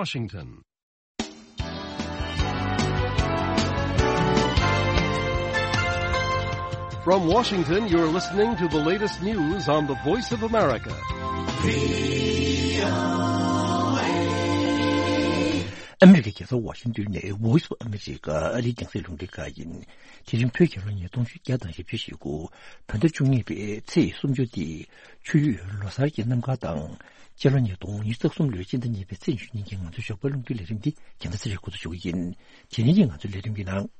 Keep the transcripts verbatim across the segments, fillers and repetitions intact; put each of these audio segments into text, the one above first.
Washington. From Washington, you're listening to the latest news on the Voice of America. ཨ་མི་རི་ཀའི་རྒྱལ་ས་ཝ་ཤིང་ཏོན་ནས་Voice of America ཨ་རིའི་རྒྱང་སྲིང་རླུང་འཕྲིན་ཁང་ཡིན། དེ་རིང་བོད་རྒྱལ་ལོ་ཉིས་སྟོང་བརྒྱ་དང་བཞི་བཅུ་ཞེ་དགུ་བོད་ཟླ་བཅུ་གཉིས་པའི་ཚེས་སུམ་ཅུ་སྟེ། ཆུ་ཡོས་ལོ་གསར་གྱི་གནམ་གང་དང་། སྤྱི་ལོ་ཉིས་སྟོང་ཉི་ཤུ་རྩ་གསུམ་ལོའི་སྤྱི་ཟླ་གཉིས་པའི་ཚེས་ཉི་ཤུ་ཉིན་གྱི་ང་ཚོའི་ཞོགས་པའི་རླུང་འཕྲིན་ལས་རིམ་འདི་རྒྱལ་མཚན་ཚེ་རིང་འགོ་འཛུགས་ཞུ་གི་ཡིན། དེ་རིང་གི་ང་ཚོའི་ལས་རིམ་གྱི་ནང་།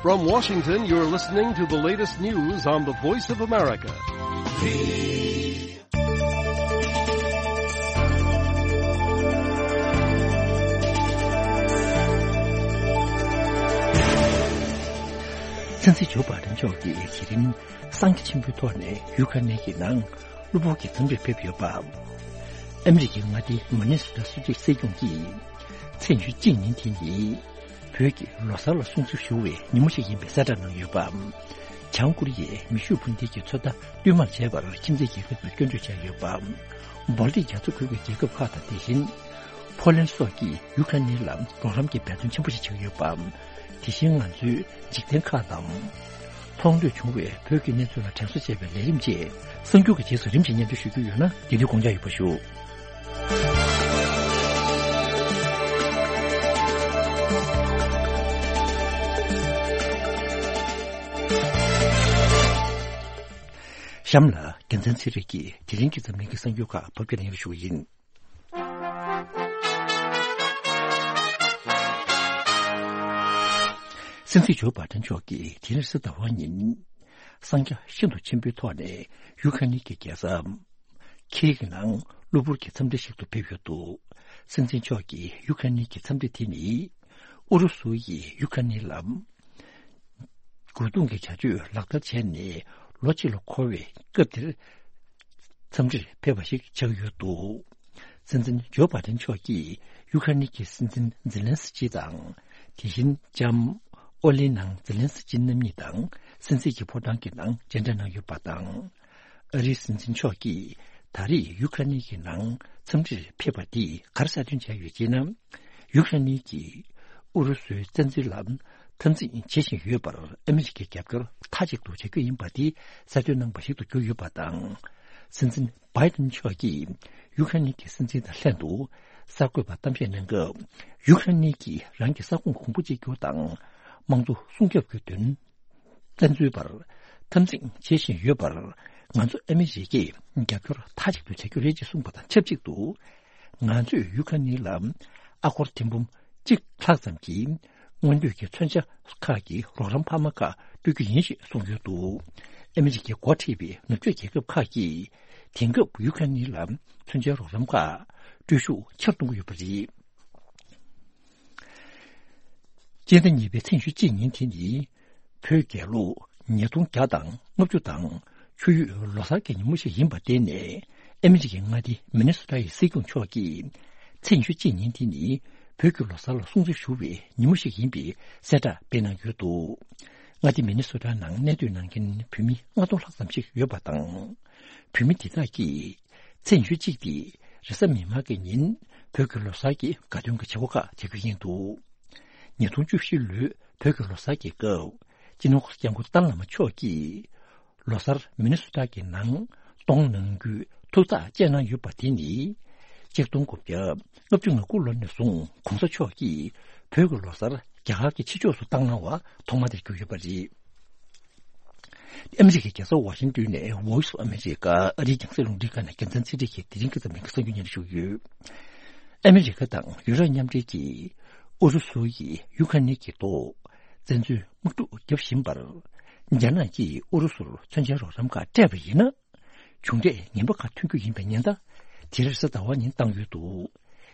From Washington, you're listening to the latest news on the Voice of America. སྲིད་འཛིན་ཇོ་བྷའི་ཌེན་མཆོག་གིས་དེ་རིང་སངས་རྒྱས་ཆེན་པོའི་ཐོག་ནས་ཡུ་ཁ་ནེ་གི་ནང་གློ་བུར་གྱི་འཚམས་འདྲིར་ཕེབས་ཡོད་པ། ཨ་མི་རི་ཀའི་མངའ་སྡེ་མི་ནི་སོ་ཊ་སུ་ཏི་སྲིད་སྐྱོང་གིས་ཚེས་ཉི་ཤུ་གཅིག་ཉིན་དེ་ནི་བོད་ཀྱི་ལོ་གསར་ལ་སྲུང་བརྩི་ཞུ་བའི་ཉིན་མོ་ཞིག་ཡིན་པའི་གསལ་བསྒྲགས་གནང་ཡོད་པ། བྱང་ཀོ་རི་ཡས་མེ་ཤུགས་འཕུར་མདེལ་གྱི་ཚོད་ལྟ་བསྟུད་མར་བྱས་པར་ཁྱིམ་མཚེས་རྒྱལ་ཁབ་ཀྱིས་སྐྱོན་བརྗོད་བྱས་ཡོད་པ། སྦལ་ཏིག་རྒྱ་མཚོ་ཁུལ་གྱི་རྒྱལ་ཁབ་ཁག་དང་དེ་བཞིན་ཕོ་ལན་སོགས་ཀྱིས་ཡུ་ཁ་ནི་ལ་རོགས་རམ་གྱི་འབད་བརྩོན་ཆེན་པོ་ཞིག་བྱེད་ཀྱི་ཡོད་པ། དེ་བཞིན་ང་ཚོའི་འཇིག་རྟེན་ཁག་དང་། མཐོང་ཐོས་བྱུང་བའི་བོད་ཀྱི་གནས་ཚུལ་ལ་དྲན་གསོ་བྱེད་པའི་ལས་རིམ་བཅས་གསར་འགྱུར་གྱི་རྗེས་སུ་རིམ་བཞིན་སྙན་སྒྲོན་ཞུ་རྒྱུ་ཡོད་ན་དེ་དུས་དགོངས་འཇགས་ཡོད་པ་ཞུ། གཤམ་ལ་རྒྱལ་མཚན་ཚེ་རིང་གིས་དེ་རིང་གི་འཛམ་གླིང་གི་གསར་འགྱུར་ཁག་ཕབ་སྒྱུར་གནང་རོགས་ཞུ་བ་ཡིན། སྲིད་འཛིན་ཇོ་བྷའི་ཌེན་མཆོག་གིས་དེ་རིང་གཟའ་ཟླ་བ་ཉིན། སངས་རྒྱས་ཤིན་ཏུ་ཆེན་པོའི་ཐོག་ནས་ཡུ་ཁ་ནི་གི་རྒྱལ་ས་ཁིའེ་གི་ནང་གློ་བུར་གྱི་འཚམས་འདྲི་ཞིག་ཏུ་ཕེབས་ཡོད་འདུག་སྲིད་འཛིན་མཆོག་གིས་ཡུ་ཁ་ནི་གི་འཚམས་འདྲི་དེ་ནི་ཨུ་རུ་སུ་ཡིས་ཡུ་ཁ་ནི་ལ། རྒོལ་རྡུང་གི་བྱ་སྤྱོད་ལག་བསྟར་བྱས་ནས་ལོ་གཅིག་ལ་འཁོར་བའི་སྐབས་དེར་འཚམས་འདྲིར་ཕེབས་པ་ཞིག་ཆགས་ཡོད་འདུག་སྲིད་འཛིན་ཇོ་བྷའི་ཌེན་མཆོག་གིས་ཡུ་ཁ་ནི་གི་སྲིད་འཛིན་ཛེ་ལན་སི་ཀི་དང་། དེ་བཞིན་ལྕམ་ཨོ་ལི་ནང་ཛེ་ལན་སི་ཀི་རྣམ་གཉིས་དང་སྲིད་འཛིན་གྱི་ཕོ་བྲང་གི་ནང་མཇལ་འཕྲད་གནང་ཡོད་པ་དང་། ཨ་རིའི་སྲིད་འཛིན་མཆོག་གིས་ད་རེས་ཡུ་ཁ་ནི་གི་ནང་འཚམས་འདྲིར་ཕེབས་པ་འདིས་ག་རེ་གསལ་སྟོན་བྱས་ཡོད་ཅེ་ན། ཡུཀ་རེན་གྱིས་ཨུ་རུ་སུའི་བཙན་འཛུལ་ལ་འཐབ་འཛིང་བྱེད་བཞིན་ཡོད་པར་ཨ་མི་རི་ཀའི་རྒྱབ་སྐྱོར་མཐའ་གཅིག་ཏུ་བྱ་རྒྱུ་ཡིན་པ་དེ་གསལ་སྟོན་གནང་བ་ཞིག་ཏུ་གྱུར་ཡོད་པ་དང་། སྲིད་འཛིན་བྷའི་ཏིན་མཆོག་གིས་ཡུཀ་རེན་གྱི་སྲིད་འཛིན་དང་ལྷན་དུ་གསར་འགོད་པར་གཏམ་བཤད་གནང་སྐབས། ཡུཀ་རེན་གྱིས་རང་གི་ས་ཁོངས་གོང་བུ་གཅིག་གྱུར་དང་། དམངས་གཙོ་སྲུང་སྐྱོབ་ཀྱི་དོན། བཙན་འཛུལ་པར་འཐབ་འཛིང་བྱེད་བཞིན་ཡོད་པར། ང་ཚོ་ཨ་མི་རི་ཀས་རྒྱབ་སྐྱོར་མཐའ་གཅིག་ཏུ་བྱ་རྒྱུ་རེད་ཅེས་གསུངས་པ་དང་ཆབས་ཅིག་ཏུ། ང་ཚོས་ཡུ་ཁ་ནི་ལ་ཨ་སྒོར་ཐེར་འབུམ་གཅིག་ལྷག་ཙམ་གྱི་སྔོན་སྡོད་ཀྱི་མཚོན་ཆ་ཁག་གི་རོགས་རམ་འཕར་མ་ཁག་སྤྲོད་རྒྱུ་ཡིན་ཞེས་གསུངས་ཡོད་འདུག་ཨ་མི་རི་ཀའི་འགོ་ཁྲིད་པའི་ནུབ་ཕྱོགས་རྒྱལ་ཁབ་ཁག་གིས་དེང་སྐབས་ཡུ་ཁ་ནི་ལ་མཚོན་ཆའི་རོགས་རམ་ཁག་སྤྲོད་ཤུགས་ཆེ་རུ་གཏོང་གི་ཡོད་པ་རེད། སྤྱི་ཟླ་གཉིས་པའི་ཚེས་ཉི་ཤུ་གཅིག་ཉིན་དེ་ནི། བོད་རྒྱལ་ལོ་ཉིས་སྟོང་བརྒྱ་དང་ལྔ་བཅུ་དང་ཆུ་ཡོས་ལོ་གསར་གྱི་ཉིན་མོ་ཞིག་ཡིན་པར་བརྟེན་ནས། ཨ་མི་རི་ཀའི་མངའ་སྡེ་མི་ནི་སོ་ཊ་ཡི་སྲིད་སྐྱོང་མཆོག་གིས། ཚེས་ཉི་ཤུ་གཅིག་ཉིན་དེ་ནི། བོད་ཀྱི་ལོ་གསར་ལ་སྲུང་བརྩི་ཞུ་བའི་ཉིན་མོ་ཞིག་ཡིན་པའི་གསལ་བསྒྲགས་སྤེལ་གནང་ཡོད་འདུག་མངའ་སྡེ་མི་ནི་སོ་ཊ་ནང་གནས་སྡོད་གནང་མཁན་བོད་མི་ལྔ་སྟོང་ལྷག་ཙམ་ཞིག་ཡོད་པ་དང་། བོད་མི་འདི་དག་གིས། ཚེས་ཉི་ཤུ་གཅིག་སྟེ། རེས་གཟའ་མིག་དམར་གྱི་ཉིན། བོད་ཀྱི་ལོ་གསར་གྱི་དགའ་སྟོན་གྱི་བྱེད་སྒོ་ཁག་བྱེད་རྒྱུ་ཡིན་འདུག་ཉིས་སྟོང་བཅུ་བཞི་ལོའི་བོད་ཀྱི་ལོ་གསར་གྱི་སྐབས། སྤྱི་ནོར་གོང་ས་སྐྱབས་མགོན་ཏཱ་ལའི་བླ་མ་མཆོག་གིས། ལོ་གསར་མི་ནི་སོ་ཊ་གི་ནང་གཏོང་གནང་རྒྱུའི་ཐུགས་ཐག་བཅད་གནང་ཡོད་པ་དེ་ནི། གཅིག་སྟོང་དགུ་བརྒྱ་ལྔ་བཅུ་ང་དགུ་ལོ་ནས་བཟུང་གོང་ས་མཆོག་གིས་བོད་ཀྱི་ལོ་གསར་རྒྱ་གར་གྱི་ཕྱི་ཕྱོགས་སུ་བཏང་གནང་བ་ཐོག་མ་དེར་གྱུར་ཡོད་པ་རེད། ཨ་མི་རི་ཀའི་རྒྱལ་ས་ཝ་ཤིང་ཏོན་ནས་Voice of America ཨ་རིའི་རྒྱང་སྲིང་རླུང་འཕྲིན་ཁང་ནས་རྒྱལ་མཚན་ཚེ་རིང་གིས་དེ་རིང་གི་འཛམ་གླིང་གི་གསར་འགྱུར་སྙན་སྒྲོན་ཞུ་གི་ཡོད། ཨ་མི་རི་ཀ་དང་ཡུ་རོབ་མཉམ་འབྲེལ་གྱིས་ཨུ་རུ་སུ་ཡིས་ཡུ་ཁ་ནི་གི་ཐོག་བཙན་འཛུལ་དམག་འཁྲུག་བརྒྱབ་བཞིན་པར། རྒྱ་ནག་གིས་ཨུ་རུ་སུར་མཚོན་ཆའི་རོགས་རམ་ཁག་སྤྲད་པ་ཡིན་ན། གྱོང་འབྲས་ངན་པ་ཁག་ཐོན་རྒྱུ་ཡིན་པའི་ཉེན་བརྡ་དེ་རེས་གཟའ་ཟླ་བ་ཉིན་བཏང་ཡོད་འདུག་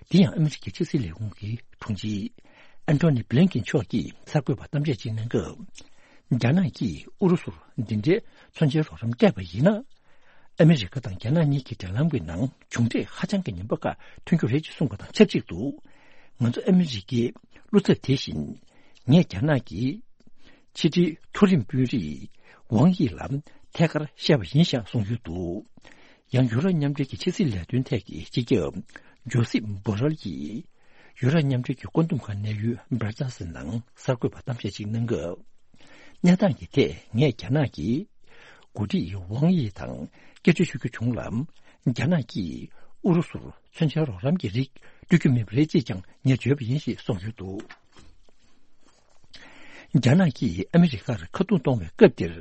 དེ་ཡང་ཨ་མི་རི་ཀའི་ཕྱི་སྲིད་ལས་ཁུངས་ཀྱི་དྲུང་ཆེ་ཨན་ཐོ་ནི་བྷི་ལིན་ཀིན་མཆོག་གིས་གསར་འགོད་པར་གཏམ་བཤད་ཅིག་གནང་སྐབས། རྒྱ་ནག་གིས་ཨུ་རུ་སུར་འདི་འདྲའི་མཚོན་ཆའི་རོགས་རམ་སྤྲད་པ་ཡིན་ན། ཨ་མི་རི་ཀ་དང་རྒྱ་ནག་གཉིས་ཀྱི་འབྲེལ་ལམ་གྱི་ནང་གྱོང་འབྲས་ཧ་ཅང་གི་ངན་པ་ཁག་ཐོན་རྒྱུ་རེད་ཅེས་གསུངས་པ་དང་ཆབས་ཅིག་ཏུ། ང་ཚོ་ཨ་མི་རི་ཀའི་བློ་འཚབ་དེ་བཞིན། ངས་རྒྱ་ནག་གི་ཕྱི་དྲིལ་མཐོ་རིམ་དཔོན་རིགས་ཝང་དབྱི་ལ་ ཐད་ཀར་བཤད་པ་ཡིན་ཞེས་གསུངས་ཡོད་འདུག། ཡང་ཡུ་རོབ་མཉམ་འབྲེལ་གྱི་ཕྱི་སྲིད་ལས་དོན་ཐད་ཀྱི་སྤྱི་ཁྱབ་ཇོ་སེབ་བྷོ་རལ་གྱིས་ཡུ་རོབ་མཉམ་འབྲེལ་གྱི་བཀོད་འདོམས་ཁང་གནས་ཡུལ་བྷར་ཛལ་སི་ནང་གསར་འགོད་པར་གཏམ་བཤད་ཅིག་གནང་སྐབས། གནས་སྟངས་ཀྱི་ཐད་ངས་རྒྱ་ནག་གི་འགོ་ཁྲིད་ཝང་དབྱི་དང་སྐད་ཆ་ཤོད་རྒྱུ་བྱུང་ལ། རྒྱ་ནག་གིས་ཨུ་རུ་སུར་མཚོན་ཆའི་རོགས་རམ་གྱི་རིགས་སྤྲོད་རྒྱུ་མེད་པ་རེད་ཅེས་ཀྱང་ངས་བརྗོད་པ་ཡིན་ཞེས་གསུངས་ཡོད་འདུག། རྒྱ་ནག་གིས་ཨ་མི་རི་ཀར་ཁ་རྡུང་གཏོང་བའི་སྐབས་འདིར།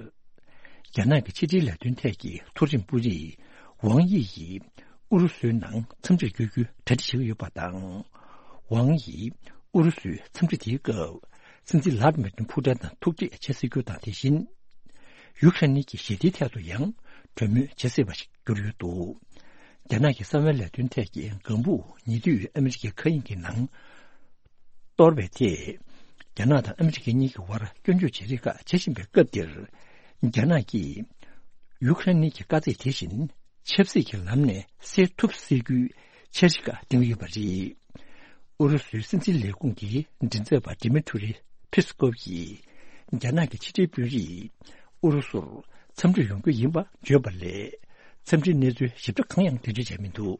རྒྱ་ནག་གི་ཕྱི་འབྲེལ་ལས་དོན་ཐད་ཀྱི་མཐོ་རིམ་དཔོན་རིགས་ཝང་དབྱི་ཡིས་ཨུ་རུ་སུའི་ནང་འཚམས་འདྲིར་བསྐྱོད་རྒྱུའི་གྲ་སྒྲིག་བྱེད་ཀྱི་ཡོད་པ་དང་། ཝང་དབྱིས་ཨུ་རུ་སུའི་འཚམས་འདྲི་དེའི་སྐབས། སྲིད་འཛིན་ལྷ་ཌི་མི་ཏིན་ཕུ་ཏན་དང་ཐུག་འཕྲད་བྱེད་སྲིད་རྒྱུ་དང་། དེ་བཞིན་ཡུ་ཁ་རེན་གྱི་ཞི་བདེའི་ཐད་དུ་ཡང་གྲོས་མོལ་བྱེད་སྲིད་པ་ཞིག་གྱུར་ཡོད་འདུག། རྒྱ་ནག་གི་གསང་བའི་ལས་དོན་ཐད་ཀྱི་ལྒང་བུ་ཉེ་དུས་ཨ་མི་རི་ཀའི་མཁའ་དབྱིངས་ཀྱི་ནང་གཏོར་བའི་ཐད། རྒྱ་ནག་དང་ཨ་མི་རི་ཀ་གཉིས་ཀྱི་དབར་སྐྱོན་བརྗོད་བྱེད་རེས་ཁག་བྱེད་བཞིན་པའི་སྐབས་འདིར། རྒྱ་ནག་གིས་ཡུ་ཁ་རེན་གྱི་དཀའ་ཚེགས་དེ་བཞིན་ཆབ་སྲིད་ཀྱི་ལམ་ནས་སེལ་ཐུབ་སྲིད་རྒྱུའི་འཆར་གཞི་ཁག་བཏིང་ཡོད་པ་རེད། ཨུ་རུ་སུའི་སྲིད་འཛིན་ལས་ཁུངས་ཀྱི་མགྲིན་ཚབ་པ་ཌི་མི་ཊི་རི་ཕི་སི་ཀོབ་ཀྱིས་རྒྱ་ནག་གི་ཕྱི་འབྲེལ་དཔོན་རིགས་ཨུ་རུ་སུར་འཚམས་འདྲིར་ཡོང་རྒྱུ་ཡིན་པ་བརྗོད་པ་ལས། འཚམས་འདྲིའི་གནས་ཚུལ་ཞིབ་ཕྲ་གང་ཡང་འགྲེལ་བརྗོད་བྱས་མི་འདུག།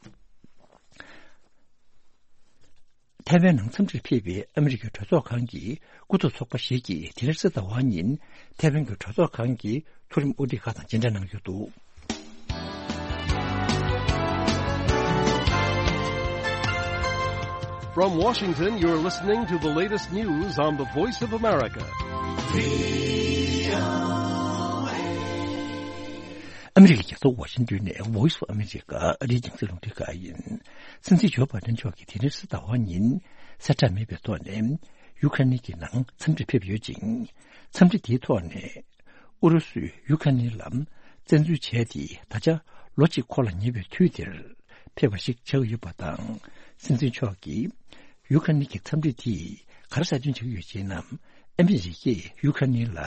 ཐའེ་ཝན་ནང་འཚམས་འདྲིར་ཕེབས་པའི་ཨ་མི་རི་ཀའི་གྲོས་ཚོགས་ཁང་གི་སྐུ་ཚབ་ཚོགས་པ་ཞིག་གིས་དེ་རིང་གཟའ་ཟླ་བ་ཉིན་ཐའེ་ཝན་གྱི་གྲོས་ཚོགས་ཁང་གི་མཐོ་རིམ་དབུ་ཁྲིད་ཁག་དང་མཇལ་འཕྲད་གནང་ཡོད་འདུག། From Washington, you're listening to the latest news on the Voice of America. ཨ་མི་རི་ཀའི་རྒྱལ་ས་ཝ་ཤིང་ཏོན་ནས་Voice of America ཨ་རིའི་རྒྱང་སྲིང་རླུང་འཕྲིན་ཁང་ཡིན། སྲིད་འཛིན་ཇོ་བྷའི་ཏན་མཆོག་གིས་དེ་རིང་གཟའ་ཟླ་བ་ཉིན་གསལ་བསྒྲགས་མེད་པའི་ཐོག་ནས་ཡུ་ཁ་རེན་གྱི་ནང་འཚམས་འདྲིར་ཕེབས་ཡོད་ཅིང་། འཚམས་འདྲི་དེའི་ཐོག་ནས་ཨུ་རུ་སུས་ཡུ་ཁ་རེན་ལ་བཙན་འཛུལ་བྱས་ཏེ་ད་ཆ་ལོ་གཅིག་འཁོར་ལ་ཉེ་བའི་དུས་འདིར་ཕེབས་པ་ཞིག་ཆགས་ཀྱི་ཡོད་པ་དང་། སྲིད་འཛིན་མཆོག་གིས་ཡུ་ཁ་རེན་གྱི་འཚམས་འདྲི་དེས་ག་རེ་གསལ་སྟོན་བྱེད་ཀྱི་ཡོད་ཅེ་ན། ཨ་མི་རི་ཀས་ཡུ་ཁ་རེན་ལ་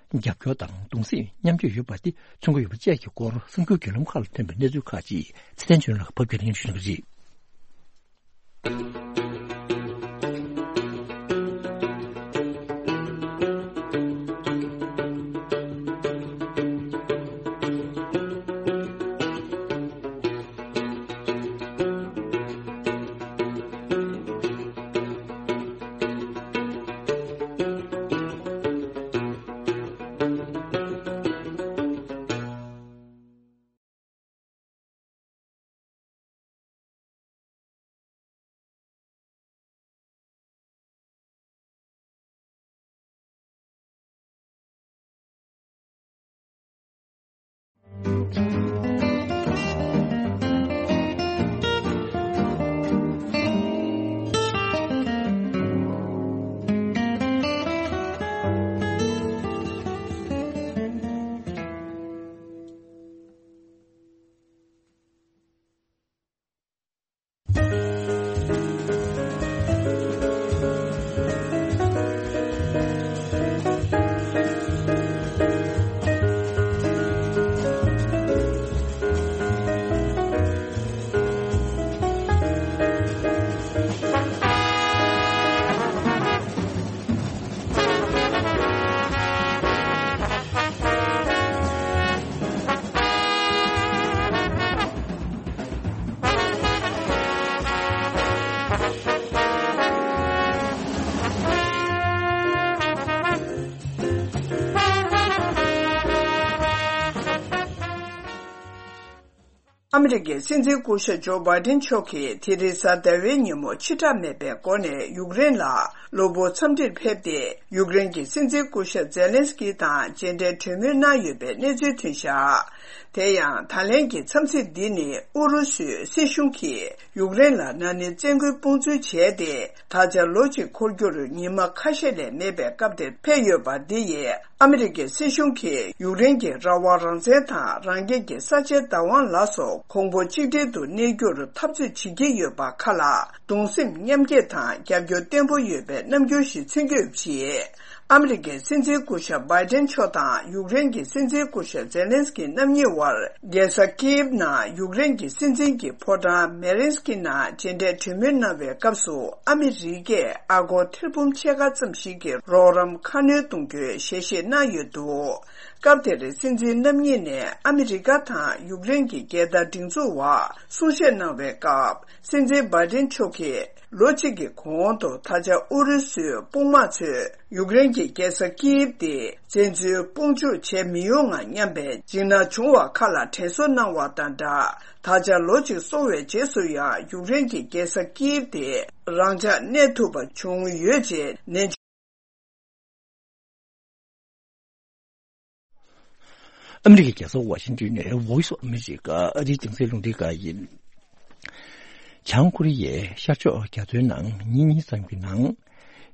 རྒྱབ་སྐྱོར་དང་གདུང་སེམས་མཉམ་སྐྱེད་ཡོད་པ་དེ་མཚོན་གྱི་ཡོད་པ་བཅས་ཀྱི་སྐོར་གསར་འགྱུར་བརྒྱུད་ལམ་ཁག་ལ་ཐོན་པའི་གནས་ཚུལ་ཁག་ཅིག་ཚེ་བརྟན་ཆོས་ལགས་ཕབ་སྒྱུར་གནང་བཞིན་པ་རེད། ཨ་མི་རི་ཀའི་སྲིད་འཛིན་སྐུ་ཞབས་ཇོ་བྷའི་ཏན་མཆོག་གིས་དེ་རིང་གཟའ་ཟླ་བའི་ཉིན་མོ་ཕྱི་བསྒྲགས་མེད་པའི་སྒོ་ནས་ཡུཀ་རེན་ལ་གློ་བུར་འཚམས་འདྲིར་ཕེབས་ཏེ། ཡུཀ་རེན་གྱི་སྲིད་འཛིན་སྐུ་ཞབས་ཛེ་ལན་སི་ཀི་དང་མཇལ་འཕྲད་གྲོས་མོལ་གནང་ཡོད་པའི་གནས་ཚུལ་ཐོན་བཞག། དེ་ཡང་ད་ལན་གྱི་འཚམས་གཟིགས་འདི་ནི་ཨུ་རུ་སུའི་སྲིད་གཞུང་གིས་ཡུཀ་རེན་ལ་ན་ནིང་བཙན་རྒོལ་དཔུང་འཛུལ་བྱས་ཏེ། ད་ཆ་ལོ་གཅིག་འཁོར་རྒྱུར་ཉི་མ་ཁ་ཤས་ལས་མེད་པའི་སྐབས་དེར་ཕེབས་ཡོད་པ་འདི་ཡིས། ཨ་མི་རི་ཀའི་སྲིད་གཞུང་གིས་ཡུཀ་རེན་གྱི་རང་དབང་རང་བཙན་དང་རང་སྐྱོང་གི་ས་ཆའི་བདག་དབང་ལ་སོགས་གོང་བུ་གཅིག་སྒྲིལ་དུ་གནས་རྒྱུར་འཐབ་རྩོད་བྱེད་ཀྱི་ཡོད་པ་ཁག་ལ་གདུང་སེམས་མཉམ་སྐྱེད་དང་རྒྱབ་སྐྱོར་བརྟན་པོ་ཡོད་པའི་རྣམ་འགྱུར་ཞིག་མཚོན་གྱི་ཡོད་པ་རེད། ཨ་མི་རི་ཀའི་སྲིད་འཛིན་སྐུ་ཞབས་བྷའི་ཏན་མཆོག་དང་ཡུཀ་རེན་གྱི་སྲིད་འཛིན་སྐུ་ཞབས་ཛེ་ལན་སི་ཀི་རྣམ་གཉིས་དབར་རྒྱལ་ས་ཀིབ་ནང་ཡུཀ་རེན་གྱི་སྲིད་འཛིན་གྱི་ཕོ་བྲང་མེ་རིན་སི་ཀི་ནང་མཇལ་འཕྲད་གྲོས་མོལ་གནང་བའི་སྐབས་སུ། ཨ་མི་རི་ཀས་ཨ་སྒོར་ཐེར་འབུམ་ཕྱེད་ཀ་ཙམ་ཞིག་གི་རོགས་རམ་ཁ་སྣོན་གཏོང་རྒྱུའི་ཞལ་བཞེས་གནང་ཡོད་འདུག། སྐབས་དེར་སྲིད་འཛིན་རྣམ་གཉིས་ནས་ཨ་མི་རི་ཀ་དང་ཡུཀ་རེན་གྱི་རྒྱལ་དར་སྒྲེང་འཛུགས་འོག་གསུང་བཤད་གནང་བའི་སྐབས། སྲིད་འཛིན་བྷའི་ཏིན་མཆོག་གིས་ལོ་གཅིག་གི་གོང་དུ་ད་ཆ་ཨུ་རུ་སུའི་དཔུང་དམག་ཚོས་ཡུཀ་རེན་གྱི་རྒྱལ་ས་ཀིབ་དེ་བཙན་འཛུལ་དཔུང་འཇུག་བྱས་མི་ཡོང་ངམ་སྙམ་པའི་འཇིགས་སྣང་བྱུང་བ་ཁག་ལ་དྲན་གསོ་གནང་བ་དང་སྦྲགས། ད་ཆ་ལོ་གཅིག་སོང་བའི་རྗེས་སུ་ཡང་ཡུཀ་རེན་གྱི་རྒྱལ་ས་ཀིབ་དེ་རང་འཇགས་གནས་ཐུབ་པ་བྱུང་ཡོད་ཅེས་ནན། ཨ་མི་རི་ཀའི་རྒྱལ་ས་ཝ་ཤིང་ཏོན་ནས་Voice of America ཨ་རིའི་རྒྱང་སྲིང་རླུང་འཕྲིན་ཁང་ཡིན། བྱང་ཀོ་རི་ཡས་ཤར་ཕྱོགས་རྒྱ་མཚོའི་ནང་ཉིན་གཉིས་ཙམ་གྱི་ནང་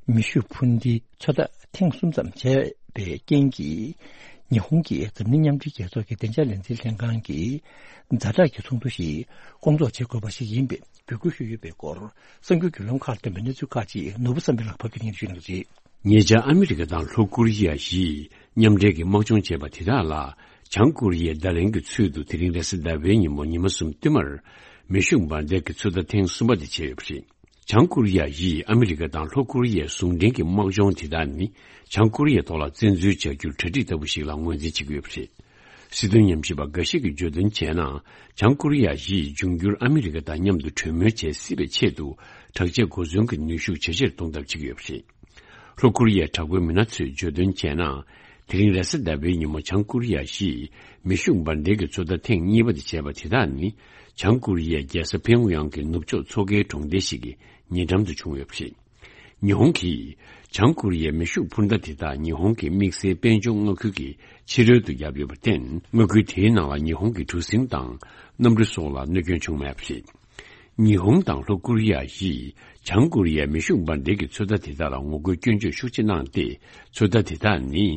མེ་ཤུགས་འཕུར་མདེལ་ཚོད་ལྟ་ཐེངས་གསུམ་ཙམ་བྱས་པའི་རྐྱེན་གྱིས། ཉི་ཧོང་གིས་འཛམ་གླིང་མཉམ་འབྲེལ་རྒྱལ་ཚོགས་ཀྱི་བདེ་འཇགས་ལས་འཛིན་ལྷན་ཁང་གི་ཛ་དྲག་གི་ཚོགས་འདུ་ཞིག་སྐོང་ཚོགས་བྱེད་དགོས་པ་ཞིག་ཡིན་པའི་འབོད་སྐུལ་ཞུས་ཡོད་པའི་སྐོར། གསར་འགྱུར་བརྒྱུད་ལམ་ཁག་ལ་བཏོན་པའི་གནས་ཚུལ་ཁག་ཅིག་ནོར་བུ་བསམ་འཕེལ་ལགས་ཕབ་སྒྱུར་གནང་ཞུས་གནང་རྗེས། ཉེ་ཆར་ཨ་མི་རི་ཀ་དང་ལྷོ་ཀོ་རི་ཡ་བཞིས་མཉམ་འབྲེལ་གྱི་དམག་སྦྱོང་བྱས་པ་དེ་དག་ལ། བྱང་ཀོ་རི་ཡས་བརྡ་ལན་གྱི་ཚུལ་དུ་དེ་རིང་རེས་གཟའ་ཟླ་བའི་ཉིན་མོ་ཉི་མ་གསུམ་བསྟུད་མར་མེ་ཤུགས་འབར་མདེལ་གྱི་ཚོད་ལྟ་ཐེངས་གསུམ་པ་དེ་བྱས་ཡོད་པ་རེད། བྱང་ཀོ་རི་ཡ་བཞིས་ཨ་མི་རི་ཀ་དང་ལྷོ་ཀོ་རི་ཡའི་ཟུང་འབྲེལ་གྱི་དམག་སྦྱོང་དེ་དག་ནི། བྱང་ཀོ་རི་ཡའི་ཐོག་ལ་བཙན་འཛུལ་བྱ་རྒྱུར་གྲ་སྒྲིག་ལྟ་བུ་ཞིག་ལ་ངོས་འཛིན་བྱེད་ཀྱི་ཡོད་པ་རེད། སྲིད་དོན་ཉམས་ཞིབ་པ་འགའ་ཞིག་གིས་བརྗོད་དོན་བྱས་ན། བྱང་ཀོ་རི་ཡ་བཞིས་འབྱུང་འགྱུར་ཨ་མི་རི་ཀ་དང་མཉམ་དུ་གྲོས་མོལ་བྱེད་སྲིད་པའི་ཆེད་དུ། དྲག་ཆས་གོ་མཚོན་གྱི་ནུས་ཤུགས་ཇེ་ཆེར་གཏོང་ཐབས་བྱེད་ཀྱི་ཡོད་པ་རེད། ལྷོ་ཀོ་རི་ཡའི་དྲག་པོའི་མི་སྣ་ཚོས་བརྗོད་དོན་བྱས་ན། དེ་རིང་རེས་གཟའ་ཟླ་བའི་ཉིན་མོ་བྱང་ཀོ་རི་ཡ་བཞིས་མེ་ཤུགས་འབར་མདེལ་གྱི་ཚོད་ལྟ་ཐེངས་གཉིས་པ་དེ་བྱས་པ་དེ་དག་ནི། བྱང་ཀོ་རི་ཡའི་རྒྱལ་ས་ཕིའུ་ཡང་གི་ནུབ་ཕྱོགས་མཚོ་ཁའི་གྲོང་སྡེ་ཞིག་གི་ཉེ་འགྲམ་དུ་བྱུང་ཡོད་པ་རེད། ཉི་ཧོང་གིས་བྱང་ཀོ་རི་ཡའི་མེ་ཤུགས་འཕུར་མདའ་དེ་དག་ཉི་ཧོང་གི་དམིགས་བསལ་དཔལ་འབྱོར་མངའ་ཁུལ་གྱི་ཕྱི་རོལ་དུ་བརྒྱབ་ཡོད་པར་བརྟེན། མངའ་ཁུལ་དེའི་ནང་ལ་ཉི་ཧོང་གི་གྲུ་གཟིངས་དང་གནམ་གྲུ་སོགས་ལ་གནོད་སྐྱོན་བྱུང་མེད་པ་རེད། ཉི་ཧོང་དང་ལྷོ་ཀོ་རི་ཡ་བཞིས་བྱང་ཀོ་རི་ཡའི་མེ་ཤུགས་འབར་མདེལ་གྱི་ཚོད་ལྟ་དེ་དག་ལ་ངོ་རྒོལ་སྐྱོན་བརྗོད་ཤུགས་ཆེ་གནང་སྟེ། ཚོད་ལྟ་དེ་དག་ནི་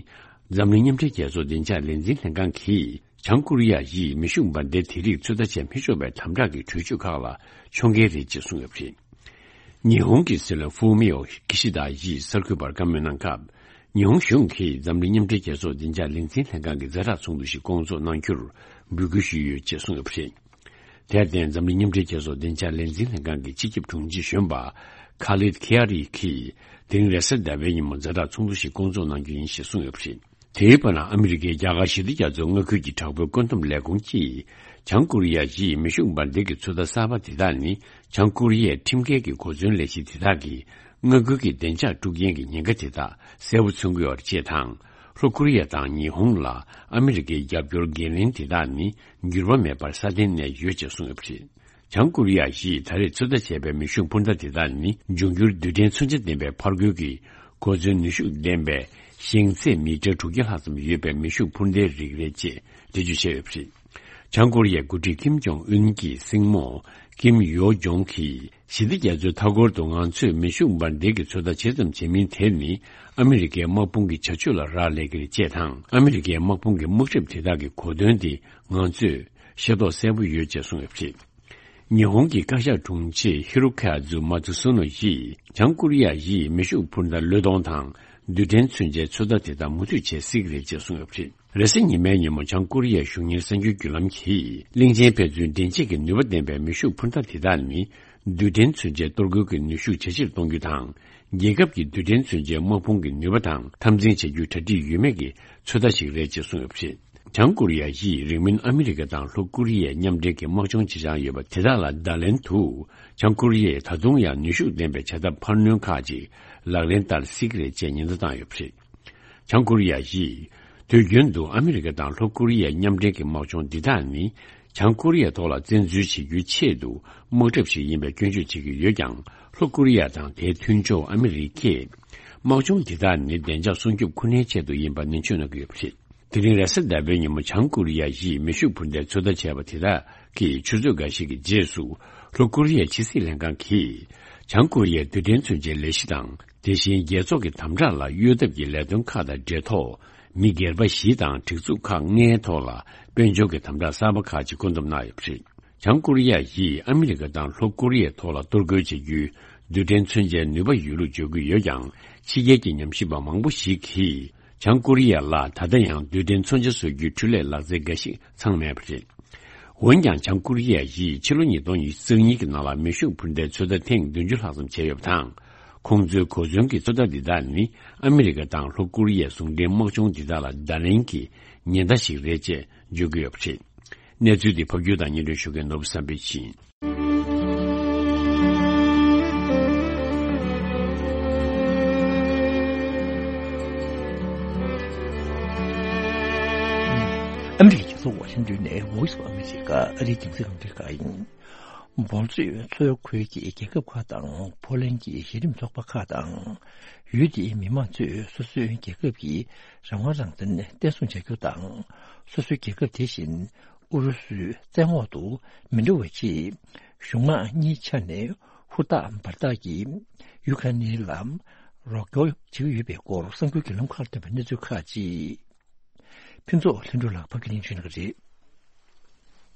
འཛམ་གླིང་མཉམ་འབྲེལ་རྒྱལ་ཚོགས་བདེ་འཇགས་ལས་འཛིན་ལྷན་ཁང་གིས། བྱང་ཀོ་རི་ཡ་ཡིས་མེ་ཤུགས་འབར་མདེལ་དེ་རིགས་ཚོད་ལྟ་བྱེད་མི་ཆོག་པའི་དམ་དྲག་གི་གྲོས་ཆོད་ཁག་ལ་ཕྱོགས་འགལ་རེད་ཅེས་གསུངས་ཡོད་པ་རེད། ཉི་ཧོང་གི་སྲིད་བློན་ཧྥུ་མིའོ་ཀི་ཤི་དཱ་ཡིས་གསར་འགོད་པར་བཀའ་མོལ་གནང་སྐབས། ཉི་ཧོང་གཞུང་གིས་འཛམ་གླིང་མཉམ་འབྲེལ་རྒྱལ་ཚོགས་བདེ་འཇགས་ལས་འཛིན་ལྷན་ཁང་གི་ཛ་དྲག་ཚོགས་འདུ་ཞིག་སྐོང་ཚོགས་གནང་རྒྱུར་འབོད་སྐུལ་ཞུས་ཡོད་ཅེས་གསུངས་ཡོད་པ་རེད། དེར་བརྟེན། འཛམ་གླིང་མཉམ་འབྲེལ་རྒྱལ་ཚོགས་བདེ་འཇགས་ལས་འཛིན་ལྷན་ཁང་གི་སྤྱི་ཁྱབ་དྲུང་ཆེ་གཞོན་པ་ཁ་ལིད་ཁི་ཨ་རི་གིས། དེ་རིང་རེས་གཟའ་ཟླ་བའི་ཉིན་མོ་ཛ་དྲག་ཚོགས་འདུ་ཞིག་སྐོང་ཚོགས་གནང་རྒྱུ་ཡིན་ཞེས་གསུངས་ཡོད་པ་རེད། དེའི་བར་ན། ཨ་མི་རི་ཀའི་རྒྱ་གར་ཞི་བདེ་རྒྱ་མཚོའི་མངའ་ཁུལ་གྱི་དྲག་པོའི་བཀོད་འདོམས་ལས་ཁུངས་ཀྱིས། བྱང་ཀོ་རི་ཡ་ཡིས་མེ་ཤུགས་འབར་མདེལ་གྱི་ཚོད་ལྟ་གསར་པ་དེ་དག་ནི། བྱང་ཀོ་རི་ཡའི་ཁྲིམས་འགལ་གྱི་གོ་མཚོན་ལས་གཞི་དེ་དག་གིས། མངའ་ཁུལ་གྱི་བདེ་འཇགས་དཀྲུག་རྐྱེན་གྱི་ཉེན་ཁ་དེ་དག་གསལ་པོ་མཚོན་གྱི་ཡོད་པ་ཅེས་དང་། ལྷོ་ཀོ་རི་ཡ་དང་ཉི་ཧོང་ལ་ཨ་མི་རི་ཀའི་རྒྱབ་སྐྱོར་འགན་ལེན་དེ་དག་ནི། འགྱུར་བ་མེད་པར་སྲ་བརྟན་གནས་ཡོད་ཅེས་གསུངས་ཡོད་པ་རེད། བྱང་ཀོ་རི་ཡ་ཡིས་ད་རེས་ཚོད་ལྟ་བྱས་པའི་མེ་ཤུགས་འཕུར་མདའ་དེ་དག་ནི། འབྱུང་འགྱུར་རྡུལ་ཕྲན་མཚོན་ཆ་ལྡན་པའི་ཕར་རྒོལ་གྱི་གོ་མཚོན་ནུས་ཤུགས་ལྡན་པའི་ཞེང་ཚད་མི་ཊར་དྲུག་བརྒྱ་ལྷག་ཙམ་ཡོད་པའི་མེ་ཤུགས་འཕུར་མདའི་རིགས་རེད་ཅེས་འགྲེལ་བརྗོད་བྱས་ཡོད་པ་རེད། བྱང་ཀོ་རི་ཡའི་འགོ་ཁྲིད་ཀིམ་ཇོང་ཨུན་གྱི་སྲིང་མོ་ཀིམ་ཡོ་ཇོང་གིས། ཞི་བདེ་རྒྱ་མཚོའི་མཐའ་འཁོར་དུ་ང་ཚོས་མེ་ཤུགས་འབར་མདེལ་གྱི་ཚོད་ལྟ་ཇི་ཙམ་བྱེད་མིན་དེ་ནི། ཨ་མི་རི་ཀའི་དམག་དཔུང་གི་བྱ་སྤྱོད་ལ་རག་ལས་ཀྱི་རེད་ཅེས་དང་། ཨ་མི་རི་ཀའི་དམག་དཔུང་གི་དམག་གྲབས་དེ་དག་གི་གོ་དོན་དེ་ང་ཚོས་ཤེས་རྟོགས་གསལ་པོ་ཡོད་ཅེས་གསུངས་ཡོད་པ་རེད། ཉི་ཧོང་གི་བཀའ་ཤག་དྲུང་ཆེ་ཧི་རོ་ཁ་ཛུ་མ་ཚུ་སུ་ནོ་ཡིས། བྱང་ཀོ་རི་ཡ་ཡིས་མེ་ཤུགས་འཕུར་མདའ་བློས་གཏོང་དང་། རྡུལ་ཕྲན་མཚོན་ཆའི་ཚོད་ལྟ་དེ་དག་མུ་མཐུད་བྱེད་སྲིད་ཀྱི་རེད་ཅེས་གསུངས་ཡོད་པ་རེད། རེས་གཟའ་ཉི་མའི་ཉིན་མོ་བྱང་ཀོ་རི་ཡའི་གཞུང་གཉེར་གསར་འགྱུར་བརྒྱུད་ལམ་གྱིས། གླིང་ཆེན་ཕན་ཚུན་འདྲེན་བྱེད་ཀྱི་ནུས་པ་ལྡན་པའི་མེ་ཤུགས་འཕུར་མདའ་དེ་དག་ནི། རྡུལ་ཕྲན་མཚོན་ཆའི་གཏོར་རྒོལ་གྱི་ནུས་ཤུགས་ཇེ་ཆེར་གཏོང་རྒྱུ་དང་། རྒྱལ་ཁབ་ཀྱི་རྡུལ་ཕྲན་མཚོན་ཆའི་དམག་དཔུང་གི་ནུས་པ་དང་འཐབ་འཛིང་བྱ་རྒྱུའི་གྲ་སྒྲིག་ཡོད་མེད་ཀྱི་ཚོད་ལྟ་ཞིག་རེད་ཅེས་གསུངས་ཡོད་པ་རེད། བྱང་ཀོ་རི་ཡ་ཡིས་རིང་མིན་ཨ་མི་རི་ཀ་དང་ལྷོ་ཀོ་རི་ཡའི་མཉམ་འབྲེལ་གྱི་དམག་སྦྱོང་བྱེད་འཆར་ཡོད་པ་དེ་དག་ལ་བརྡ་ལན་དུ། བྱང་ཀོ་རི་ཡས་ད་དུང་ཡང་ནུས་ཤུགས་ལྡན་པའི་བྱ་ཐབས་འཕར་སྣོན་ཁག་ཅིག་ལག་ལེན་བསྟར་སྲིད་ཀྱི་རེད་ཅེས་ཉེན་བརྡ་བཏང་ཡོད་པ་རེད། བྱང་ཀོ་རི་ཡ་ཡིས་དུས་རྒྱུན་དུ་ཨ་མི་རི་ཀ་དང་ལྷོ་ཀོ་རི་ཡའི་མཉམ་འབྲེལ་གྱི་དམག་སྦྱོང་འདི་དག་ནི། བྱང་ཀོ་རི་ཡའི་ཐོག་ལ་བཙན་འཛུལ་བྱེད་རྒྱུའི་ཆེད་དུ་དམག་གྲབས་ཤིག་ཡིན་པའི་སྐྱོན་བརྗོད་བྱེད་ཀྱི་ཡོད་ཀྱང་། ལྷོ་ཀོ་རི་ཡ་དང་དེའི་མཐུན་ཕྱོགས་ཨ་མི་རི་ཀས། དམག་སྦྱོང་འདི་དག་ནི་བདེ་འཇགས་སྲུང་སྐྱོབ་ཁོ་ནའི་ཆེད་དུ་ཡིན་པ་ནན་བརྗོད་གནང་གི་ཡོད་པ་རེད། དེ་རིང་རེས་གཟའ་ཟླ་བའི་ཉིན་མོ་བྱང་ཀོ་རི་ཡ་ཡིས་མེ་ཤུགས་འཕུར་མདའི་ཚོད་ལྟ་བྱས་པ་དེ་དག་གིས་ཆུ་ཚོད་འགའ་ཞིག་གི་རྗེས་སུ། ལྷོ་ཀོ་རི་ཡའི་ཕྱི་སྲིད་ལྷན་ཁང་གིས། བྱང་ཀོ་རི་ཡའི་རྡུལ་ཕྲན་མཚོན་ཆའི་ལས་གཞི་དང་། དེ་བཞིན་རྒྱལ་ཚོགས་ཀྱི་དམ་དྲག་ལ་གཡོལ་ཐབས་ཀྱི་ལས་དོན་ཁག་དང་འབྲེལ་ཐོག་མི་སྒེར་པ་བཞི་དང་སྒྲིག་འཛུགས་ཁག་ལྔའི་ཐོག་ལ་དཔལ་འབྱོར་གྱི་དམ་དྲག་གསར་པ་ཁག་ཅིག་བཀོད་འདོམས་གནང་ཡོད་པ་རེད། བྱང་ཀོ་རི་ཡ་ཡིས་ཨ་མི་རི་ཀ་དང་ལྷོ་ཀོ་རི་ཡའི་ཐོག་ལ་གཏོར་རྒོལ་བྱེད་རྒྱུའི་རྡུལ་ཕྲན་མཚོན་ཆའི་ནུས་པ་ཡོད་ལུགས་བརྗོད་ཀྱི་ཡོད་ཀྱང་། ཕྱི་རྒྱལ་གྱི་ཉམས་ཞིབ་པ་མང་པོ་ཞིག་གིས། བྱང་ཀོ་རི་ཡ་ལ་ད་ལྟ་ཡང་རྡུལ་ཕྲན་མཚོན་ཆ་བཟོ་རྒྱུའི་འཕྲུལ་ལས་ལག་རྩལ་འགའ་ཞིག་ཚང་མེད་པ་རེད། འོན་ཀྱང་། བྱང་ཀོ་རི་ཡ་ཡིས་ཕྱི་ལོ་ཉིས་སྟོང་ཉི་ཤུ་རྩ་གཉིས་ཀྱི་ནང་ལ་མེ་ཤུགས་འཕུར་མདའི་ཚོད་ལྟ་ཐེངས་བདུན་ཅུ་ལྷག་ཙམ་བྱས་ཡོད་པ་དང་། ཁོང་ཚོའི་གོ་མཚོན་གྱི་ཚོད་ལྟ་འདི་དག་ནི་ཨ་མི་རི་ཀ་དང་ལྷོ་ཀོ་རི་ཡའི་ཟུང་འབྲེལ་དམག་སྦྱོང་འདི་དག་ལ་བརྡ་ལན་གྱི་ཉེན་བརྡ་ཞིག་རེད་ཅེས་བརྗོད་ཀྱི་ཡོད་པ་རེད། གནས་ཚུལ་འདི་ཕབ་སྒྱུར་དང་སྙན་སྒྲོན་ཞུ་མཁན་ནོར་བུ་བསམ་འཕེལ་ཡིན། ཨ་མི་རི་ཀའི་རྒྱལ་ས་ཝ་ཤིང་ཏོན་ནས་Voice of America ཨ་རིའི་རྒྱང་སྲིང་རླུང་འཕྲིན་ཁང་ཡིན། འབོལ་གཙོས་མཚོ་ཁུལ་གྱི་རྒྱལ་ཁབ་ཁག་དང་ཕོ་ལན་གྱི་གཞི་རིམ་ཚོགས་པ་ཁག་དང་། ཡུལ་དེའི་མི་མང་ཚོས་སོ་སོའི་རྒྱལ་ཁབ་ཀྱི་རང་དབང་རང་བཙན་བརྟན་སྲུང་བྱ་རྒྱུ་དང་། སོ་སོའི་རྒྱལ་ཁབ་དེ་བཞིན་ཨུ་རུ་སུའི་བཙན་འོག་ཏུ་མི་འགྲོ་བའི་ཆེད། གཞུང་དམངས་གཉིས་ཆ་ནས་ཧུར་ཐག་འབད་ཐག་གིས་ཡུ་ཁ་ནི་ལ་རོགས་སྐྱོར་བྱེད་ཀྱི་ཡོད་པའི་སྐོར་གསར་འགྱུར་བརྒྱུད་ལམ་ཁག་ཐོན་པའི་གནས་ཚུལ་ཁག་ཅིག་ཕུན་ཚོགས་ལྷུན་གྲུབ་ལགས་ཕབ་སྒྱུར་ལེན་ཞུ་གནང་གི་རེད།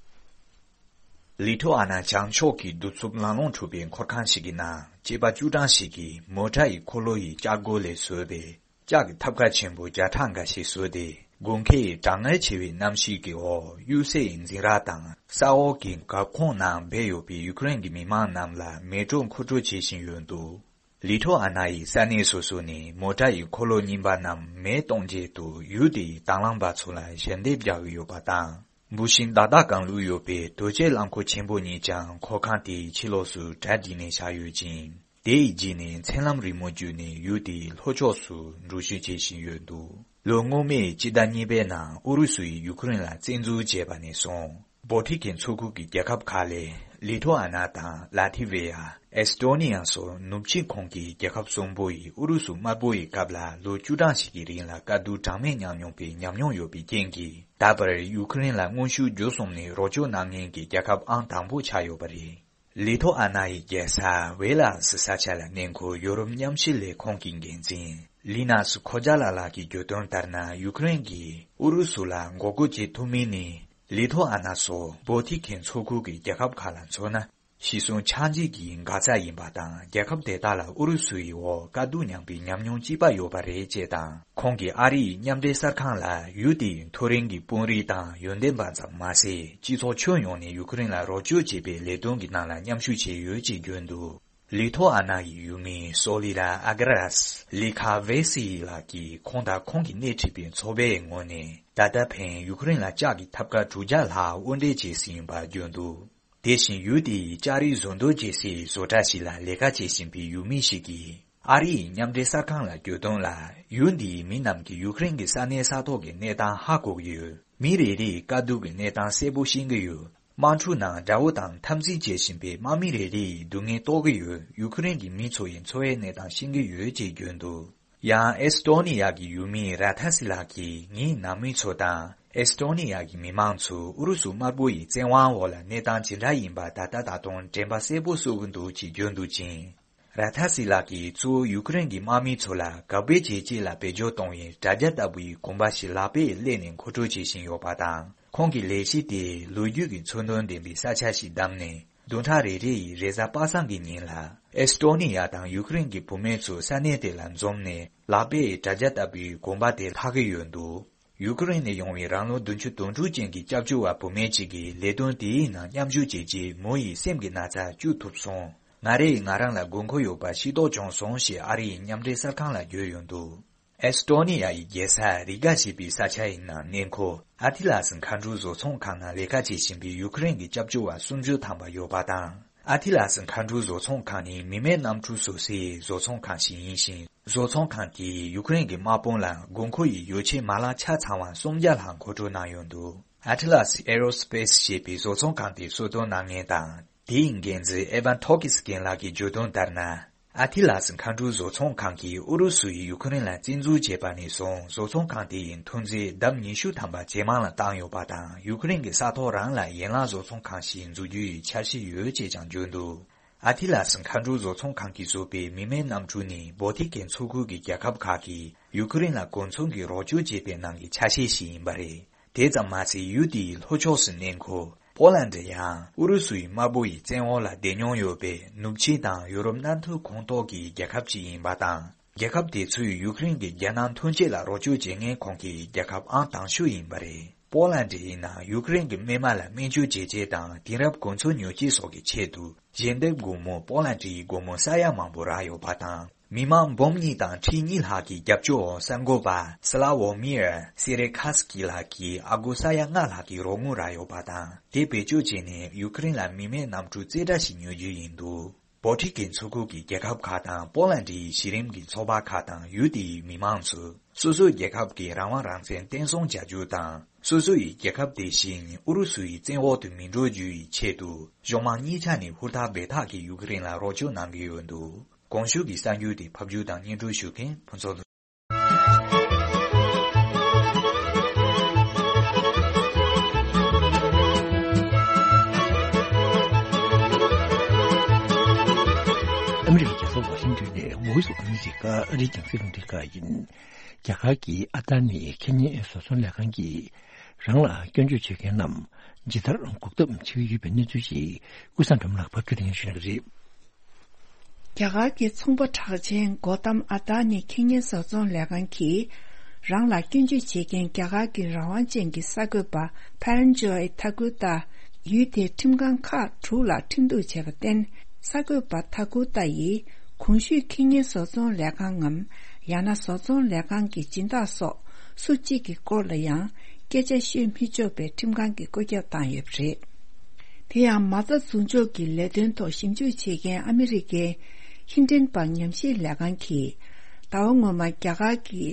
ལི་ཐོ་ཨ་ན་བྱང་ཕྱོགས་ཀྱི་གདུག་རྩུབ་ལམ་ལྷོང་འཁྲུག་པའི་འཁོར་ཁང་ཞིག་གི་ནང་སྐྱེས་པ་བཅུ་གྲངས་ཤིག་གིས་མོ་ཊ་ཡི་འཁོར་ལོ་ཡི་ལྕགས་སྒོ་ལས་བཟོས་པའི་ལྕགས་ཀྱི་ཐབ་ཀ་ཆེན་པོ་བརྒྱ་ཕྲག་འགའ་ཞིག་བཟོས་ཏེ། དགུན་ཁའི་གྲང་ངར་ཆེ་བའི་གནམ་གཤིས་ཀྱི་འོག་གཡུལ་སའི་འཛིང་རགས་དང་ས་འོག་གི་འགག་ཁུངས་ནང་སྦས་ཡོད་པའི་ཡུ་ཀེ་རེན་གྱི་མི་མང་རྣམས་ལ་མེ་སྤྲོད་མཁོ་སྤྲོད་བྱེད་བཞིན་ཡོད་འདུག་ལི་ཐོ་ཨ་ན་ཡི་ས་གནས་སོ་སོ་ནས་མོ་ཊ་ཡི་འཁོར་ལོ་རྙིང་པ་རྣམས་མེ་གཏོང་ཆེད་དུ་ཡུལ་དེའི་དྭང་བླངས་པ་ཚོ་ལ་ཞལ་འདེབས་རྒྱག་གི་ཡོད་པ་དང་། འབུ་ཤིང་ཏག་ཏག་གང་བླུགས་ཡོད་པའི་རྡོ་གཅལ་རླངས་འཁོར་ཆེན་པོ་གཉིས་ཀྱང་འཁོར་ཁང་དེའི་ཕྱི་ལོགས་སུ་གྲ་སྒྲིག་ནས་བཞག་ཡོད་ཅིང་། དེ་ཡི་རྗེས་ནས་མཚན་ལམ་རིང་མོ་བརྒྱུད་ནས་ཡུལ་དེའི་ལྷོ་ཕྱོགས་སུ་འགྲུལ་བཞུད་བྱེད་བཞིན་ཡོད་འདུག་ལོ་སྔོན་མའི་སྤྱི་ཟླ་གཉིས་པའི་ནང་ཨུ་རུ་སུ་ཡིས་ཡུ་ཁུ་རེན་ལ་བཙན་འཛུལ་བྱས་པ་ནས་བཟུང་། བོ་ཊི་ཁན་མཚོ་ཁུལ་གྱི་རྒྱལ་ཁབ་ཁག་ལས་ལི་ཐོ་ཨ་ན་དང་ལ་ཐི་ཝེ་ཡ། ཨེས་ཏོ་ནི་ཡ་སོགས་ནུབ་ཕྱོགས་ཁོངས་ཀྱི་རྒྱལ་ཁབ་གསུམ་པོ་ཡིས་ཨུ་རུ་སུ་དམར་པོ་ཡི་སྐབས་ལ་ལོ་བཅུ་གྲངས་ཤིག་གི་རིང་ལ་དཀའ་སྡུག་གྲངས་མེད་མྱངས་མྱོང་པའི་ཉམས་མྱོང་ཡོད་པའི་རྐྱེན་གྱིས། ད་བར་ཡུ་ཁུ་རེན་ལ་དངོས་ཤུགས་བརྒྱུད་གསུམ་ནས་རོགས་སྐྱོར་གནང་མཁན་གྱི་རྒྱལ་ཁབ་ཨང་དང་པོ་ཆགས་ཡོད་པ་རེད། ལི་ཐོ་ཨ་ན་ཡི་རྒྱལ་ས་ཝེ་ལ་སི་ས་ཆ་ལ་གནས་འཁོད་ཡོ་རོབ་མཉམ་ཞི་ལས་ཁུངས་ཀྱི་འགན་འཛིན་ལི་ནཱ་སི་ཁོ་ཇཱ་ལ་ལགས་ཀྱིས་བརྗོད་དོན་ལྟར་ན། ཡུ་ཁུ་རེན་གྱིས་ཨུ་རུ་སུ་ལ་མགོ་སྐོར་བྱེད་ཐུབ་མིན་ནི། ལི་ཐོ་ཨ་ན་སོགས་བོ་ཊི་ཁན་མཚོ་ཁུལ་གྱི་རྒྱལ་ཁབ་ཁག་ལ་མཚོན་ན། ཤི་གསོན་ཆག་འཇིག་གི་འགག་རྩ་ཡིན་པ་དང་། རྒྱལ་ཁབ་དེ་དག་ལ་ཨུ་རུ་སུ་ཡི་འོག་དཀའ་སྡུག་མྱངས་པའི་ཉམས་མྱོང་གཅིག་པ་ཡོད་པ་རེད་ཅེས་དང་། ཁོང་གིས་ཨ་རི་ཡི་མཉམ་འབྲེལ་གསར་ཁང་ལ་ཡུལ་དེའི་མཐོ་རིམ་གྱི་དཔོན་རིགས་དང་ཡོན་ཏན་པ་ཙམ་མ་ཟད། སྤྱི་ཚོགས་ཁྱོན་ཡོངས་ནས་ཡུ་ཁུ་རེན་ལ་རོགས་སྐྱོར་བྱེད་པའི་ལས་དོན་གྱི་ནང་ལ་མཉམ་ཞུགས་བྱས་ཡོད་ཅེས་བརྗོད་འདུག་ལི་ཐོ་ཨ་ན་ཡི་ཡུལ་མི་སོ་ལི་ར་ཨ་ག་ར་སི་ལི་ཁ་ཝེ་སི་ལགས་ཀྱིས་ཁོང་དང་ཁོང་གི་སྣེ་ཁྲིད་པའི་ཚོགས་པའི་ངོས་ནས། ད་ལྟ་ཕན་ཡུ་ཁུ་རེན་ལ་ལྕགས་ཀྱི་ཐབ་ཀ་དྲུག་བརྒྱ་ལྷག་དབོར་འདྲེན་བྱས་ཟིན་ཡིན་པར་བརྗོད་འདུག་དེ་བཞིན་ཡུལ་དེའི་ལྕགས་རིགས་བཟོ་འདྲ་བྱེད་སའི་བཟོ་གྲྭ་ཞིག་ལ་ལས་ཀ་བྱེད་བཞིན་པའི་ཡུལ་མི་ཞིག་གིས། ཨ་རི་ཡི་མཉམ་འབྲེལ་གསར་ཁང་ལ་བརྗོད་དོན་ལ། ཡུལ་འདིའི་མི་རྣམས་ཀྱིས་ཡུ་ཁུ་རེན་གྱི་ས་གནས་ས་ཐོག་གི་གནས་སྟངས་ཧ་གོ་གི་ཡོད། མི་རེ་རེ་ཡིས་དཀའ་སྡུག་གི་གནས་སྟངས་གསལ་པོ་ཤེས་ཀྱི་ཡོད། དམག་འཁྲུག་ནང་དགྲ་བོ་དང་འཐབ་འཛིང་བྱེད་བཞིན་པའི་དམག་མི་རེ་རེ་ཡི་སྡུག་བསྔལ་རྟོགས་ཀྱི་ཡོད། ཡུ་ཁུ་རེན་གྱི་མི་ཚོ་ཡི་འཚོ་བའི་གནས་སྟངས་ཤེས་ཀྱི་ཡོད་ཅེས་བརྗོད་འདུག་ཡང་ཨེས་ཏོ་ནི་ཡ་གི་ཡུལ་མི་ར་ཐ་སི་ལགས་ཀྱིས། ངའི་ནང་མི་ཚོ་དང་ཨེས་ཏོ་ནི་ཡ་གི་མི་མང་ཚོ་ཨུ་རུ་སུ་དམར་པོ་ཡི་བཙན་དབང་འོག་ལ་གནས་སྟངས་ཇི་འདྲ་ཡིན་པ་ད་ལྟ་ད་དུང་དྲན་པ་གསལ་པོ་གསོ་གི་འདུག་ཅེས་བརྗོད་འདུག་ཅིང་། ར་ཐ་སི་ལགས་ཀྱིས་གཙོ་བོ་ཡུ་ཁུ་རེན་གྱི་དམག་མི་ཚོ་ལ་དགག་པའི་བྱས་རྗེས་ལ་བེད་སྤྱོད་གཏོང་བའི་དྲ་རྒྱ་ལྟ་བུའི་གོམ་པ་ཞིག་ལག་པས་གླས་ནས་མཁོ་སྤྲོད་བྱེད་བཞིན་ཡོད་པ་དང་། ཁོང་གི་ལས་གཞི་དེས་ལོ་རྒྱུས་ཀྱི་མཚོན་དོན་ལྡན་པའི་ས་ཆ་ཞིག་བདམས་ནས། བདུན་ཕྲག་རེ་རེ་ཡི་རེས་གཟའ་པ་སངས་ཀྱི་ཉིན་ལ། ཨེས་ཏོ་ནི་ཡ་དང་ཡུ་ཁུ་རེན་གྱི་བུད་མེད་ཚོ་ས་གནས་དེ་ལ་འཛོམས་ནས། ལག་པས་དྲ་རྒྱ་ལྟ་བུའི་གོམ་པ་དེ་འཐག་གི་ཡོད་འདུག་ཡུ་ཁུ་རེན་ནས་ཡོང་བའི་རང་ལོ་བདུན་ཅུ་དོན་དྲུག་ཅན་གྱི་སྐྱབས་བཅོལ་བ་བུད་མེད་ཅིག་གིས་ལས་དོན་དེའི་ནང་མཉམ་ཞུགས་བྱས་རྗེས། མོ་ཡི་སེམས་ཀྱི་ན་ཚ་བཅོས་ཐུབ་སོང་། ང་རེས་ང་རང་ལ་དགོས་མཁོ་ཡོད་པ་ཤེས་རྟོགས་བྱུང་སོང་ཞེས་ཨ་རི་ཡི་མཉམ་འབྲེལ་གསར་ཁང་ལ་བརྗོད་ཡོད་འདུག་ཨེས་ཏོ་ནི་ཡ་ཡི་རྒྱལ་ས་རི་ག་ཞེས་པའི་ས་ཆ་ཡི་ནང་གནས་འཁོད་ཨ་ཐི་ལ་སི་མཁའ་འགྲུལ་བཟོ་ཚོང་ཁང་ནང་ལས་ཀ་བྱེད་བཞིན་པའི་ཡུ་ཁུ་རེན་གྱི་སྐྱབས་བཅོལ་བ་སུམ་ཅུ་ཐམ་པ་ཡོད་པ་དང་། ཨ་ཐི་ལ་སི་མཁའ་འགྲུལ་བཟོ་ཚོང་ཁང་ནི་མི་མེད་གནམ་གྲུ་བཟོ་སའི་བཟོ་ཚོང་ཁང་ཞིག་ཡིན་ཞིང་། བཟོ་ཚོང་ཁང་དེས་ཡུ་ཁུ་རེན་གྱི་དམག་དཔུང་ལ་དགོས་མཁོ་ཡི་ཡོ་ཆས་མ་ལག་ཆ་ཚང་བ་སུམ་བརྒྱ་ལྷག་མཁོ་སྤྲོད་གནང་ཡོད་འདུག་ཨ་ཐི་ལ་སི་ཨེ་རོ་སི་པེ་སི་ཞེས་པའི་བཟོ་ཚོང་ཁང་དེ་གསོལ་སྟོན་གནང་མཁན་དང་། དེའི་འགན་འཛིན་ཨེ་ཝན་ཐོ་ཀིས་རྒན་ལགས་ཀྱིས་བརྗོད་དོན་ལྟར་ན། ཨ་ཐི་ལ་སི་མཁའ་འགྲུལ་བཟོ་ཚོང་ཁང་གིས་ཨུ་རུ་སུ་ཡིས་ཡུ་ཁུ་རེན་ལ་བཙན་འཛུལ་བྱས་པ་ནས་བཟུང་། བཟོ་ཚོང་ཁང་དེ་ཡི་ཐོན་རྫས་ལྡབ་ཉི་ཤུ་ཐམ་པ་ཇེ་མང་ལ་བཏང་ཡོད་པ་དང་། ཡུ་ཁུ་རེན་གྱི་ས་ཐོག་རང་ལ་ཡན་ལག་བཟོ་ཚོང་ཁང་ཞིག་འཛུགས་རྒྱུ་ཡི་འཆར་གཞི་ཡོད་ཅེས་ཀྱང་བརྗོད་འདུག་ཨ་ཐི་ལ་སི་མཁའ་འགྲུལ་བཟོ་ཚོང་ཁང་གིས་བཟོས་པའི་མི་མེད་གནམ་གྲུ་ནི་བོ་ཏི་ཀན་མཚོ་ཁུལ་གྱི་རྒྱལ་ཁབ་ཁག་གིས་ཡུ་ཁུ་རེན་ལ་གོ་མཚོན་གྱི་རོགས་སྐྱོར་བྱེད་པའི་ནང་གི་ཆ་ཤས་ཤིག་ཡིན་པ་རེད། དེ་ཙམ་མ་ཟད། ཡུལ་དེའི་ལྷོ་ཕྱོགས་སུ་གནས་འཁོད་པོ་ལན་ཌི་ཡང་ཨུ་རུ་སུའི་དམར་པོ་ཡི་བཙན་འོག་ལ་བསྡད་མྱོང་ཡོད་པའི་ནུབ་ཕྱེད་དང་ཡོ་རོབ་མནའ་མཐུན་ཁོངས་གཏོགས་ཀྱི་རྒྱལ་ཁབ་ཅིག་ཡིན་པ་དང་། རྒྱལ་ཁབ་དེ་ཚོས་ཡུ་ཁུ་རེན་གྱི་རྒྱལ་ནང་ཐོན་སྐྱེད་ལ་རོགས་སྐྱོར་བྱེད་མཁན་ཁོངས་ཀྱི་རྒྱལ་ཁབ་ཨང་དང་ཤོས་ཡིན་པ་རེད། པོ་ལན་ཌི་ཡིན་ན་ཡུ་ཁུ་རེན་གྱི་སྨན་མ་ལ་སྨན་བཅོས་བྱེད་ཆེད་དང་དེང་རབས་གོ་མཚོན་ཉོ་ཆེད་སོགས་ཀྱི་ཆེད་དུ་ཞལ་འདེབས་སྒོར་མོ་པོ་ལན་ཌི་ཡི་སྒོར་མོ་ས་ཡ་མང་པོ་རག་ཡོད་པ་དང་། མི་མང་འབུམ་གཉིས་དང་ཁྲི་གཉིས་ལྷག་གི་རྒྱབ་སྐྱོར་འོག་གསར་འགོད་པ་སི་ལ་ཝོ་མིར་སི་རེ་ཁ་སི་ཀི་ལགས་ཀྱིས་ཨ་སྒོར་ས་ཡ་ལྔ་ལྷག་གི་རོགས་དངུལ་རག་ཡོད་པ་དང་། དེ་བེད་སྤྱོད་བྱས་ནས་ཡུ་ཀེ་རེན་ལ་མི་མེད་གནམ་གྲུ་རྩེ་གྲ་ཞིག་ཉོ་རྒྱུ་ཡིན་འདུག། བོ་ཊི་ཀན་ཚོགས་ཁུལ་གྱི་རྒྱལ་ཁབ་ཁག་དང་པོ་ལན་ཌིའི་གཞི་རིམ་གྱི་ཚོགས་པ་ཁག་དང་ཡུལ་དེའི་མི་མང་ཚོས་སོ་སོའི་རྒྱལ་ཁབ་ཀྱི་རང་དབང་རང་བཙན་བརྟན་སྲུང་བྱ་རྒྱུ་དང་། སོ་སོ་ཡི་རྒྱལ་ཁབ་དེ་བཞིན་ཨུ་རུ་སུ་ཡི་བཙན་འོག་ཏུ་མི་འགྲོ་རྒྱུ་ཡི་ཆེད་དུ་གཞུང་མང་གཉིས་ཆ་ནས་ཧུར་ཐག་འབད་ཐག་གིས་ཡུ་ཀེ་རེན་ལ་རོགས་སྐྱོར་གནང་གི་ཡོད་འདུག། གོང་ཞུས་ཀྱི་གསར་འགྱུར་དེ་ཕབ་སྒྱུར་དང་སྙན་སྒྲོན་ཞུ་མཁན་ཕུན་ཚོགས་ལགས། ཨ་མི་རི་ཀའི་རྒྱལ་ས་ཝ་ཤིང་ཏོན་ནས་Voice of America ཨ་རིའི་རྒྱང་སྲིང་རླུང་འཕྲིན་ཁང་ཡིན། རྒྱ་གར་གྱི་ཨ་ད་ནི་ཁེ་ཉེ་བཟོ་ཚོང་ལས་ཁང་གིས་རང་ལ་སྐྱོན་བརྗོད་བྱེད་མཁན་རྣམས་ཇི་ལྟར་འགོག་ཐབས་བྱེད་ཀྱི་ཡོད་པའི་གནས་ཚུལ་ཞིག་ཀུན་བཟང་སྒྲོལ་མ་ལགས་ཕབ་སྒྱུར་དང་སྙན་ཞུ་གནང་གི་རེད། རྒྱ་གར་གྱི་ཚོང་པ་གྲགས་ཅན་གོ་ཏམ་ཨ་ད་ནི་ཁེ་ཉེ་བཟོ་ཚོང་ལས་ཁང་གིས་རང་ལ་སྐྱོན་བརྗོད་བྱེད་མཁན་རྒྱ་གར་གྱི་རང་དབང་ཅན་གྱི་གསར་འགོད་པ་ཕན་ཇོའི་ཐ་ཀུར་ཏཱ་ཡུལ་དེའི་ཁྲིམས་ཁང་ཁག་དྲུག་ལ་ཁྲིམས་གཏུག་བྱས་པར་བརྟེན། གསར་འགོད་པ་ཐ་ཀུར་ཏཱ་ཡིས་གོང་ཞུས་ཁེ་ཉེ་བཟོ་ཚོང་ལས་ཁང་ངམ། ཡང་ན་བཟོ་ཚོང་ལས་ཁང་གི་སྦྱིན་བདག་སོགས་སུ་གཅིག་གི་སྐོར་ལ་ཡང་སྐད་ཆ་ཤོད་མི་ཆོག་པའི་ཁྲིམས་ཁང་གིས་བཀོད་ཁྱབ་བཏང་ཡོད་པ་རེད། དེ་ཡང་མ་རྩ་འཛུགས་འཇོག་གི་ལས་དོན་ཐོག་ཞིབ་འཇུག་བྱེད་མཁན་ཨ་མི་རི་ཀའི་ཧིན་ཌན་པར་ཉམས་ཞིབ་ལས་ཁང་གིས་ཟླ་བ་སྔོན་མ་རྒྱ་གར་གྱི་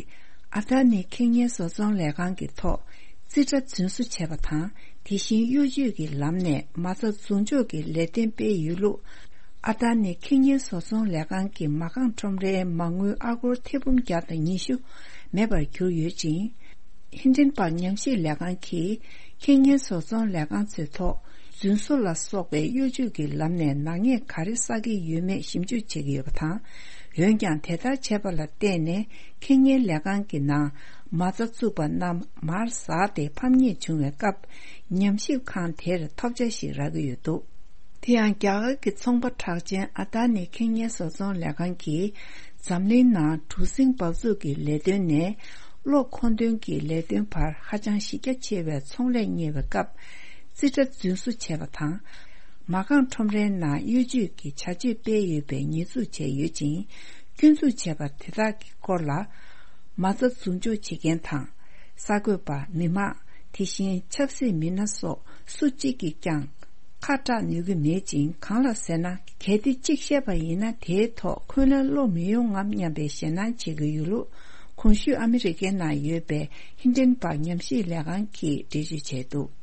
ཨ་ད་ནི་ཁེ་ཉེ་བཟོ་ཚོང་ལས་ཁང་གི་ཐོག་རྩིས་ཁྲ་རྫུན་བཟོ་བྱས་པ་དང་། དེ་བཞིན་གཡོ་ཇུས་ཀྱི་ལམ་ནས་མ་རྩ་འཛུགས་འཇོག་གི་ལས་དོན་སྤེལ་ཡོད་ལུགས། ཨ་ད་ནི་ཁེ་ཉེ་བཟོ་ཚོང་ལས་ཁང་གི་མ་རྐང་ཁྲོམ་རའི་མ་དངུལ་ཨ་སྒོར་ཐེར་འབུམ་བརྒྱ་དང་ཉི་ཤུ་མེད་པར་གྱུར་ཡོད་ཅིང་། ཧིན་ཌན་པར་ཉམས་ཞིབ་ལས་ཁང་གིས་ཁེ་ཉེ་བཟོ་ཚོང་ལས་ཁང་ཚོའི་ཐོག་རྫུན་བཟོ་ལ་སོགས་པའི་གཡོ་ཇུས་ཀྱི་ལམ་ནས་ནག་ཉེས་ག་རེ་བསགས་ཀྱི་ཡོད་མེད་ཞིབ་འཇུག་བྱེད་ཀྱི་ཡོད་པ་དང་། འོན་ཀྱང་དེ་ལྟར་བྱས་པ་ལ་བརྟེན་ནས་ཁེ་ཉེ་ལས་ཁང་གི་ནང་མ་རྩ་བཙུགས་པ་རྣམས་མར་ཟགས་ཏེ་ཕམ་ཉེས་བྱུང་བའི་སྐབས་ཉམས་ཞིབ་ཁང་དེར་ཐོབ་ཆ་ཞིག་རག་གི་ཡོད་འདུག། དེ་ཡང་རྒྱ་གར་གྱི་ཚོང་པ་གྲགས་ཅན་ཨ་ད་ནི་ཁེ་ཉེ་བཟོ་ཚོང་ལས་ཁང་གིས་འཛམ་གླིང་ནང་གྲུ་གཟིངས་འབབ་ཚུགས་ཀྱི་ལས་དོན་ནས་གློག་མཁོ་འདོན་གྱི་ལས་དོན་བར་ཧ་ཅང་གཞི་རྒྱ་ཆེ་བའི་ཚོང་ལས་གཉེར་བའི་སྐབས་རྩིས་ཁྲ་རྫུན་བཟོ་བྱས་པ་དང་། མ་རྐང་ཁྲོམ་རའི་ནང་གཡོ་ཇུས་ཀྱི་བྱ་སྤྱོད་སྤེལ་ཡོད་པའི་ཉེས་འཛུགས་བྱས་ཡོད་ཅིང་། སྐྱོན་འཛུགས་བྱས་པ་དེ་དག་གི་སྐོར་ལ་མ་རྩ་འཛུགས་འཇོག་བྱེད་མཁན་དང་། གསར་འགོད་པ། མི་མང་། དེ་བཞིན་ཆབ་སྲིད་མི་སྣ་སོགས་སུ་གཅིག་གིས་ཀྱང་ཁ་གྲག་ནུས་ཀྱི་མེད་ཅིང་། གང་ལ་ཟེར་ན། གལ་ཏེ་གཅིག་བཤད་པ་ཡིན་ན་དེའི་ཐོག་འཁོན་ལན་སློག་མི་ཡོང་ངམ་སྙམ་པའི་ཞེད་སྣང་བྱེད་ཀྱི་ཡོད་ལུགས། གོང་ཞུས་ཨ་མི་རི་ཀའི་ནང་ཡོད་པའི་ཧིན་ཌན་པར་ཉམས་ཞིབ་ལས་ཁང་གིས་འགྲེལ་བརྗོད་བྱས་འདུག།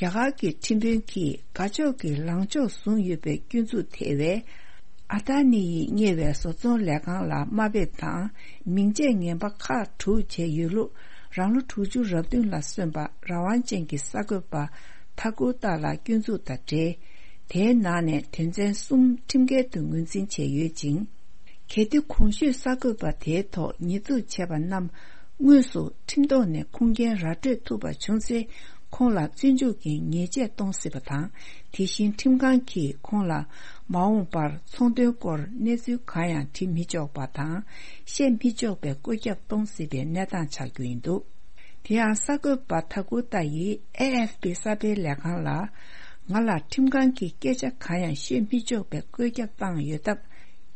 རྒྱ་གར་གྱི་ཁྲིམས་དཔོན་གྱིས་དགའ་ཕྱོགས་ཀྱི་ལངས་ཕྱོགས་བཟུང་ཡོད་པའི་སྐྱོན་འཛུགས་ཐེ་བའི་ཨ་ད་ནི་ཡིས་གཉེར་བའི་བཟོ་ཚོང་ལས་ཁང་ལ་དམའ་འབེབས་དང་མིང་ཆད་ངན་པ་ཁག་དྲུག་བྱས་ཡོད་ལུགས། རང་ལོ་དྲུག་ཅུ་རེ་བདུན་ལ་སོན་པ་རང་དབང་ཅན་གྱི་གསར་འགོད་པ་ཐ་ཀུར་ཏཱ་ལ་སྐྱོན་འཛུགས་དང་འབྲེལ། དེའི་ནང་ནས་དོན་ཚན་གསུམ་ཁྲིམས་འགལ་དུ་ངོས་འཛིན་བྱས་ཡོད་ཅིང་། གལ་ཏེ་གོང་ཞུས་གསར་འགོད་པ་དེའི་ཐོག་ཉེས་འཛུགས་བྱས་པ་རྣམས་དངོས་སུ་ཁྲིམས་ཐོག་ནས་ཁུངས་སྐྱེལ་ར་སྤྲོད་ཐུབ་པ་བྱུང་ཚེ། ཁོང་ལ་བཙོན་འཇུག་གི་ཉེས་ཆད་གཏོང་སྲིད་པ་དང་། དེ་བཞིན་ཁྲིམས་ཁང་གིས་ཁོང་ལ་མ་འོངས་པར་ཚོང་དོན་སྐོར་གནས་ཚུལ་གང་ཡང་འབྲི་མི་ཆོག་པ་དང་། བཤད་མི་ཆོག་པའི་བཀོད་ཁྱབ་གཏོང་སྲིད་པའི་གནས་སྟངས་ཆགས་རྒྱུ་ཡིན་འདུག། དེ་ཡང་གསར་འགོད་པ་ཐ་ཀུར་ཏཱ་ཡིས་ཨེ་ཨེཕ་པི་གསར་སྤེལ་ལས་ཁང་ལ། ང་ལ་ཁྲིམས་ཁང་གིས་སྐད་ཆ་གང་ཡང་ཤོད་མི་ཆོག་པའི་བཀོད་ཁྱབ་བཏང་ཡོད་སྟབས།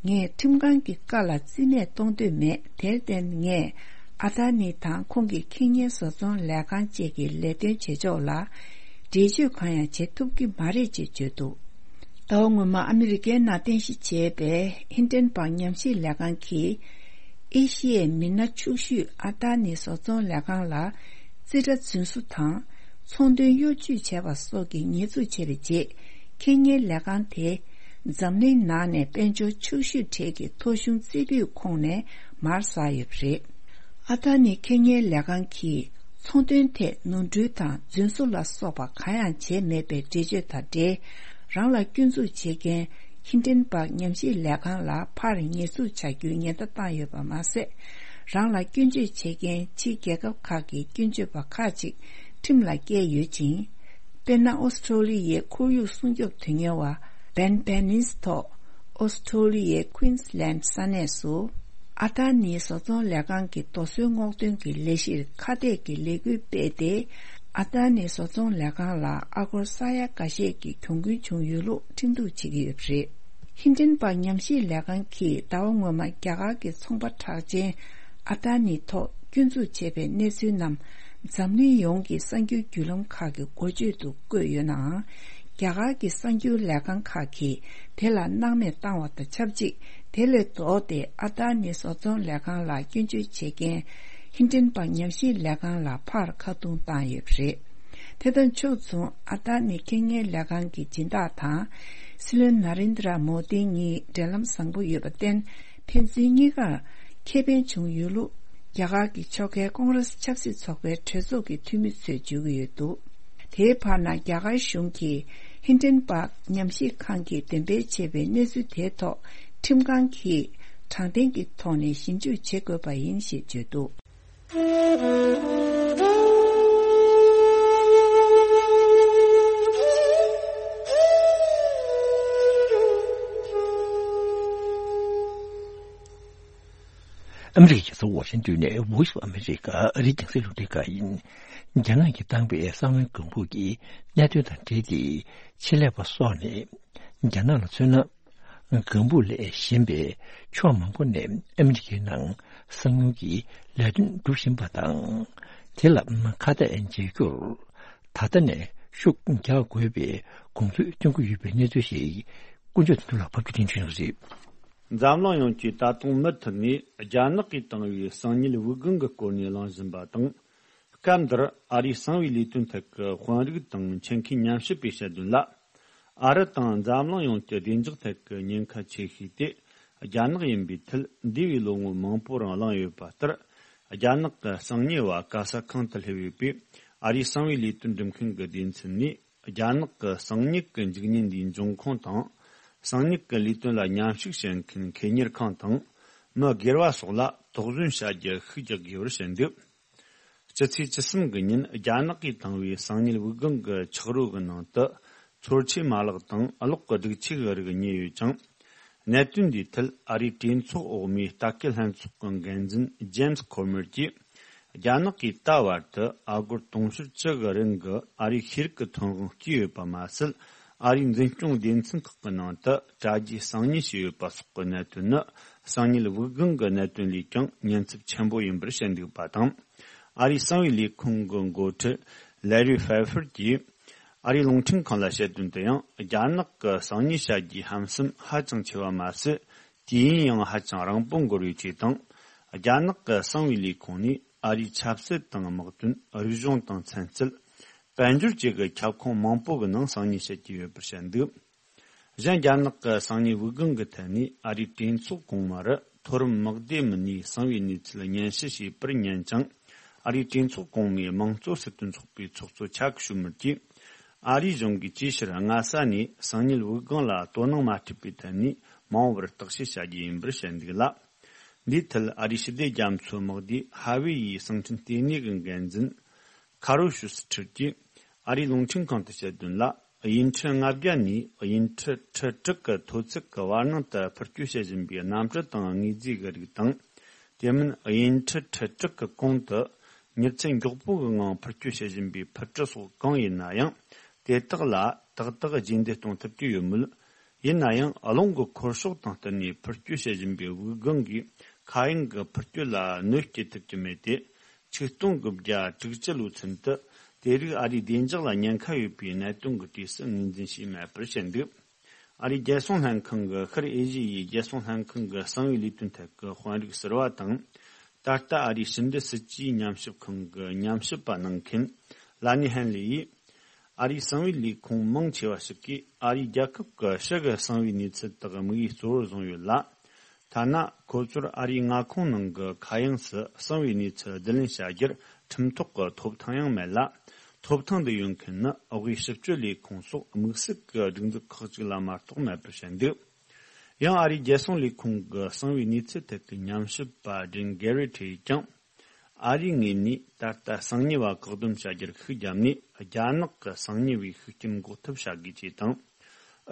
ངས་ཁྲིམས་ཁང་གི་བཀའ་ལ་རྩིས་མེད་གཏོང་འདོད་མེད། དེར་བརྟེན་ངས་ཨ་ད་ནི་དང་ཁོང་གི་ཁེ་ཉེ་བཟོ་ཚོང་ལས་ཁང་བཅས་ཀྱི་ལས་དོན་བྱེད་ཕྱོགས་ལ་འགྲེལ་བརྗོད་གང་ཡང་བྱེད་ཐུབ་ཀྱི་མ་རེད་ཅེས་བརྗོད་འདུག། ཟླ་བ་སྔོན་མ་ཨ་མི་རི་ཀའི་ནང་རྟེན་གཞི་བྱས་པའི་ཧིན་ཌན་པར་ཉམས་ཞིབ་ལས་ཁང་གིས་ཨེ་ཤི་ཡའི་མི་སྣ་ཕྱུག་ཤོས་ཨ་ད་ནི་བཟོ་ཚོང་ལས་ཁང་ལ་རྩིས་ཁྲ་རྫུན་བཟོ་དང་ཚོང་དོན་གཡོ་ཇུས་བྱས་པ་སོགས་ཀྱི་ཉེས་འཛུགས་བྱས་པའི་རྗེས། ཁེ་ཉེ་ལས་ཁང་དེ་འཛམ་གླིང་ནང་ནས་དཔལ་འབྱོར་ཕྱུག་ཤོས་གྲས་ཀྱི་ཐོ་གཞུང་རྩེ་ཕུད་ཁོངས་ནས་མར་ཟགས་ཡོད་པ་རེད། ཨ་ད་ནི་ཁེ་ཉེ་ལས་ཁང་གིས་ཚོང་དོན་ཐད་ནོར་འཁྲུལ་དང་རྫུན་བཟོ་ལ་སོགས་པ་གང་ཡང་བྱས་མེད་པའི་འགྲེལ་བརྗོད་དང་འབྲེལ། རང་ལ་སྐྱོན་འཛུགས་བྱེད་མཁན་ཧིན་ཌན་པར་ཉམས་ཞིབ་ལས་ཁང་ལ་ཕར་ཉེས་འཛུགས་བྱ་རྒྱུའི་ཉེན་བརྡ་བཏང་ཡོད་པ་མ་ཟད། རང་ལ་སྐྱོན་བརྗོད་བྱེད་མཁན་ཕྱིའི་རྒྱལ་ཁབ་ཁག་གི་སྐྱོན་བརྗོད་པ་ཁག་ཅིག་ཁྲིམས་ལ་བཀལ་ཡོད་ཅིང་། དཔེར་ན། ཨོ་སི་ཁྲུ་ལི་ཡའི་ཁོར་ཡུག་སྲུང་སྐྱོབ་དོན་གཉེར་བ་བན་པེ་ནིས་ཐོག་ཨོ་སི་ཁྲུ་ལི་ཡའི་ཀུན་སི་ལན་ས་གནས་སུ། ཨ་ད་ནི་བཟོ་ཚོང་ལས་ཁང་གི་རྡོ་སོལ་སྔོག་འདོན་གྱི་ལས་གཞིར་ཁ་གཏད་ཀྱི་ལས་འགུལ་སྤེལ་ཏེ། ཨ་ད་ནི་བཟོ་ཚོང་ལས་ཁང་ལ་ཨ་སྒོར་ས་ཡ་འགའ་ཤས་ཀྱི་གྱོང་གུན་བྱུང་ཡོད་ལུགས་ཁྲིམས་གཏུག་བྱེད་ཀྱི་ཡོད་པ་རེད། ཧིན་ཏན་པ་ཉམས་ཞིབ་ལས་ཁང་གིས་ཟླ་བ་སྔོན་མ་རྒྱ་གར་གྱི་ཚོང་པ་གྲགས་ཅན་ཨ་ཏཱ་ནི་ཐོག་སྐྱོན་འཛུགས་བྱས་པའི་གནས་ཚུལ་རྣམས་འཛམ་གླིང་ཡོངས་ཀྱི་གསར་འགྱུར་བརྒྱུད་ལམ་ཁག་གི་འགོ་བརྗོད་དུ་བཀོད་ཡོད་ནའང་། རྒྱ་གར་གྱི་གསར་འགྱུར་ལས་ཁང་ཁག་གིས་དེ་ལ་སྣང་མེད་བཏང་བ་དང་ཆབས་ཅིག་དེ་ལས་ལྡོག་སྟེ་ཨ་ཏཱ་ནི་བཟོ་ཚོང་ལས་ཁང་ལ་སྐྱོན་བརྗོད་བྱེད་མཁན་ཧིན་ཏན་པ་ཉམས་ཞིབ་ལས་ཁང་ལ་ཕར་ཁ་རྡུང་བཏང་ཡོད་པ་རེད། དེ་དང་ཕྱོགས་མཚུངས་ཨ་ཏཱ་ནི་ཁེ་ཉེན་ལས་ཁང་གི་སྦྱིན་བདག་དང་། སྲིད་བློན་ན་རེན་དྲ་མོ་དི་གཉིས་འབྲེལ་ལམ་བཟང་པོ་ཡོད་པར་བརྟེན། ཕན་ཚུན་གཉིས་ཀར་ཁེ་ཕན་བྱུང་ཡོད་ལུགས་རྒྱ་གར་གྱི་ཕྱོགས་འགལ་ཀོང་རེས་ཆབ་སྲིད་ཚོགས་པའི་གྲོས་ཚོགས་ཀྱི་འཐུས་མི་ཚོས་བརྗོད་ཀྱི་ཡོད་འདུག་དེའི་བར་ན་རྒྱ་གར་གཞུང་གིས་ཧིན་ཏན་པ་ཉམས་ཞིབ་ཁང་གིས་འདོན་སྤེལ་བྱས་པའི་གནས་ཚུལ་དེའི་ཐོག་ཁྲིམས་ཁང་གིས་དྲང་བདེན་གྱི་ཐོག་ནས་ཞིབ་འཇུག་བྱེད་དགོས་པ་ཡིན་ཞེས་བརྗོད་འདུག་ཨ་མི་རི་ཀའི་རྒྱལ་ས་ཝ་ཤིང་ཏོན་ནས་Voice of America ཨ་རིའི་རྒྱང་སྲིང་རླུང་འཕྲིན་ཁང་ཡིན། རྒྱ་ནག་གིས་བཏང་པའི་གསང་བའི་ལྒང་ཕུག་གི་གནད་དོན་དང་འབྲེལ་ཏེ། ཆེད་ལས་པ་སོགས་ནས་རྒྱ་ནག་ལ་མཚོན་ན། ལྒང་ཕུག་ལས་གཞན་པའི་ཕྱོགས་མང་པོ་ནས་ཨ་མི་རི་ཀའི་ནང་གསང་ཉུལ་གྱི་ལས་དོན་སྒྲུབ་བཞིན་པ་དང་། དེ་ལ་ཁ་གཏད་འཇལ་རྒྱུར་ད་ལྟ་ནས་ཤུགས་རྒྱག་དགོས་པའི་དགོངས་ཚུལ་བཏོན་གྱི་ཡོད་པའི་གནས་ཚུལ་ཞིག་དཀོན་མཆོག་བདེ་ལེགས་ལགས་ཕབ་སྒྱུར་དོན་གཅོད་ཞུ་གནང་གཟིགས། འཛམ་གླིང་ཡོངས་ཀྱིས་ད་དུང་མུ་མཐུད་ནས་རྒྱ་ནག་གིས་བཏང་བའི་གསང་ཉུལ་དབུགས་ལྒང་གི་སྐོར་ནས་གླེང་བཞིན་པ་དང་། སྐབས་འདིར་ཨ་རིའི་གསང་བའི་ལས་དོན་ཐད་ཀྱི་དཔོན་རིགས་དང་ཆེད་མཁས་ཉམས་ཞིབ་པས་བཤད་དོན་ལ། ཨ་རི་དང་འཛམ་གླིང་ཡོངས་ཀྱི་བདེ་འཇགས་ཐད་ཀྱི་ཉེན་ཁ་ཆེ་ཤོས་དེ་རྒྱ་ནག་ཡིན་པའི་ཐད་འདས་པའི་ལོ་ངོ་མང་པོ་རིང་གླེང་ཡོད་པ་ལྟར། རྒྱ་ནག་གི་གསང་ཉུལ་བ་ག་ས་གང་དུ་སླེབས་ཡོད་པས། ཨ་རིའི་གསང་བའི་ལས་དོན་སྒྲུབ་མཁན་གྱི་སྡེ་ཚན་ནས་རྒྱ་ནག་གི་གསང་ཉུལ་གྱི་འཇིག་ཉེན་འདིའི་འབྱུང་ཁུངས་དང་། གསང་ཉུལ་གྱི་ལས་དོན་ལ་མཉམ་ཞུགས་བྱེད་མཁན་ཁེ་གཉེར་ཁང་དང་། མི་སྒེར་བ་སོགས་ལ་དོགས་ཟོན་བྱ་རྒྱུ་ཤུགས་རྒྱག་དགོས་པར་བཤད་འདུག་སྤྱི་ཚེས་བཅུ་གསུམ་གྱི་ཉིན་རྒྱ་ནག་གིས་བཏང་བའི་གསང་ཉུལ་དབུགས་ལྒང་གི་ཆག་རོ་གི་ནང་དུ་ཚོར་ཆེ་མ་ལག་དང་གློག་གི་སྒྲིག་ཆས་ཀྱི་རིགས་རྙེད་ཡོད་ཅིང་། གནད་དོན་འདིའི་ཐད་ཨ་རིའི་གྲོས་ཚོགས་འོག་མའི་ལྟ་སྐུལ་ལྷན་ཚོགས་ཀྱི་འགན་འཛིན་ཇེམ་སི་ཁོ་མེར་གྱིས། རྒྱ་ནག་གིས་ད་བར་དུ་ཨ་སྒོར་དུང་ཕྱུར་བཅུ་གི་རིན་གྱི་ཨ་རིའི་ཤེས་རིག་གི་ཐོན་དབང་བསྐྱས་ཡོད་པ་མ་ཟད། ཨ་རིའི་འཛིན་སྐྱོང་སྡེ་ཚན་ཁག་གི་ནང་དུ་དྲ་རྒྱའི་གསང་ཉུལ་བྱས་ཡོད་པ་སོགས་ཀྱི་གནད་དོན་ནི། གསང་ཉུལ་དབུགས་ལྒང་གི་གནད་དོན་ལས་ཀྱང་ཉེན་ཚབས་ཆེན་པོ་ཡིན་པར་བཤད་འདུག་པ་དང་། ཨ་རིའི་གསང་བའི་ལས་ཁུངས་ཀྱི་འགོ་ཁྲིད་ལེ་རི་ཧྥེ་ཧྥེར་གྱིས། ཨ་རིའི་རླུང་འཕྲིན་ཁང་ལ་བཤད་དོན་དུ་ཡང་། རྒྱ་ནག་གི་གསང་ཉུལ་བྱ་རྒྱུའི་ཧམ་སེམས་ཧ་ཅང་ཆེ་བ་མ་ཟད། དུས་ཡུན་ཡང་ཧ་ཅང་རིང་པོ་འགོར་བའི་ཆེད་དང་། རྒྱ་ནག་གི་གསང་བའི་ལས་ཁུངས་ནས་ཨ་རིའི་ཆབ་སྲིད་དང་དམག་དོན། རིག་གཞུང་དང་ཚན་རྩལ། དཔལ་འབྱོར་བཅས་ཀྱི་ཁྱབ་ཁོངས་མང་པོ་གི་ནང་གསང་ཉུལ་བྱེད་ཀྱི་ཡོད་པར་བཤད་འདུག་གཞན། རྒྱ་ནག་གི་གསང་ཉུལ་དབུགས་ལྒང་གི་ཐད་ནས་ཨ་རིའི་གྲོས་ཚོགས་གོང་མ་རུ་མཐོ་རིམ་དམག་སྡེ་མི་སྣས་གསང་བའི་གནས་ཚུལ་སྙན་ཞུ་བྱས་པར་ཉན་ཅིང་། ཨ་རིའི་གྲོས་ཚོགས་གོང་མའི་དམངས་གཙོ་སྲིད་དོན་ཚོགས་པའི་ཚོགས་གཙོ་ཆག་ཤུ་མར་གྱིས། ཨ་རིའི་གཞུང་གིས་ཅིའི་ཕྱིར་སྔ་ས་ནས་གསང་ཉུལ་དབུགས་ལྒང་ལ་དོ་སྣང་མ་སྤྲད་པའི་ཐད་ནས་མ་འོངས་པར་བརྟག་དཔྱད་བྱ་རྒྱུ་ཡིན་པར་བཤད་འདུག་ལ། འདིའི་ཐད་ཨ་རིའི་ཞི་བདེ་རྒྱ་མཚོའི་དམག་སྡེ་ཧ་ཝེ་ཡིའི་གསང་འཕྲིན་ལྟེ་གནས་ཀྱི་འགན་འཛིན་ཁ་རོ་ཤུ་སི་ཁྲིར་གྱིས་ཨ་རིའི་རླུང་འཕྲིན་ཁང་དུ་བཤད་དོན་ལ། དབྱིན་ཁྲི་ལྔ་བརྒྱ་ནས་དབྱིན་ཁྲི་ཁྲི་དྲུག་གི་མཐོ་ཚད་ཀྱི་བར་སྣང་དུ་འཕུར་སྐྱོད་བྱེད་བཞིན་པའི་གནམ་གྲུ་དང་དངོས་རྫས་ཀྱི་རིགས་དང་། དེ་མིན་དབྱིན་ཁྲི་ཁྲི་དྲུག་གི་གོང་དུ་མྱུར་ཚད་མགྱོགས་པོ་གི་ངང་འཕུར་སྐྱོད་བྱེད་བཞིན་པའི་འཕུར་གྲུ་སོགས་གང་ཡིན་ན་ཡང་། དེ་དག་ལ་ཏག་ཏག་རྗེས་འདེད་གཏོང་ཐུབ་ཀྱི་ཡོད་མོད། ཡིན་ན་ཡང་རླུང་གི་འཁོར་ཕྱོགས་དང་བསྟུན་ནས་འཕུར་སྐྱོད་བྱེད་བཞིན་པའི་དབུགས་ལྒང་གིས་མཁའ་དབྱིངས་ཀྱི་འཕུར་སྐྱོད་ལ་གནོད་སྐྱེལ་ཐུབ་ཀྱི་མེད་དེ། ཆིག་སྟོང་དགུ་བརྒྱ་དྲུག་ཅུ་ལོའི་ཚུན་དུ་དེ་རིགས་ཨ་རིའི་བདེ་འཇགས་ལ་ཉེན་ཁ་ཡོད་པའི་གནད་དོན་གྱི་གྲས་སུ་ངོས་འཛིན་བྱས་མེད་པར་བཤད་འདུག་ཨ་རིའི་རྒྱལ་སྲུང་ལྷན་ཁང་གི་ཤར་ཨེ་ཤི་ཡའི་རྒྱལ་སྲུང་ལྷན་ཁང་གི་གསང་བའི་ལས་དོན་ཐད་ཀྱི་དཔོན་རིགས་ཟུར་པ་དང་། ད་ལྟ་ཨ་རིའི་ཕྱི་འབྲེལ་སྲིད་ཇུས་ཉམས་ཞིབ་ཁང་གི་ཉམས་ཞིབ་པ་གནང་མཁན་ལ་ནི་ཧན་ལི་ཡིས། ཨ་རིའི་གསང་བའི་ལས་ཁུངས་མང་ཆེ་བ་ཞིག་གིས་ཨ་རིའི་རྒྱལ་ཁབ་ཀྱི་ཕྱི་གི་གསང་བའི་གནས་ཚུལ་དག་དམིགས་ཡུལ་གཙོ་བོར་བཟུང་ཡོད་ལ། ཐ་ན་ཁོ་ཚོར་ཨ་རིའི་མངའ་ཁོངས་ནང་གི་མཁའ་དབྱིངས་སུ་གསང་བའི་གནས་ཚུལ་བསྡུ་ལེན་བྱ་རྒྱུར་ཁྲིམས་ཐོག་གི་ཐོབ་ཐང་ཡང་མེད་ལ། ཐོབ་ཐང་འདི་ཡོད་མཁན་ནི་དབུས་ཕྱི་སྤྱོད་ལས་ཁུངས་སོགས་དམིགས་བསལ་གྱི་སྒྲིག་འཛུགས་ཁག་ཅིག་ལ་མ་གཏོགས་མེད་པར་བཤད་འདུག་ཡང་ཨ་རིའི་རྒྱལ་སྲུང་ལས་ཁུངས་ཀྱི་གསང་བའི་གནས་ཚུལ་ཐད་ཀྱི་ཉམས་ཞིབ་པ་ཌེན་གེ་རེ་ཊི་ཡིས་ཀྱང་། ཨ་རིའི་ངོས་ནས་ད་ལྟ་གསང་ཉུལ་བ་བཀག་སྡོམ་བྱ་རྒྱུར་ཤུགས་བརྒྱབ་ནས། རྒྱ་ནག་གི་གསང་ཉུལ་བའི་ཤུགས་རྐྱེན་འགོག་ཐབས་བྱ་དགོས་ཅེས་དང་།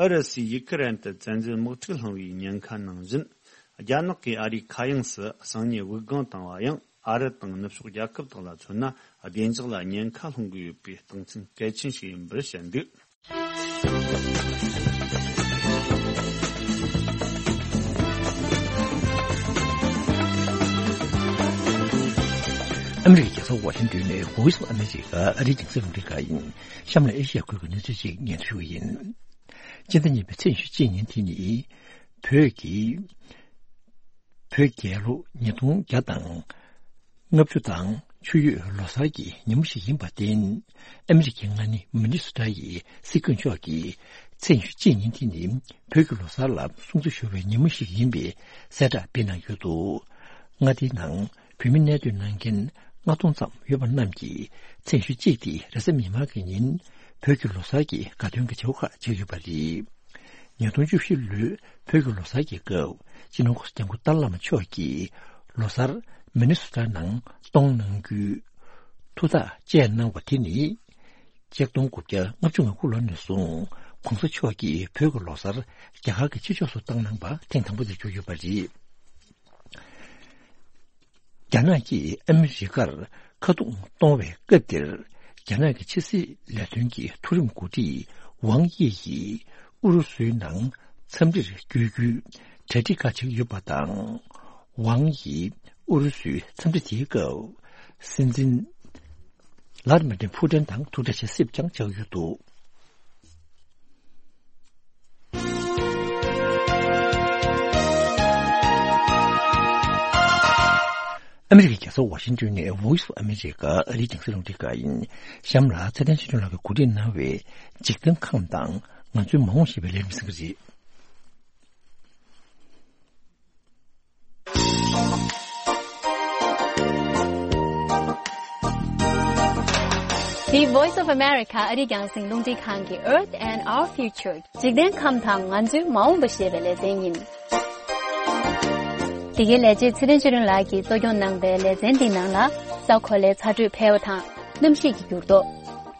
ཨུ་རུ་སུས་ཡུ་ཁི་རན་དུ་བཙན་འཛུལ་དམག་འཁྲུག་བསླངས་པའི་ཉེན་ཁ་ནང་བཞིན། རྒྱ་ནག་གིས་ཨ་རིའི་མཁའ་དབྱིངས་སུ་གསང་ཉུལ་དབུགས་ལྒང་བཏང་བ་ཡང་། ཨ་རི་དང་ནུབ་ཕྱོགས་རྒྱལ་ཁབ་དག་ལ་མཚོན་ན་བདེ་འཇགས་ལ་ཉེན་ཁ་སློང་གི་ཡོད་པའི་རྟགས་མཚན་གལ་ཆེན་ཞིག་ཡིན་པར་བཤད་འདུག་ཨ་མི་རི་ཀའི་རྒྱལ་ས་ཝ་ཤིང་ཏོན་ནས་Voice of America ཨ་རིའི་རྒྱང་སྲིང་རླུང་འཕྲིན་ཁང་ཡིན། གཤམ་ལ་ཨེ་ཤི་ཡ་ཁུལ་གྱི་གནས་ཚུལ་ཅིག་སྙན་སྒྲོན་ཞུ་གི་ཡིན། སྤྱི་ཟླ་གཉིས་པའི་ཚེས་ཉི་ཤུ་གཅིག་ཉིན་དེ་ནི། བོད་ཀྱི། བོད་རྒྱལ་ལོ་ཉིས་སྟོང་བརྒྱ་དང་། ལྔ་བཅུ་དང་ཆུ་ཡོས་ལོ་གསར་གྱི་ཉིན་མོ་ཞིག་ཡིན་པར་བརྟེན། ཨ་མི་རི་ཀའི་མངའ་སྡེ་མི་ནི་སོ་ཊ་ཡི་སྲིད་སྐྱོང་མཆོག་གིས་ཚེས་ཉི་ཤུ་གཅིག་ཉིན་དེ་ནི་བོད་ཀྱི་ལོ་གསར་ལ་སྲུང་བརྩི་ཞུ་བའི་ཉིན་མོ་ཞིག་ཡིན་པའི་གསལ་བསྒྲགས་སྤེལ་གནང་ཡོད་འདུག་མངའ་སྡེའི་ནང་བོད་མི་གནས་སྡོད་གནང་མཁན་ལྔ་སྟོང་ཙམ་ཡོད་པ་རྣམས་ཀྱིས་ཚེས་ཉི་ཤུ་གཅིག་དེ་རེས་གཟའ་མིག་དམར་གྱི་ཉིན་བོད་ཀྱི་ལོ་གསར་གྱི་དགའ་སྟོན་གྱི་བྱ་བ་ཁག་བྱེད་ཀྱི་ཡོད་པ་རེད། ཉིས་སྟོང་བཅུ་བཞི་ལོའི་བོད་ཀྱི་ལོ་གསར་གྱི་སྐབས་སྤྱི་ནོར་༸གོང་ས་༸སྐྱབས་མགོན་ཏཱ་ལའི་བླ་མ་མཆོག་གིས་ལོ་གསར་མི་ནི་སོ་ཊ་ནང་གཏོང་གནང་རྒྱུའི་ཐུགས་ཐག་བཅད་གནང་བ་དེ་ནི། ཆིག་སྟོང་དགུ་བརྒྱ་ལྔ་བཅུ་ང་དགུ་ལོ་ནས་བཟུང་༸གོང་ས་མཆོག་གིས་བོད་ཀྱི་ལོ་གསར་རྒྱ་གར་གྱི་ཕྱི་ཕྱོགས་སུ་བཏང་གནང་བ་ཐེངས་དང་པོ་དེ་གྱུར་ཡོད་པ་རེད། རྒྱ་ནག་གིས་ཨ་མི་རི་ཀར་ཁ་རྡུང་གཏོང་བའི་སྐབས་དེར། རྒྱ་ནག་གི་ཕྱི་སྲིད་ལས་དོན་གྱི་མཐོ་རིམ་འགོ་ཁྲིད་ཝང་དབྱི་ཡིས་ཨུ་རུ་སུའི་ནང་འཚམས་འདྲིར་བསྐྱོད་རྒྱུའི་གྲ་སྒྲིག་ཁག་བྱེད་ཀྱི་ཡོད་པ་དང་། ཝང་ཡིས་ཨུ་རུ་སུའི་འཚམས་འདྲི་དེའི་སྐབས། སྲིད་འཛིན་ལར་མི་ཏིན་ཕུ་ཏིན་དང་ཐུག་འཕྲད་བྱེད་སྲིད་ཀྱང་ཆགས་ཡོད་འདུག་ཨ་མི་རི་ཀའི་རྒྱལ་ས་ཝ་ཤིང་ཏོན་ནས་Voice of America ཨ་རིའི་རྒྱང་སྲིང་རླུང་འཕྲིན་ཁང་ཡིན། གཤམ་ལ་ཚེ་བརྟན་ཆོས་སྒྲོན་ལགས་ཀྱིས་གོ་སྒྲིག་གནང་བའི་འཇིག་རྟེན་ཁམས་དང་ང་ཚོའི་མ་འོངས་ཞེས་པའི་ལས་རིམ་གསན་གྱི་རེད། The Voice of America ཨ་རིའི་རྒྱང་སྲིང་རླུང་འཕྲིན་ཁང་གི Earth and Our Future འཇིག་རྟེན་ཁམས་དང་ང་ཚོའི་མ་འོངས་པ་ཞེས་པའི་ལེ་ཚན་ཡིན། འདི་གའི་ལས་བྱེད་ཚེ་རིང་ཆོས་སྒྲོན་ལགས་ཀྱིས་གཙོ་སྐྱོང་གནང་པའི་ལེ་ཚན་འདིའི་ནང་ལ་ས་གོ་ལའི་ཚ་དྲོད་འཕེལ་བ་དང་གནམ་གཤིས་ཀྱི་འགྱུར་ལྡོག་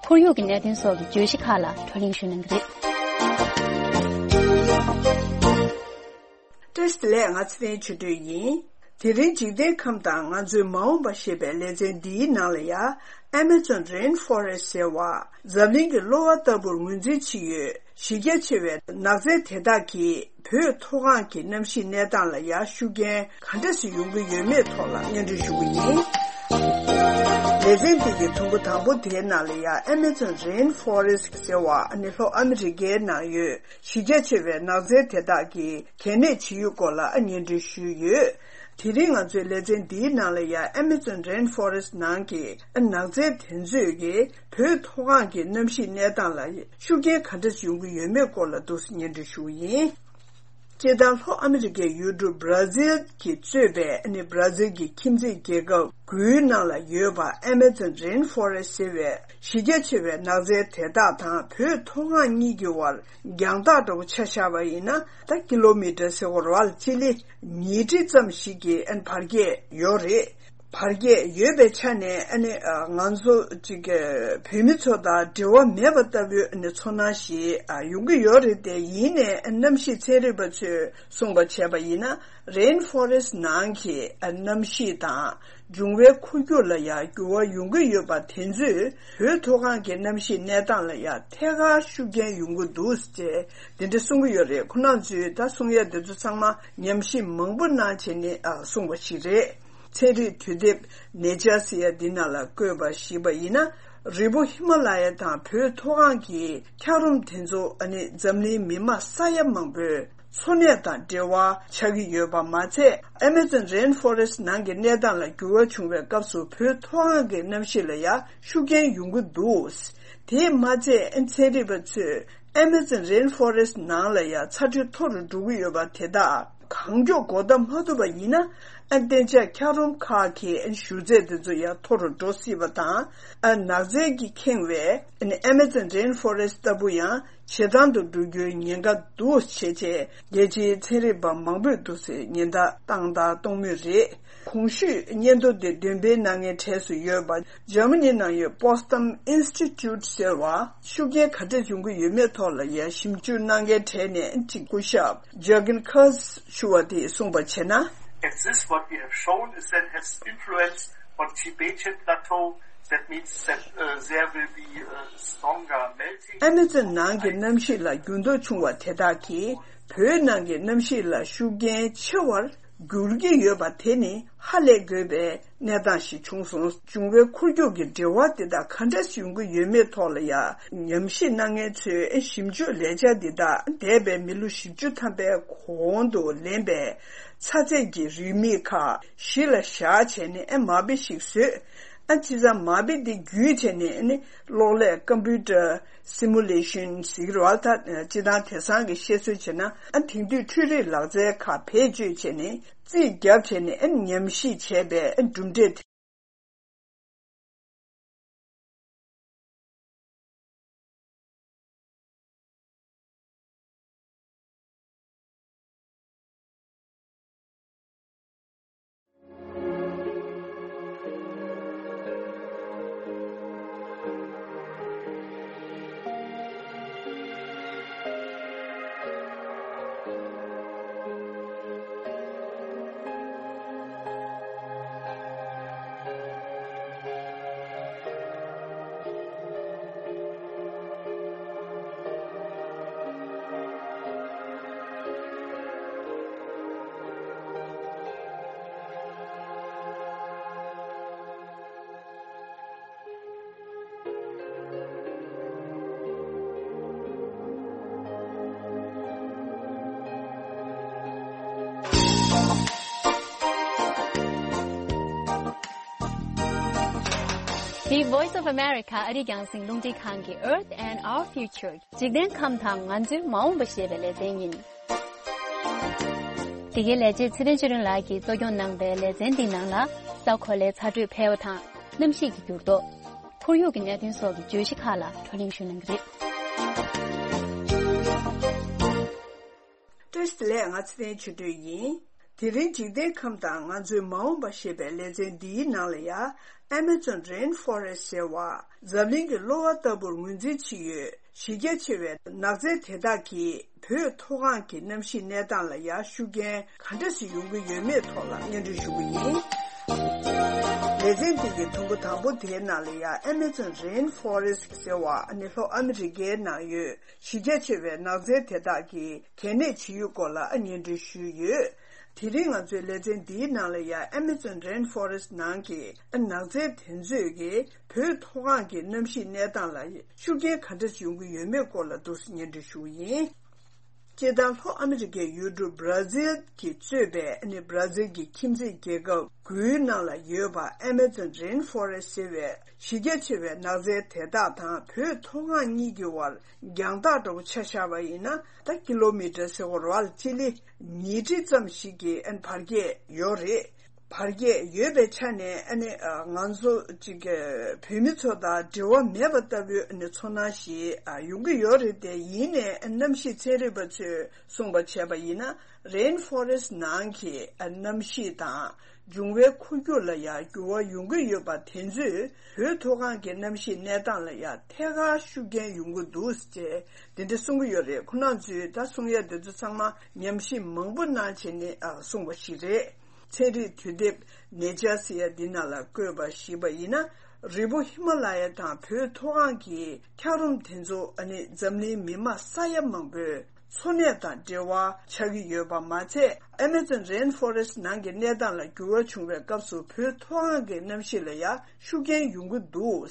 ཁོར་ཡུག་གི་གནད་དོན་སོགས་ཀྱི་བརྗོད་གཞི་ཁག་ལ་བགྲོ་གླེང་ཞུ་གནང་གི་རེད། བཀྲ་ཤིས་བདེ་ལེགས། ང་ཚེ་རིང་ཆོས་སྒྲོན་ཡིན། དེ་རིང་འཇིག་རྟེན་ཁམས་དང་ང་ཚོའི་མ་འོངས་པ་ཞེས་པའི་ལེ་ཚན་འདིའི་ནང་ལ་ཡ། Amazon Rainforest ཟེར་བ། འཛམ་གླིང་གི་གློ་བ་ལྟ་བུར་ངོས་འཛིན་བྱེད་ཡོད། གཞི་རྒྱ་ཆེ་བའི་ནགས་ཚལ་དེ་དག་གིས་བོད་མཐོ་སྒང་གི་གནམ་གཤིས་གནས་སྟངས་ལ་ཡ་ཤུགས་རྐྱེན་ག་འདྲ་ཞིག་ཡོང་གི་ཡོད་མེད་ཐོག་ལ་སྙན་སྒྲོན་ཞུ་གི་ཡིན། ལེ་ཚན་འདི་གི་དུམ་བུ་དང་པོ་དེའི་ནང་ལ་ཡ་Amazon Rainforest ཟེར་བ་ནི་ལྷོ་ཨ་མི་རི་ཀའི་ནང་ཡོད་གཞི་རྒྱ་ཆེ་བའི་ནགས་ཚལ་དེ་དག་གི་གལ་གནད་ཇི་ཡོད་སྐོར་ལ་སྙན་སྒྲོན་ཞུས་ཡོད། དེ་རིང་ང་ཚོའི་ལེ་ཚན་འདིའི་ནང་ལ་ཡ་Amazon Rainforest ནང་གི་ནགས་ཚལ་དེ་ཚོས་ཀྱི་བོད་མཐོ་སྒང་གི་གནམ་གཤིས་གནས་སྟངས་ལ་ཤུགས་རྐྱེན་ག་འདྲ་ཡོང་གི་ཡོད་མེད་སྐོར་ལ་འདུག་སེ་སྙན་སྒྲོན་ཞུ་གི་ཡིན། སྤྱིར་བཏང་ལྷོ་ཨ་མི་རི་ཀའི་ཡུལ་གྲུ་བྷ་ར་ཛིལ་གྱིས་གཙོས་པའི་ཨ་ནི་བྷ་ར་ཛིལ་གྱི་ཁྱིམ་མཚེས་རྒྱལ་ཁབ་དགུའི་ནང་ལ་ཡོད་པ་Amazon Rainforest ཟེར་བའི་གཞི་རྒྱ་ཆེ་བའི་ནགས་ཚལ་དེ་དག་དང་བོད་མཐོ་སྒང་གཉིས་ཀྱི་བར་རྒྱང་ཐག་འདྲ་བོ་ཆ་བཞག་པ་ཡིན་ན། ད་ཀི་ལོ་མི་ཊར་ཟེར་དགོས་རེད་བ། སྤྱི་ལེ་ཉིས་ཁྲི་ཙམ་ཞིག་གི་ཨ་ནི་བར་བརྒལ་ཡོད་རེད། བར་བརྒལ་ཡོད་པའི་ཆ་ནས་ཨ་ནི་ང་ཚོ་ཅིག་བོད་མི་ཚོ་དང་འབྲེལ་བ་མེད་པ་ལྟ་བུའི་ཨ་ནི་ཚོར་སྣང་ཞིག་ཡོང་གི་ཡོད་རེད་དེ། ཡིན་ནའི་གནམ་གཤིས་ཚན་རིག་པ་ཚོས་གསུངས་པ་བྱས་པ་ཡིན་ན། Rainforest ནང་གི་གནམ་གཤིས་དང་འབྱུང་བའི་འཁོར་རྒྱུག་ལ་ཡང་འགྱུར་བ་ཡོང་གི་ཡོད་པ་དེ་ཚོས་བོད་མཐོ་སྒང་གི་གནམ་གཤིས་གནས་སྟངས་ལ་ཡང་ཐད་ཀར་ཤུགས་རྐྱེན་ཡོང་གི་འདུག་ཅེས་དེ་འདྲ་གསུང་གི་ཡོད་རེད། ཁོ་རང་ཚོས་ད་གསུང་ཡ་དེ་ཚོ་ཚང་མ་ཉམས་ཞིབ་མང་པོ་གནང་བྱས་ནས་གསུངས་པ་ཞིག་རེད། ཚན་རིག་དུས་དེབ་Nature ཟེར་ཡ་འདི་ནང་ལ་བཀོད་པ་ཞིག་པ་ཡིན་ན། རི་བོ་ཧི་མ་ལ་ཡ་དང་བོད་མཐོ་སྒང་གི་འཁྱགས་རོམ་དེ་ཚོ་ཨ་ནི་འཛམ་གླིང་མི་མང་ས་ཡ་མང་པོའི་འཚོ་གནས་དང་འབྲེལ་བ་ཆགས་ཀྱི་ཡོད་པ་མ་ཚད། Amazon Rainforest ནང་གི་གནས་སྟངས་ལ་འགྱུར་བ་བྱུང་བའི་སྐབས་སུ་བོད་མཐོ་སྒང་གི་གནམ་གཤིས་ལ་ཡང་ཤུགས་རྐྱེན་ཡོང་གི་འདུག་དེས་མ་ཚད་ཚན་རིག་པ་ཚོས་Amazon Rainforest ནང་ལ་ཡང་ཚ་དྲོད་མཐོ་རུ་འགྲོ་གི་ཡོད་པ་དེ་དག་གང་མགྱོགས་འགོག་ཐབས་མ་ཐུབ་པ་ཡིན་ན། ཨ་གཏན་འཇགས་འཁྱགས་རོམ་ཁག་གི་ཨ་ཞུ་ཚད་དེ་ཚོ་ཡང་མཐོ་རུ་འགྲོ་སྲིད་པ་དང་། ཨ་ནགས་ཚལ་གྱིས་ཁེངས་པའི་ཨ་Amazon Rainforest ལྟ་བུ་ཡང་ཇེ་དྭངས་དུ་འགྲོ་རྒྱུའི་ཉེན་ཁ་འདུག་ཅེས་རྒྱལ་སྤྱིའི་ཚན་རིག་པ་མང་པོས་འདུག་སེ་ཉེན་བརྡ་བཏང་དང་གཏོང་མུས་རེད། གོང་ཞུས་སྙན་ཐོ་དེ་འདོན་སྤེལ་གནང་མཁན་གྲས་སུ་ཡོད་པ་འཇར་མ་ནི་ནང་ཡོད་Potsdam Institute ཟེར་བ་ཤུགས་རྐྱེན་ག་འདྲ་ཡོང་གི་ཡོད་མེད་ཐོག་ལ་ཡང་ཞིབ་འཇུག་གནང་མཁན་གྲས་ནས་གཅིག་སྐུ་ཞབས་Jürgen Kurz ཞུ་བ་དེས་གསུངས་པ་བྱས་ན། At this, what we have shown is that has influence on Tibetan Plateau. That means that, uh, there will be, uh, stronger melting. Amazon ནང་གི་གནམ་གཤིས་ལ་འགྱུར་ལྡོག་བྱུང་བ་དེ་དག་གིས་བོད་ནང་གི་གནམ་གཤིས་ལ་ཤུགས་རྐྱེན་ཆེ་བར་ འགྱུར་གྱི་ཡོད་པ་དེ་ནི་ཧ་ལས་དགོས་པའི་གནས་སྟངས་ཤིག་བྱུང་སོང་། འབྱུང་བའི་འཁོར་རྒྱུག་གི་འབྲེལ་བ་དེ་དག་ག་འདྲ་ཡོང་གི་ཡོད་མེད་ཐོག་ལ་ཡང་ཉམས་ཞིབ་གནང་མཁན་ཚོས་ཞིབ་འཇུག་ལས་འཆར་འདི་དག་འདས་པའི་མི་ལོ་བཞི་བཅུ་ཐམ་པའི་གོང་དུ་ལེན་པའི་ཚ་ཚད་ཀྱི་རེའུ་མིག་ཁག་གཞི་ལ་བཞག་བྱས་ནས་མ་དཔེ་ཞིག་བཟོས། ཨ་ཅི་ཙམ་མ་དཔེ་འདི་བརྒྱུད་བྱས་ནས་ཨ་ནི་གློག་ཀླད་ཀམ་པུ་ཊར་སི་མུ་ལེ་ཤན་ཟེར་གྱི་རེད་བ། ད་སྤྱིར་བཏང་དེང་སང་གི་བཤད་སྲོལ་བྱས་ན་ཨ་དེང་དུས་འཕྲུལ་རིག་ལག་རྩལ་ཁག་བེད་སྤྱོད་བྱས་ནས་རྩིས་བརྒྱབ་བྱས་ནས་ཨ་ཉམས་ཞིབ་བྱས་པའི་ཨ་གྲུབ་འབྲས་དེ། The Voice of America ཨ་རིའི་རྒྱང་སྲིང་རླུང་འཕྲིན་ཁང་གི Earth and Our Future འཇིག་རྟེན་ཁམས་དང་ང་ཚོའི་མ་འོངས་པ་ཞེས་པའི་ལེ་ཚན་ཡིན། འདི་གའི་ལས་བྱེད་ཚེ་རིང་ཆོས་སྒྲོན་ལགས་ཀྱིས་གཙོ་སྐྱོང་གནང་བའི་ལེ་ཚན་འདིའི་ནང་ལ་ས་གོ་ལའི་ཚ་དྲོད་འཕེལ་བ་དང་གནམ་གཤིས་ཀྱི་འགྱུར་ལྡོག་ཁོར་ཡུག་གི་གནད་དོན་སོགས་ཀྱི་བརྗོད་གཞི་ཁག་ལ་བགྲོ་གླེང་ཞུ་གནང་གི་རེད། བཀྲ་ཤིས་བདེ་ལེགས། ང་ཚེ་བརྟན་ཆོས་སྒྲོན་ཡིན། དེ་རིང་འཇིག་རྟེན་ཁམས་དང་ང་ཚོའི་མ་འོངས་པ་ཞེས་པའི་ལེ་ཚན་འདིའི་ནང་ལ་ཡང་Amazon Rainforest ཟེར་བ་འཛམ་གླིང་གི་གློ་བ་ལྟ་བུར་ངོས་འཛིན་བྱེད་ཡུལ་གཞི་རྒྱ་ཆེ་བའི་ནགས་ཚལ་དེ་དག་གིས་བོད་མཐོ་སྒང་གི་གནམ་གཤིས་གནས་སྟངས་ལ་ཡང་ཤུགས་རྐྱེན་ག་འདྲ་ཞིག་ཡོང་གི་ཡོད་མེད་ཐོག་ལ་སྙན་སྒྲོན་ཞུ་གི་ཡིན། ལེ་ཚན་འདི་གི་དུམ་བུ་དང་པོ་དེའི་ནང་ལ་ཡང་Amazon Rainforest ཟེར་བ་ནི་ལྷོ་ཨ་མི་རི་ཀའི་ནང་ཡོད་གཞི་རྒྱ་ཆེ་བའི་ནགས་ཚལ་དེ་དག་གི་གལ་གནད་ཇི་ཡོད་སྐོར་ལ་སྙན་སྒྲོན་ཞུས་ཡོད། དེ་རིང་ང་ཚོའི་ལེ་ཚན་འདིའི་ནང་ལ་ཡང་Amazon Rainforest ནང་གི་ནགས་ཚལ་དེ་ཚོས་ཀྱི་བོད་མཐོ་སྒང་གི་གནམ་གཤིས་གནས་སྟངས་ལ་ཤུགས་རྐྱེན་ག་འདྲ་ཡོང་གི་ཡོད་མེད་སྐོར་ལ་འདུག་སེ་སྙན་སྒྲོན་ཞུ་གི་ཡིན། སྤྱིར་བཏང་ལྷོ་ཨ་མི་རི་ཀའི་ཡུལ་གྲུ་Brazil གྱིས་གཙོས་པའི་ཨ་ནི་Brazil གྱི་ཁྱིམ་མཚེས་རྒྱལ་ཁབ་དགུའི་ནང་ལ་ཡོད་པ་Amazon Rainforest ཟེར་བའི་གཞི་རྒྱ་ཆེ་བའི་ནགས་ཚལ་དེ་དག་དང་བོད་མཐོ་སྒང་གཉིས་ཀྱི་བར་རྒྱང་ཐག་འདྲ་པོ་ཆ་བཞག་པ་ཡིན་ན་ད་ཀི་ལོ་མི་ཊར་ཟེར་བ་རེད་བ། སྤྱི་ལེ་ཉིས་ཁྲི་ཙམ་ཞིག་གི་ཨ་ནི་བར་བརྒལ་ཡོད་རེད། བར་བརྒལ་ཡོད་པའི་ཆ་ནས་ཨ་ནི་ང་ཚོ་ཅིག་བོད་མི་ཚོ་དང་འབྲེལ་བ་མེད་པ་ལྟ་བུའི་ཨ་ནི་ཚོར་སྣང་ཞིག་ཡོང་གི་ཡོད་རེད་དེ། ཡིན་ནའི་གནམ་གཤིས་ཚན་རིག་པ་ཚོས་གསུངས་པ་བྱས་པ་ཡིན་ན་Rainforest ནང་གི་གནམ་གཤིས་དང་འབྱུང་བའི་འཁོར་རྒྱུག་ལ་ཡང་འགྱུར་བ་ཡོང་གི་ཡོད་པ་དེ་ཚོས་བོད་མཐོ་སྒང་གི་གནམ་གཤིས་གནས་སྟངས་ལ་ཡང་ཐད་ཀར་ཤུགས་རྐྱེན་ཡོང་གི་འདུག་ཅེས་དེ་འདྲ་གསུང་གི་ཡོད་རེད། ཁོང་རྣམ་ཚོས་ད་གསུང་ཡ་དེ་ཚོ་ཚང་མ་ཉམས་ཞིབ་མང་པོ་གནང་བྱས་ནས་གསུངས་པ་ཞིག་རེད། ཚན་རིག་དུས་དེབ་Nature ཟེར་ཡ་འདི་ནང་ལ་བཀོད་པ་ཞིག་པ་ཡིན་ན། རི་བོ་ཧི་མ་ལ་ཡ་དང་བོད་མཐོ་སྒང་གི་འཁྱགས་རོམ་དེ་ཚོ་ཨ་ནི་འཛམ་གླིང་མི་མང་ས་ཡ་མང་པོའི་འཚོ་གནས་དང་འབྲེལ་བ་ཆགས་ཀྱི་ཡོད་པ་མ་ཚད། Amazon Rainforest ནང་གི་གནས་སྟངས་ལ་འགྱུར་བ་བྱུང་བའི་སྐབས་སུ་བོད་མཐོ་སྒང་གི་གནམ་གཤིས་ལ་ཡང་ཤུགས་རྐྱེན་ཡོང་གི་འདུག་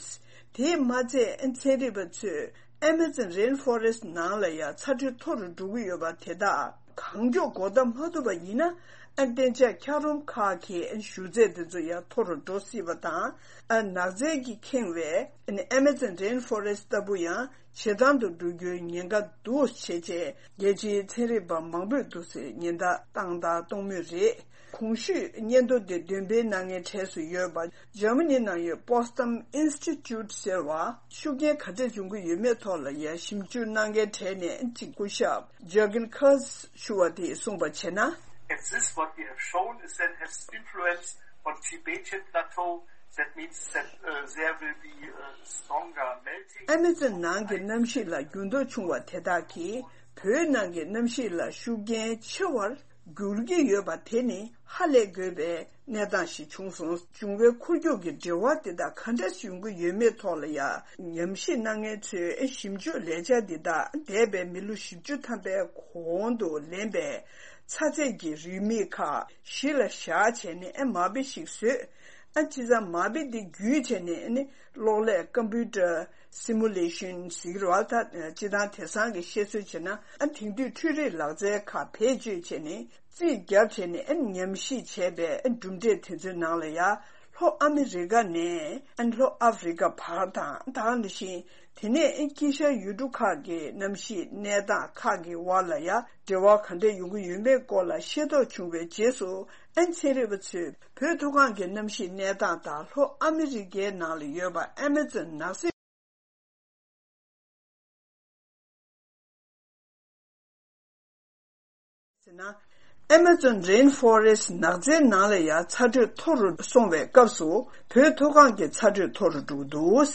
དེས་མ་ཚད་ཚན་རིག་པ་ཚོས་Amazon Rainforest ནང་ལ་ཡང་ཚ་དྲོད་མཐོ་རུ་འགྲོ་གི་ཡོད་པ་དེ་དག་གང་མགྱོགས་འགོག་ཐབས་མ་ཐུབ་པ་ཡིན་ན། ཨ་བརྟན་འཇགས་འཁྱགས་རོམ་ཁག་གི་ཨ་ཞུ་ཚད་དེ་ཚོ་ཡང་མཐོ་རུ་འགྲོ་སྲིད་པ་དང་། ཨ་ནགས་ཚལ་གྱིས་ཁེངས་པའི་ཨ་Amazon Rainforest ལྟ་བུ་ཡང་ཇེ་དྭངས་དུ་འགྲོ་རྒྱུའི་ཉེན་ཁ་འདུག་ཅེས་བྱས་རྒྱལ་སྤྱིའི་ཚན་རིག་པ་མང་པོས་འདུག་སེ་ཉེན་བརྡ་བཏང་དང་གཏོང་མུས་རེད། གོང་ཞུས་སྙན་ཐོ་དེ་འདོན་སྤེལ་གནང་མཁན་གྲས་སུ་ཡོད་པ་འཇར་མ་ནི་ནང་ཡོད་Potsdam Institute ཟེར་བ་ཤུགས་རྐྱེན་ག་འདྲ་འབྱུང་གི་ཡོད་མེད་ཐོག་ལ་ཡང་ཞིབ་འཇུག་གནང་མཁན་གྲས་ནས་གཅིག་སྐུ་ཞབས་Jürgen Kurz ཞུ་བ་དེས་གསུངས་པ་བྱས་ན། If this, what we have shown is that has influence on Tibetan plateau, that means that, uh, there will be, uh, stronger melting. Amazon ནང་གི་གནམ་གཤིས་ལ་འགྱུར་ལྡོག་བྱུང་བ་དེ་དག་གིས་བོད་ནང་གི་གནམ་གཤིས་ལ་ཤུགས་རྐྱེན་ཆེ་བར་ འགྱུར་གྱི་ཡོད་པ་དེ་ནི་ཧ་ལས་དགོས་པའི་གནས་སྟངས་ཤིག་བྱུང་སོང་། འབྱུང་བའི་འཁོར་རྒྱུག་གི་འབྲེལ་བ་དེ་དག་ག་འདྲ་ཡོང་གི་ཡོད་མེད་ཐོག་ལ་ཡང་ཉམས་ཞིབ་གནང་མཁན་ཚོས་ཞིབ་འཇུག་ལས་འཆར་འདི་དག་འདས་པའི་མི་ལོ་བཞི་བཅུ་ཐམ་པའི་གོང་དུ་ལེན་པའི་ཚ་ཚད་ཀྱི་རིན་མེད་ཁག་གཞི་ལ་བཞག་བྱས་ནས་མ་དཔེ་ཞིག་བཟོས། ཨ་ཅི་ཙམ་མ་དཔེ་འདི་བརྒྱུད་བྱས་ནས་ཨ་ནི་གློག་ཀླད་ཀམ་པུ་ཊར་སི་མུ་ལེ་ཤན་ཟེར་གྱི་རེད་བ། ད་སྤྱིར་བཏང་དེང་སང་གི་བཤད་སྲོལ་བྱས་ན་ཨ་དེང་དུས་འཕྲུལ་རིག་ལག་རྩལ་ཁག་བེད་སྤྱོད་བྱས་ནས་རྩིས་བརྒྱབ་བྱས་ནས་ཨ་ནི་ཉམས་ཞིབ་བྱས་པའི་ཨ་གྲུབ་འབྲས་དེ་ཚོའི་ནང་ལ་ཡ་ལྷོ་ཨ་མི་རི་ཀ་ནས་ཨ་ནི་ལྷོ་ཨ་ཧྥི་རི་ཀ་བར་དང་ད་ག་ནང་བཞིན་དེ་ནས་ཨ་དཀྱིལ་ཤར་ཡུལ་གྲུ་ཁག་གི་གནམ་གཤིས་གནས་སྟངས་ཁག་གི་དབར་ལ་ཡ་འབྲེལ་བ་ག་འདྲ་ཡོང་གི་ཡོད་མེད་སྐོར་ལ་ཤེས་རྟོགས་བྱུང་བའི་རྗེས་སུ། ཨན་ཚན་རིག་པ་ཚོས་བོད་མཐོ་སྒང་གི་གནམ་གཤིས་གནས་སྟངས་དང་ལྷོ་ཨ་མི་རི་ཀའི་ནང་ལ་ཡོད་པ་ཨ་མ་ཛོན་ནགས་གསེབ་ཟེར་ན། Amazon Rainforest ནགས་ཚལ་ནང་ལ་ཡང་ཚ་དྲོད་མཐོ་རུ་སོང་བའི་སྐབས་སུ་བོད་མཐོ་སྒང་གི་ཚ་དྲོད་མཐོ་རུ་འགྲོ་གི་འདུག།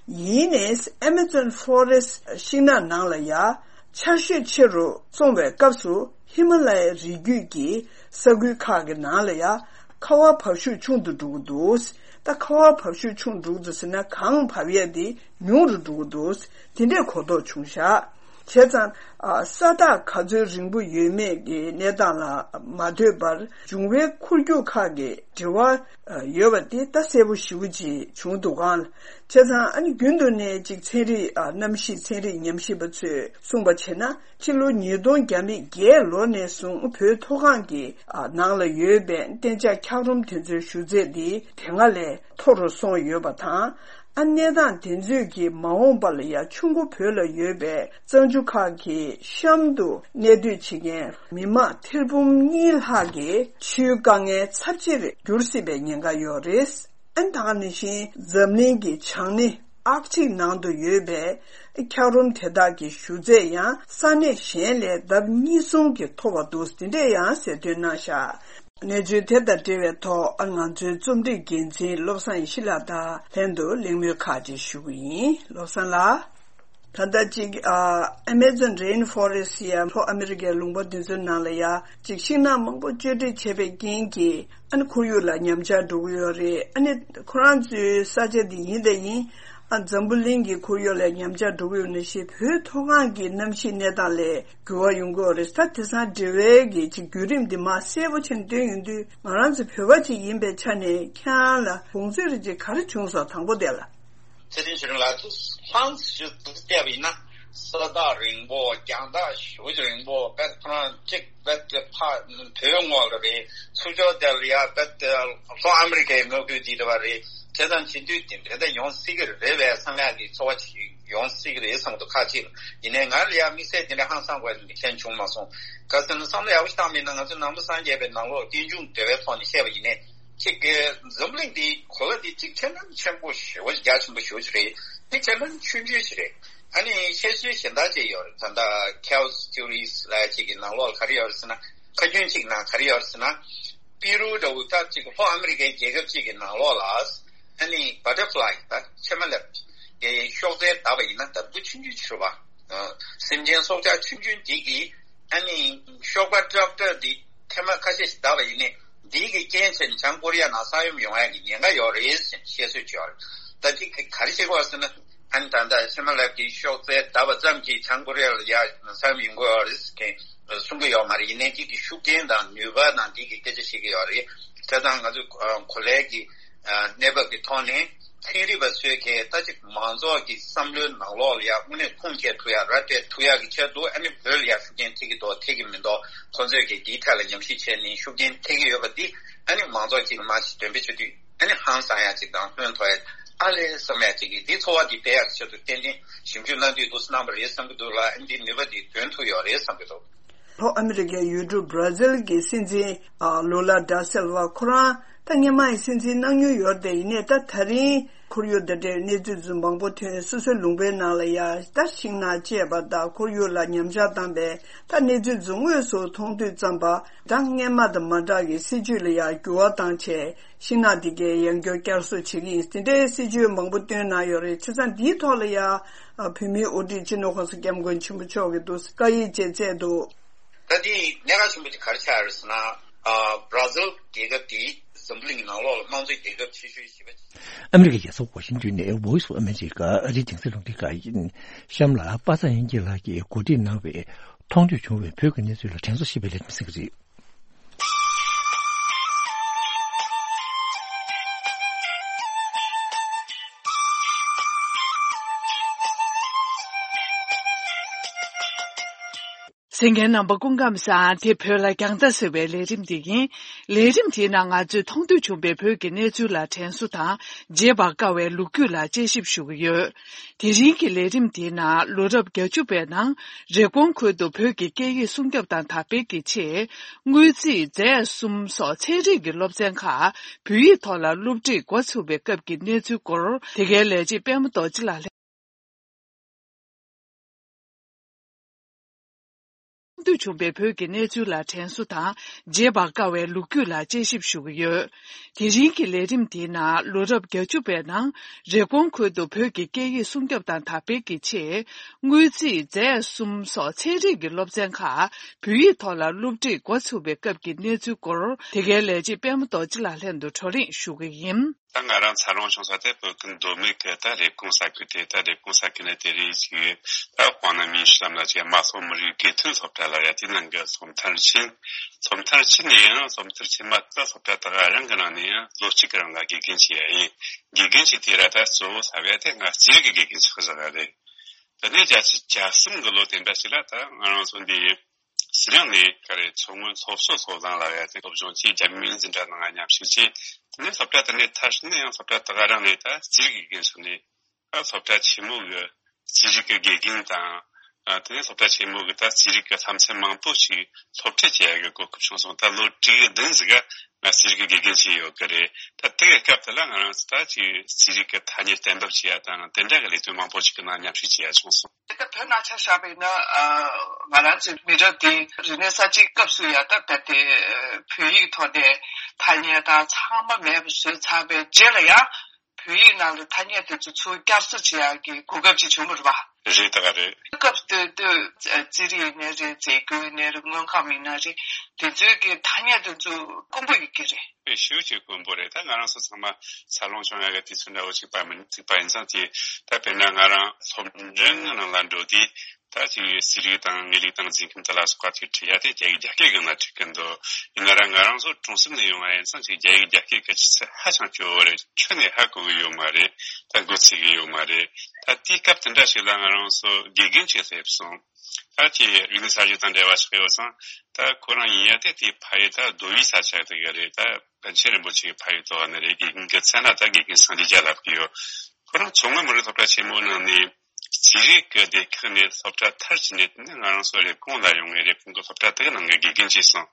ཡིན་ནའི་Amazon Forest ཤིང་ནགས་ནང་ལ་ཡང་ཆར་ཞོད་ཆེ་རུ་སོང་བའི་སྐབས་སུ་ཧི་མ་ལ་ཡའི་རི་རྒྱུད་ཀྱི་ས་ཁུལ་ཁག་གི་ནང་ལ་ཡང་ཁ་བ་འབབ་ཤུགས་ཆུང་དུ་འགྲོ་གི་འདུག། ད་ཁ་བ་འབབ་ཤུགས་ཆུང་དུ་འགྲོ་གི་འདུག་ཟེར་ན་གངས་འབབ་ཡས་དེ་ཉུང་རུ་འགྲོ་གི་འདུག། དེ་འདྲའི་གོ་རྟོགས་བྱུང་ཤག། བྱས་ཙང་། ཨ། ས་རྟགས་ག་ཚོད་རིང་པོ་ཡོད་མེད་ཀྱི་གནས་སྟངས་ལ་མ་ལྟོས་པར་འབྱུང་བའི་འཁོར་རྒྱུག་ཁག་གི་འབྲེལ་བ་ཡོད་པ་དེ་ད་གསལ་པོ་ཞེ་པོ་ཅིག་བྱུང་འདུག་ག། བྱས་ཙང་ཨ་ནི་རྒྱུན་དུ་ནས་ཅིག་ཚན་རིག་ཨ། གནམ་གཤིས་ཚན་རིག་ཉམས་ཞིབ་པ་ཚོས་གསུངས་པ་བྱས་ན་ཕྱི་ལོ་ཉིས་སྟོང་བརྒྱ་མེད་བརྒྱད་ལོ་ནས་བཟུང་བོད་མཐོ་སྒང་གི་ཨ། ནང་ལ་ཡོད་པའི་གཏན་འཇགས་འཁྱགས་རོམ་དེ་ཚོའི་ཞུ་ཚད་དེ་དེ་སྔ་ལས་མཐོ་རུ་སོང་ཡོད་པ་དང་། ཨ། གནས་སྟངས་དེ་ཚོས་ཀྱིས་མ་འོངས་པ་ལ་ཡང་ཆུ་མགོ་བོད་ལ་ཡོད་པའི་གཙང་ཆུ་ཁག་གི་གཤམ་དུ་གནས་སྡོད་བྱེད་མཁན་མི་མང་ཐེར་འབུམ་གཉིས་ལྷག་གི་ཆུའི་དཀའ་ངལ་ཚབས་ཆེར་འགྱུར་སྲིད་པའི་ཉེན་ཁ་ཡོད་རེད། ཨ། ད་ག་ནང་བཞིན་འཛམ་གླིང་གི་བྱང་སྣེ་ཨར་ཀ་ཊིག་ནང་དུ་ཡོད་པའི་འཁྱགས་རོམ་དེ་དག་གི་ཞུ་ཚད་ཡང་ས་གནས་གཞན་ལས་ལྡབ་གཉིས་གསུམ་གྱིས་མཐོ་བ་འདུག། དེ་འདྲས་ཡང་གསལ་སྟོན་གནང་ཤག། གནས་ཚུལ་དེ་དང་འབྲེལ་བའི་ཐོག་ང་ཚོའི་རྩོམ་སྒྲིག་འགན་འཛིན་བློ་བཟང་ཡེ་ཤེས་ལགས་དང་ལྷན་དུ་གླེང་མོལ་ཁག་ཅིག་ཞུ་གི་ཡིན། བློ་བཟང་ལགས། ད་ལྟ་ཅིག་ཨ། Amazon Rainforest ཡ་ལྷོ་ཨ་མི་རི་ཀའི་ལུང་པ་འདི་ཚོའི་ནང་ལ་ཡ་ཅིག་ཤིང་ནགས་མང་པོ་གཅོད་འབྲེག་བྱས་པའི་རྐྱེན་གྱིས་ཨ་ནི་ཁོར་ཡུག་ལ་ཉམས་ཆག་འགྲོ་གི་ཡོད་རེད། ཨ་ནི་ཁོ་རང་ཚོའི་ས་ཆ་འདི་ཡིན་དང་ཡིན། ཨ། འཛམ་བུ་གླིང་གི་ཁོར་ཡུག་ལ་ཉམས་ཆག་འགྲོ་གི་ཡོད་ན་ཞེས་བོད་མཐོ་སྒང་གི་གནམ་གཤིས་གནས་སྟངས་ལས་འགྱུར་བ་ཡོང་གི་ཡོད་རེད། ད་དེང་སང་འབྲེལ་བའི་གི་ཅིག་བརྒྱུད་རིམ་འདི་མ་གསལ་པོ་བྱས་ནས་བཏོན་ཡོང་དུས་ང་རང་ཚོ་བོད་པ་ཅིག་ཡིན་པའི་ཆ་ནས་ཁྱེད་རང་ལ་དགོངས་ཚུལ་རེ་ཅིག་ག་རེ་བྱུང་སོང་། དང་པོ་དེ་ལ། ཚེ་རིང་ཆོས་སྒྲོན་ལགས་ཚོ་ལྷང་ཞིག་བལྟས་པ་ཡིན་ན་ས་རྟགས་རིང་པོ་རྒྱང་ཐག་ཞེ་པོ་ཅིག་རིང་པོ་དཔེ་ཁོ་རང་གཅིག་རྦད་དེ་ཕ་བོད་ངོས་ལ་རེད། ཚུར་ཕྱོགས་དེ་ལ་ཡ་རྦད་དེ་ལྷོ་ཨ་མི་རི་ཀའི་མངའ་ཁུལ་འདི་རེད་པ་རེད། བྱས་ཙང་བྱེད་དུས་དེ་འདྲ་ད་ཡོང་སྲིད་ཀྱི་རེད་པས་བསམ་ཡག་གི་ཚོར་བ་ཅིག་ཡོང་སྲིད་ཀྱི་རེད་བསམ་གྱི་འདུག་ཁ་ཅིག་ཡིན་ནའི་ང་ལ་ཡ་དམིགས་བསལ་དེ་འདྲ་ཧང་སང་དགོས་ནི་མཁྱེན་བྱུང་མ་སོང་། ག་ཟེར་ན་བསམ་བློ་ཡག་པོ་ཞིག་བཏང་མིན་ན་ང་ཚོ་ནང་པ་སངས་རྒྱས་པའི་ནང་ལོགས་རྟེན་འབྱུང་འབྲེལ་བའི་ཐོག་ནས་བཤད་པ་ཡིན་ནའི་ཅིག་གི་འཛམ་གླིང་འདི་གོ་ལ་འདི་ཅིག་ཁྱད་ལྡན་ཆེན་པོ་ཞེ་པོ་རྒྱ་ཆེན་པོ་ཞེ་པོ་ཅིག་རེད། འདི་ཁྱད་ལྡན་ཆུང་ཆུང་ཞིག་རེད། ཨ་ནི་བཤད་སྲོལ་གཞན་དག་ཅིག་ཡོད་རེད། ད་ལྟ་chaos theories་ལབ་ཡ་ཅིག་གི་ནང་ལོགས་ལ་ག་རེ་ཡོད་རེད་ཟེར་ན། ཁ་རྒྱུན་གཅིག་ནང་ག་རེ་ཡོད་རེད་ཟེར་ན། པི་རུ་འདྲ་བོ་ད་ཅིག་ལྷོ་ཨ་མི་རི་ཀའི་རྒྱལ་ཁབ་ཅིག་གི་ནང་ལོགས་ལ་ཨ་ནི་butterfly་ད་ཕྱེ་མ་ལེབ་ཀྱི་གཤོག་རྩལ་བརྡབས་པ་ཡིན་ན་ད་འབུ་ཆུང་ཆུང་ཅིག་རེད་པ། སེམས་ཅན་སྲོག་ཆགས་ཆུང་ཆུང་འདི་གིས་ཨ་ནི་གཤོག་པ་ཀྲབ་ཀྲབ་འདི་ཐེངས་མ་ཁ་ཤས་ཤིག་བརྡབས་པ་ཡིན་ནའི་འདི་གི་རྐྱེན་བྱས་ནས་བྱང་ཀོ་རི་ཡ་ནང་ས་ཡོམ་ཡོང་ཡ་གི་ཉེན་ཁ་ཡོད་རེད་ཟེར་བཤད་སྲོལ་ཅིག་ཡོད་རེད། ད་འདི་ག་རེ་བྱེད་དགོས་ཟེར་ན། ཨ་ནི་ད་ལྟ་ཕྱེ་མ་ལེབ་ཀྱི་གཤོག་རྩལ་བརྡབས་པ་ཙམ་གྱིས་བྱང་ཀོ་རི་ཡ་ལ་ཡ་ས་ཡོམ་ཡོང་གི་ཡོད་རེད་ཟེར་མཁན་གསུང་གི་ཡོད་མ་རེད། ཡིན་ནའི་འདི་གི་ཤུགས་རྐྱེན་དང་ནུས་པ་དང་འདི་གི་སྐད་ཆ་བཤད་ཀྱི་ཡོད་རེད། བྱས་ཙང་ང་ཚོ་གོ་ལའི་གི་གནས་བབ་ཀྱི་ཐོག་ནས་ཚན་རིག་པ་ཚོས་གལ་ད་ཅིག་མང་ཚོགས་ཀྱི་བསམ་བློའི་ནང་ལོགས་ལ་ཡ་དངོས་གནས་ཁུངས་སྐྱེལ་ཐུབ་ཡ་ར་སྤྲད་ཐུབ་ཡ་གི་ཆེད་དུ་ཨ་ནི་བོད་ལ་ཡ་ཤུགས་རྐྱེན་ཐེབས་ཀྱི་འདུག་ཐེབས་ཀྱི་མི་འདུག་ཁོང་ཚོས་ཀྱི་འདིའི་ཐད་ལ་ཉམས་ཞིབ་བྱས་ནས་ཤུགས་རྐྱེན་ཐེབས་ཀྱི་ཡོད་པ་འདི་ཨ་ནི་མང་ཚོགས་ཀྱིས་མར་ཞིག་འདོན་སྤེལ་བྱེད་དུས། ཨ་ནི་ཧང་སང་ཡ་གཅིག་དང་ལྷོད་མཐོ་ཡ་ཨ་ལས་བསམ་ཡ་གཅིག་གིས་འདི་ཚོར་བ་འདི་སྤེལ་ཡག་ཆེད་དུ་ཏན་ཏན་ཞིབ་འཇུག་གནང་དུས་འདུག་སེ་གནང་བ་རེད་བསམ་གྱི་འདུག་ལ། ཨ་ནི་འདི་ནུས་པ་འདི་འདོན་ཐུབ་ཡོད་རེད་བསམ་གྱི་འདུག། ལྷོ་ཨ་མི་རི་ཀའི་ཡུལ་གྲུ་བྷར་ཛིལ་གྱི་སྲིད་འཛིན་ཨ་ལུ་ལ་ད་སིལ་ཝ་ཁོ་རང་ད་སྔོན་མ་ཡི་སྲིད་འཛིན་གནང་མྱོང་ཡོད་རེད། ཡིན་ནའི་ད་ད་རིང་ཁོར་ཡུག་དང་འབྲེལ་གནས་ཚུལ་ཚོ་མང་པོ་ཐོན། སོ་སོའི་ལུང་པའི་ནང་ལ་ཡ་ད་ཤིང་ནགས་བཅད་པ་དང་ཁོར་ཡུག་ལ་ཉམས་ཆག་བཏང་པའི་ད་གནས་ཚུལ་ཚོ་དངོས་སུ་མཐོང་དུས་ཙམ་པ་ད་སྔོན་མ་དང་མ་འདྲ་གི་སྲིད་ཇུས་ལ་ཡ་འགྱུར་བ་བཏང་བྱས། ཤིང་ནགས་འདི་གའི་ཡང་བསྐྱར་བསྐྱར་གསོ་བྱེད་ཀྱི་ཡིན། དེ་འདྲའི་སྲིད་ཇུས་མང་པོ་བཏོན་གནང་ཡོད་རེད། བྱས་ཙང་འདིའི་ཐོག་ལ་ཡ་བོད་མིའི་དབུ་ཁྲིད་སྤྱི་ནོར་༸གོང་ས་༸སྐྱབས་མགོན་ཆེན་པོ་མཆོག་གིས་འདུག་སེ་བཀའ་ཡིག་ཅིག་བསྩལ་འདུག། ད་དེ་གནད་འགག་ཆེན་པོ་དེ་ག་རེ་ཆགས་ཡོད་རེད་ཟེར་ན། ཨ་བར་ཛིལ་རྒྱལ་ཁབ་དེ་འཛམ་བུ་གླིང་གི་ནང་ལོགས་ལ་དམངས་གཙོའི་རྒྱལ་ཁབ་ཆེ་ཤོས་བཞི་པ་ཆགས། ཨ་མི་རི་ཀའི་རྒྱལ་ས་ཝ་ཤིང་ཏོན་ནས་Voice of America ཨ་རིའི་གདན་ས་རླུང་འཕྲིན་ཁང་ཡིན། གཤམ་ལ་པ་སངས་དབྱངས་སྐྱིད་ལགས་ཀྱིས་གོ་སྒྲིག་གནང་བའི་མཐོང་ཐོས་བྱུང་བའི་བོད་ཀྱི་གནས་ཚུལ་ལ་དྲན་གསོ་ཞེས་པའི་ལས་རིམ་གསན་གྱི་རེད། གསན་མཁན་རྣམ་པ་སྐུ་ཁམས་བཟང་། དེ་བོད་ལ་རྒྱང་ལྟ་ཟེར་བའི་ལས་རིམ་དེ་ཡིན། ལས་རིམ་དེའི་ནང་ང་ཚོས་མཐོང་ཐོས་བྱུང་བའི་བོད་ཀྱི་གནས་ཚུལ་ལ་དྲན་གསོ་དང་བརྗེད་པར་དཀའ་བའི་ལོ་རྒྱུས་ལ་དཔྱད་ཞིབ་ཞུ་གི་ཡོད། དེ་རིང་གི་ལས་རིམ་དེའི་ནང་ལོ་རབས་བརྒྱད་ཅུ་པའི་ནང་རེབ་གོང་ཁུལ་དུ་བོད་ཀྱི་སྐད་ཡིག་སྲུང་སྐྱོབ་དང་དར་སྤེལ་གྱི་ཆེད་དངུལ་རྩིས་རྫས་གསུམ་སོགས་ཚན་རིག་གི་སློབ་ཚན་ཁག་བོད་ཡིག་ཐོག་ལ་སློབ་ཁྲིད་འགོ་ཚུགས་པའི་སྐབས་ཀྱི་གནས་ཚུལ་སྐོར་དེ་གའི་ལས་བྱེད་པད་མ་རྡོ་རྗེ་ལགས་ལ། མཐོང་ཐོས་བྱུང་བའི་བོད་ཀྱི་གནས་ཚུལ་ལ་དྲན་གསོ་དང་བརྗེད་པར་དཀའ་བའི་ལོ་རྒྱུས་ལ་དཔྱད་ཞིབ་ཞུ་གི་ཡོད། དེ་རིང་གི་ལས་རིམ་དེའི་ནང་ལོ་རབས་བརྒྱད་ཅུ་པའི་ནང་རེབ་གོང་ཁུལ་དུ་བོད་ཀྱི་སྐད་ཡིག་སྲུང་སྐྱོབ་དང་དར་སྤེལ་གྱི་ཆེད་དངུལ་རྩིས་རྫས་གསུམ་སོགས་ཚན་རིག་གི་སློབ་ཚན་ཁག་བོད་ཡིག་ཐོག་ལ་སློབ་ཁྲིད་འགོ་ཚུགས་པའི་སྐབས་ཀྱི་གནས་ཚུལ་སྐོར་དེ་གའི་ལས་བྱེད་པད་མ་རྡོ་རྗེ་ལགས་ལྷན་དུ་བགྲོ་གླེང་ཞུ་གི་ཡིན། ད་ང་རང་འཚར་ལོངས་བྱུང་ས་དེ་བོད་ཁུལ་མདོ་སྨད་ཀྱི་ད་རེབ་གོང་ས་ཁུལ་དེ། ད་རེབ་གོང་ས་ཁུལ་ནི་དེ་རིང་ཅིག་ད་དཔོན་ནི་མིན་ཤི་ལམ་ལ་ཅིག་རྨ་ལྷོ་མི་རིགས་དགེ་ཐོན་སློབ་གྲྭ་ལ་ཡ། དེ་ནང་གི་སློབ་མཐར་ཕྱིན། སློབ་མཐར་ཕྱིན་ནས་ཡང་སློབ་མཐར་ཕྱིན་མ་ད་སློབ་གྲྭ་དེ་ག་རང་གི་ནང་ནས་ཡང་ལོ་གཅིག་གི་རིང་ལ་དགེ་རྒན་བྱས་ཡ་ཡིན། དགེ་རྒན་བྱས་དེ་ར་ད་གཙོ་བོ་ས་བ་དེ་ང་རྩིས་རིག་གི་དགེ་རྒན་ཅིག་བཞག་ཡ་རེད། དེ་ནས་བརྒྱད་ཅུ་གྱ་གསུམ་གི་ལོ་དེ་འདྲ་ཞིག་ལ་ད་ང་རང་ཚོ་འདི་ཟི་ལིང་ནས་ག་རེ་མཚོ་སྔོན་སློབ་གསོ་སློབ་གླིང་ལ་ཡ་དེ་སློབ་སྦྱོང་བྱས། རྒྱ་མིའི་འཛིན་གྲྭ་ནང་མཉམ་ཞུགས་བྱས། དེ་ནས་སློབ་གྲྭ་དེ་ནས་མཐར་ཕྱིན་ནས་ཡང་སློབ་གྲྭ་དེ་ག་རང་ནས་ད་རྩིས་རིག་དགེ་རྒན་ཞིག་ནས། ད་སློབ་གྲྭ་ཆེན་མོ་གི་རྩིས་རིག་གི་དགེ་རྒན་དང་། ཨ་དེ་ནས་སློབ་གྲྭ་ཆེན་མོ་གི་ད་རྩིས་རིག་གི་བསླབ་ཚན་མང་པོ་ཞིག་སློབ་ཁྲིད་བྱེད་ཡ་གི་གོ་སྐབས་བྱུང་སོང་། ད་ལོ་དྲུག་བདུན་ཟིག་ག་ང་རྩིས་རིག་གི་དགེ་རྒན་བྱས་ཡོད་གི་རེད། ད་དེ་གི་སྐབས་དེ་ལ་ང་རང་ཚོ་ད་ཅིག་རྩིས་རིག་གི་ཐ་སྙད་གཏན་འབེབས་བྱེད་ཡ་དང་དེ་འདྲ་གི་ལས་དོན་མང་པོ་ཞིག་གི་ནང་མཉམ་ཞུགས་བྱེད་ཡ་བྱུང་སོང་། ད་བོད་ནང་ཆ་བཞག་པ་ཡིན་ན། ཨ་ང་རང་ཚོའི་མི་རབས་འདི་རིག་གནས་གསར་བརྗེའི་སྐབས་སུ་ཡ་ད་རྦད་དེ་བོད་ཡིག་ཐོག་ནས་ཐ་སྙད་དང་ཚང་མ་མེད་པ་བཟོས་ཚར་བའི་རྗེས་ལ་ཡང་། བོད་ཡིག་ནང་ལ་ཐ་སྙད་དེ་ཚོ་ཚུར་བསྐྱར་གསོ་བྱེད་ཡག་གི་གོ་སྐབས་ཅིག་བྱུང་བ་རེད་པ། རེད་ད་ག་རེད། སྐབས་དེ་དུས་རྩིས་རིག་ཡིན་ནའི་རེད། རྫས་འགྱུར་ཡིན་ནའི་རེད། དངོས་ཁམས་ཡིན་ན་རེད། དེ་ཚོའི་གི་ཐ་སྙད་དེ་ཚོ་དཀོན་པོ་ཡོད་ཀྱི་རེད། དཔེ་ཞེ་པོ་ཅིག་དཀོན་པོ་རེད། ད་ང་རང་ཚོ་ཚང་མ་འཚར་ལོངས་བྱུང་ཡག་གི་དུས་ཚོད་འདྲ་བོ་ཅིག་པ་མིན་ཅིག་པ་ཡིན་ཙང་དེ། ད་དཔེར་ན་ང་རང་སློབ་འབྲིང་ནང་ལ་འགྲོ་དུས། ད་ཅིག་རྩིས་རིག་དང་དངོས་ལུགས་དང་འཛིན་ཁམས་དེ་ལ་སོགས་པ་ཅིག་ཁྲིད་ཡ་དེ་རྒྱ་ཡིག་རྒྱ་སྐད་གི་ནང་ཁྲིད་གི་འདུག་ཡིན་ན་ར་ང་རང་ཚོ་གྲོང་གསེབ་ནས་ཡོང་བ་ཡིན་ཙང་ཅིག་རྒྱ་ཡིག་རྒྱ་སྐད་གི་ཆུ་ཚད་ཧ་ཅང་སྐྱོ་བོ་རེད། ཁྱོན་ནས་ཧ་གོ་གི་ཡོད་མ་རེད། ད་འགོ་ཚུགས་གི་ཡོད་མ་རེད། ད་དེའི་སྐབས་དེ་འདྲ་ཞིག་ལ་ང་རང་ཚོ་དགེ་རྒན་ཅིག་སླེབས་སོང་། ད་ཅིག་རིག་གནས་གསར་བརྗེ་དང་འབྲེལ་བ་ཆགས་ཡོད་ཙང་། ད་ཁོ་རང་ཡིན་ཡ་དེ་དེའི་ཕ་ཡུལ་ད་མདོ་དབུས་ས་ཆ་དེ་ག་རེད། ད་པཎ་ཆེན་རིན་པོ་ཆེ་གི་ཕ་ཡུལ་དེ་ག་ནས་རེད། དགེ་རྒན་གི་མཚན་ལ་ད་དགེ་རྒན་སངས་རྒྱས་རྒྱལ་ལབ་ཀྱི་ཡོད། ཁོ་རང་མཚོ་སྔོན་མི་རིགས་སློབ་གྲྭ་ཆེན་མོ་ནང་ནས་རྩིས་རིག་གི་སྡེ་ཁག་ནས་སློབ་གྲྭ་མཐར་ཕྱིན་ནས། དེ་ནས་ང་རང་ཚོ་རེབ་གོང་ལ་ཡོང་ངས་རེབ་གོང་གི་སློབ་གྲྭ་དེ་གི་ནང་གི་དགེ་རྒན་བྱས་སོང་།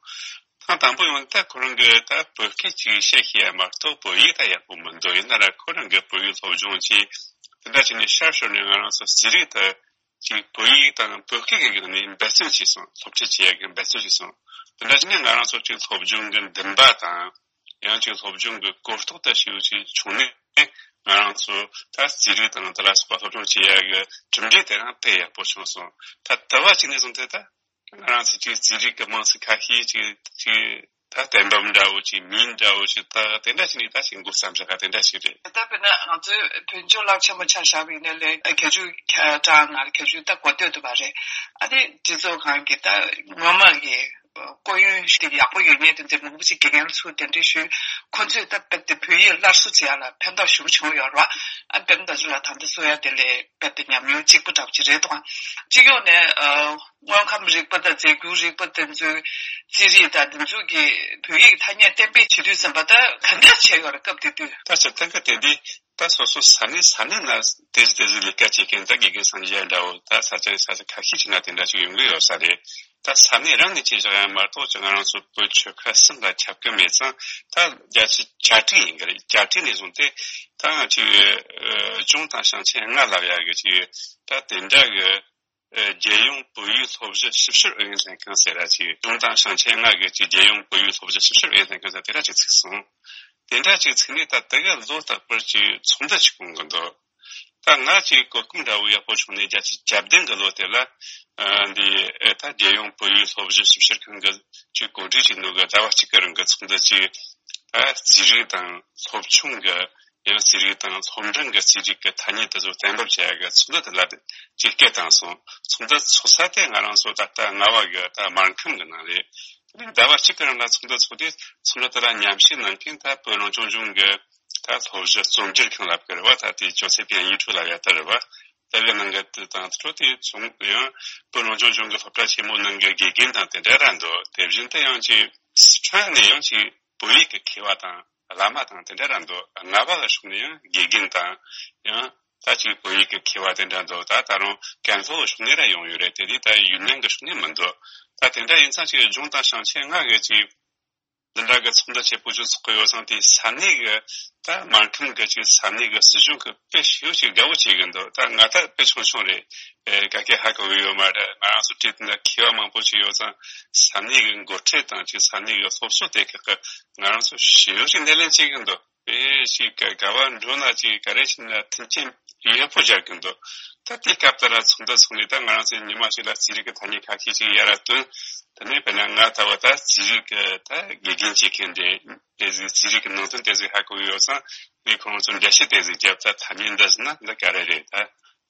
ཐེངས་དང་པོ་ཡོང་དུས་ད་ཁོ་རང་གིས་ད་བོད་སྐད་ཅིག་བཤད་ཤེས་ཡ་མ་གཏོགས་བོད་ཡིག་ད་ཡག་པོ་མི་འདུག་ཡིན་ན་ར་ཁོ་རང་གིས་བོད་ཡིག་སློབ་སྦྱོང་བྱས། དེ་འདྲ་བྱས་ནས་ཤར་ཤོར་ནས་ང་རང་ཚོ་རྩིས་རིག་ད་ཅིག་བོད་ཡིག་དང་བོད་སྐད་ཀྱི་སྒང་ནས་འབད་བརྩོན་བྱས་སོང་། སློབ་ཁྲིད་བྱེད་ཡ་གི་འབད་བརྩོན་བྱས་སོང་། དེ་འདྲ་བྱས་ནས་ང་རང་ཚོ་ཅིག་སློབ་སྦྱོང་གི་འདུན་པ་དང་། ཡང་ཅིག་སློབ་སྦྱོང་གི་གོ་རྟོགས་ད་ཞེ་པོ་ཅིག་བྱུང་ནས། ང་རང་ཚོ་ད་རྩིས་རིག་དང་དེ་ལ་སོགས་པ་སློབ་སྦྱོང་བྱེད་ཡ་གི་གྲུབ་འབྲས་དེ་རང་དཔེ་ཡག་པོ་བྱུང་སོང་། ད་དེ་བ་ཅིག་ནས་བཟུང་སྟེ་ད་ང་རང་ཚོ་ཅིག་རྩིས་རིག་གི་མིང་ཚིག་ཁ་ཤས་ཅིག་ཅིག་ད་གཏན་འབེབས་འདྲ་བོ་ཅིག་མིང་འདྲ་བོ་ཅིག་ད་དེ་འདྲ་ཞིག་ནས་ད་ཅིག་འགོ་བརྩམས་བཞག་ག་དེ་འདྲ་ཞིག་རེད། ད་དཔེར་ན་ང་ཚོའི་བོད་ལྗོངས་བླ་ཆེན་མོ་ཆ་བཞག་པ་ཡིན་ན་ལས་བརྒྱད་ཅུ་གྲངས་ནང་བརྒྱད་ཅུ་ད་གོ་ཐོས་འདུག་པ་རེད། ཨ་ནི་སྤྱི་ཚོགས་ཁང་གི་ད་སྔོན་མ་གི་སྐུ་ཡོན་ཞིག་ཡག་པོ་ཡོད་མཁན་དེ་འདྲ་མང་པོ་ཅིག་དགེ་རྒན་ཚོ་གདན་འདྲེན་ཞུས། ཁོ་ཚོས་ད་རྦད་དེ་བོད་ཡིག་སླར་གསོ་བྱེད་ཡ་ལ་ཕན་ཐོགས་ཞེ་པོ་བྱུང་ཡོད་རེད་བ། ཨ་དཔེར་ན་ད་ཚོ་ལ་ད་ལྟ་གསུང་ཡ་དེ་ལས་རྦད་དེ་ཉམས་མྱོང་གཅིག་པ་འདྲ་པོ་ཅིག་རེད་འདུག་སྤྱི་ཡོངས་ནས་ཨ་དངོས་ཁམས་རིག་པ་དང་རྫས་འགྱུར་རིག་པ་དེ་ཚོའི་རྩིས་རིག་དང་དེ་ཚོ་གི་བོད་ཡིག་ཐ་སྙད་གཏན་འབེབས་བྱེད་དུས་ཙམ་པ་ད་ག་འདྲ་བྱས་ཡོད་རེད་སྐབས་དེ་དུས། ད་ཆ་གཏན་འཁེལ་དེ་འདི། ད་སོ་སོ་ས་གནས་ས་གནས་ན་དེ་ཚོ་དེ་ཚོ་ལས་ཀ་བྱེད་མཁན་ད་དགེ་རྒན་སངས་རྒྱས་འདྲ་བོ་ད་ས་ཆ་ས་ཆ་ཁ་ཤས་ཅིག་ན་དེ་འདྲ་ཅིག་ཡོང་གི་ཡོད་ས་རེད། ད་ས་གནས་རང་ནས་བྱས་བཞག་ཡང་མ་གཏོགས་ཀྱི་ང་རང་ཚོ་བོད་ཆོལ་ཁ་གསུམ་ལ་ཁྱབ་ཀྱི་མེད་ཙང་། ད་བརྒྱ་ཆ་གྱ་དྲུག་ཡིན་གི་རེད། གྱ་དྲུག་ནས་བཟུང་སྟེ་ད་ང་ཅིག་ཨ་ཅུང་དང་ཞིང་ཆེན་ལྔ་ལབ་ཡ་གི་ཅིག་ད་དེ་འདྲ་གི་ཨ་རྒྱལ་ཡོངས་བོད་ཡིག་སློབ་གཞི་ཞིབ་བཤེར་ཨུ་ཡོན་ལྷན་ཁང་ཟེར་ར་ཅིག་ཅུང་དང་ཞིང་ཆེན་ལྔ་གི་ཅིག་རྒྱལ་ཡོངས་བོད་ཡིག་སློབ་གཞི་ཞིབ་བཤེར་ཨུ་ཡོན་ལྷན་ཁང་ཟེར་དེ་འདྲ་ཅིག་ཚུགས་སོང་། དེ་འདྲ་ཅིག་ཚུགས་ནས་ད་དེ་ག་ལོ་རྟག་པར་ཅིག་ཚོགས་འདུ་ཅིག་སྐོང་གི་འདུག་ད་ང་ཅིག་གོ་སྐབས་འདྲ་བོ་ཡག་པོ་བྱུང་ནས་བརྒྱད་ཅུ་གྱ་བདུན་གི་ལོ་དེ་ལ་ཨ་འདི་ཨེ་ད་རྒྱལ་ཡོངས་བོད་ཡིག་སློབ་གཞི་ཞིབ་བཤེར་ཁང་གི་ཅིག་གོ་སྒྲིག་བྱས་ནོ་གི་ཟླ་བ་གཅིག་གི་རིང་གི་ཚོགས་འདུ་ཅིག་ད་རྩིས་རིག་དང་སློབ་ཆུང་གི་ཡང་རྩིས་རིག་དང་སློབ་འབྲིང་གི་རྩིས་རིག་གི་ཐ་སྙད་དེ་ཚོ་གཏན་འབེབས་བྱེད་ཡ་གི་ཚོགས་འདུ་དེ་ལ་ཅིག་སྐད་བཏང་སོང་། ཚོགས་འདུ་ཚོགས་ས་དེ་ང་རང་ཚོ་ད་ལྟ་རྔ་བ་གི་ད་སྨར་ཁམས་གི་ནང་རེད། ཟླ་བ་གཅིག་གི་རིང་ལ་ཚོགས་འདུ་ཚོགས་ཏེ་ཚོགས་འདུ་དེ་ལ་མཉམ་ཞུགས་གནང་མཁན་ད་བོད་རང་སྐྱོང་ལྗོངས་ཀྱི་ད་སློབ་གཞི་རྩོམ་སྒྱུར་ཁང་ལབ་ཀྱི་རེད་བ། ད་དེ་ཅོ་ཚེ་པན་ཡིག་འཕྲུལ་ལབ་ཡ་དེ་རེད་བ། དེ་གི་ནང་གི་དེ་དང་དེ་ཚོ་དེ་ཚོང་ཡང་བོད་རང་སྐྱོང་ལྗོངས་ཀྱི་སློབ་གྲྭ་ཆེན་མོ་ནང་གི་དགེ་རྒན་དང་དེ་འདྲ་ར་འདུག་དེ་བཞིན་དུ་ཡང་ཅིག་སི་ཁྲོན་ནས་ཡང་ཅིག་བོད་ཡིག་གི་མཁས་པ་དང་བླ་མ་དང་དེ་འདྲ་ར་འདུག་རྔ་བ་གི་ཕྱོགས་ནས་ཡང་དགེ་རྒན་དང་ཡང་ད་ཅིག་བོད་ཡིག་གི་མཁས་པ་དེ་འདྲ་འདུག་ད་ད་རུང་ཀན་ལྷོ་ཕྱོགས་ནས་ར་ཡོང་ཡོད་རེད། དེ་དུས་ད་ཡུན་ནན་གི་ཕྱོགས་ནས་མི་འདུག་ད་དེ་འདྲ་ཡིན་ཙང་ཅིག་ལྗོངས་དང་ཞིང་ཆེན་ལྔ་གི་ཅིག་འདི་འདྲ་གི་ཚོགས་འདུ་ཆེ་པོ་ཅིག་ཚོགས་གི་ཡོད་ཙང་དེ་ས་གནས་གི་ད་སྨར་ཁམས་གི་ཅིག་ས་གནས་གི་སྲིད་གཞུང་གི་དཔེ་ཞེ་ཅིག་དགའ་བོ་བྱེད་གི་འདུག་ད་ང་ད་དཔེ་ཆུང་ཆུང་རེད། ཨེ་ག་གེ་ཧ་གོ་གི་ཡོད་མ་རེད། ང་རང་ཚོ་བྲིས་ན་མཁས་པ་མང་པོ་ཅིག་ཡོད་ཙང་ས་གནས་གི་འགོ་ཁྲིད་དང་ཅིག་ས་གནས་གི་སློབ་གསོ་དེ་ཁག་གི་ང་རང་ཚོ་ཞེ་ཅིག་སྣེ་ལེན་བྱེད་གི་འདུག་དཔེ་ཞིག་ག་ག་བ་འགྲོ་ན་ཅིག་ག་རེ་བྱས་ན་མཐུན་རྐྱེན་ཡག་པོ་སྦྱར་གི་འདུག་ད་དེ་སྐབས་དེ་ལ་ཚོགས་འདུ་ཚོགས་ནས་ད་ང་རང་ཚོའི་ཉི་མ་ཞིག་ལ་རྩིས་རིག་གི་ཐ་སྙད་ཁ་ཤས་ཅིག་ཡར་བཏོན། དེ་ནས་དཔེར་ན་ང་ད་བ་ད་རྩིས་རིག་གི་ད་དགེ་རྒན་བྱེད་མཁན་དེ་དེ་ཟིག་རྩིས་རིག་གི་ནང་དོན་དེ་ཟིག་ཧ་གོ་ཡོད་ཙང་ངས་ཁོང་ཚོ་འགྲེལ་བཤད་དེ་ཟིག་བརྒྱབ། ད་ཐ་སྙད་འདི་ཟེར་ན་འདི་ག་རེ་རེད། ད་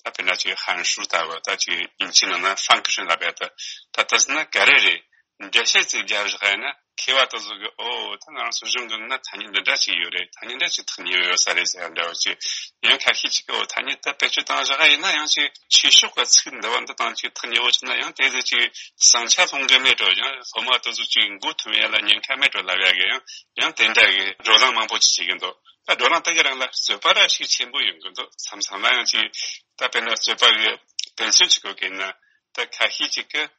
ད་དཔེར་ན་ཅིག་ཧན་ཧྲུའུ་ལྟ་བུ་ད་ཅིག་དབྱིན་ཇིའི་ནང་ན་ཧྥང་ཀི་ཤུན་ལབ་ཡ་ད་ད་ད་ཟེར་ན་ག་རེ་རེད། འགྲེལ་བཤད་ཅིག་རྒྱབ་བཞག་ཡིན་ན་མཁས་པ་དེ་ཚོ་གིས་ཨོ་ད་ང་རང་ཚོ་གཞུང་གི་ནང་ཐ་སྙད་འདི་འདྲ་ཅིག་ཡོད་རེད། ཐ་སྙད་འདྲ་ཅིག་ཐག་ཉེ་བོ་ཡོད་ས་རེད་ཟེར་ཡ་འདྲ་བོ་ཅིག་ཡང་ཁ་ཤས་ཅིག་གིས་ཨོ་ཐ་སྙད་ད་བེད་སྤྱོད་བཏང་བཞག་ཡིན་ན་ཡང་ཅིག་ཆོས་ཕྱོགས་ཀྱི་ཚིག་འདི་བ་འདི་དང་ཅིག་ཐག་ཉེ་བོ་ཆགས་ན་ཡང་དེ་ཚོ་ཅིག་བསམ་འཆར་ལྷུང་གི་མེད་འགྲོ། ཡང་སློབ་མ་དེ་ཚོ་ཅིག་མགོ་ཐོན་ཡ་ལ་ཉེན་ཁ་མེད་འགྲོ་ལབ་ཡ་གི་ཡང་ཡང་དེ་འདྲ་གི་བགྲོ་གླེང་མང་པོ་ཅིག་བྱེད་ཀྱི་འདུག་ད་བགྲོ་གླེང་དེ་གི་རིང་ལ་རྩོད་པ་ར་ཞིག་ཆེན་པོ་ཡོང་གི་འདུག་མཚམས་མཚམས་ལ་ཡང་ཅིག་ད་དཔེར་ན་རྩོད་པ་གི་དོན་ཚན་ཅིག་གོ་གི་ཡིན་ན་ད་ཁ་ཤས་ཅིག་གིས།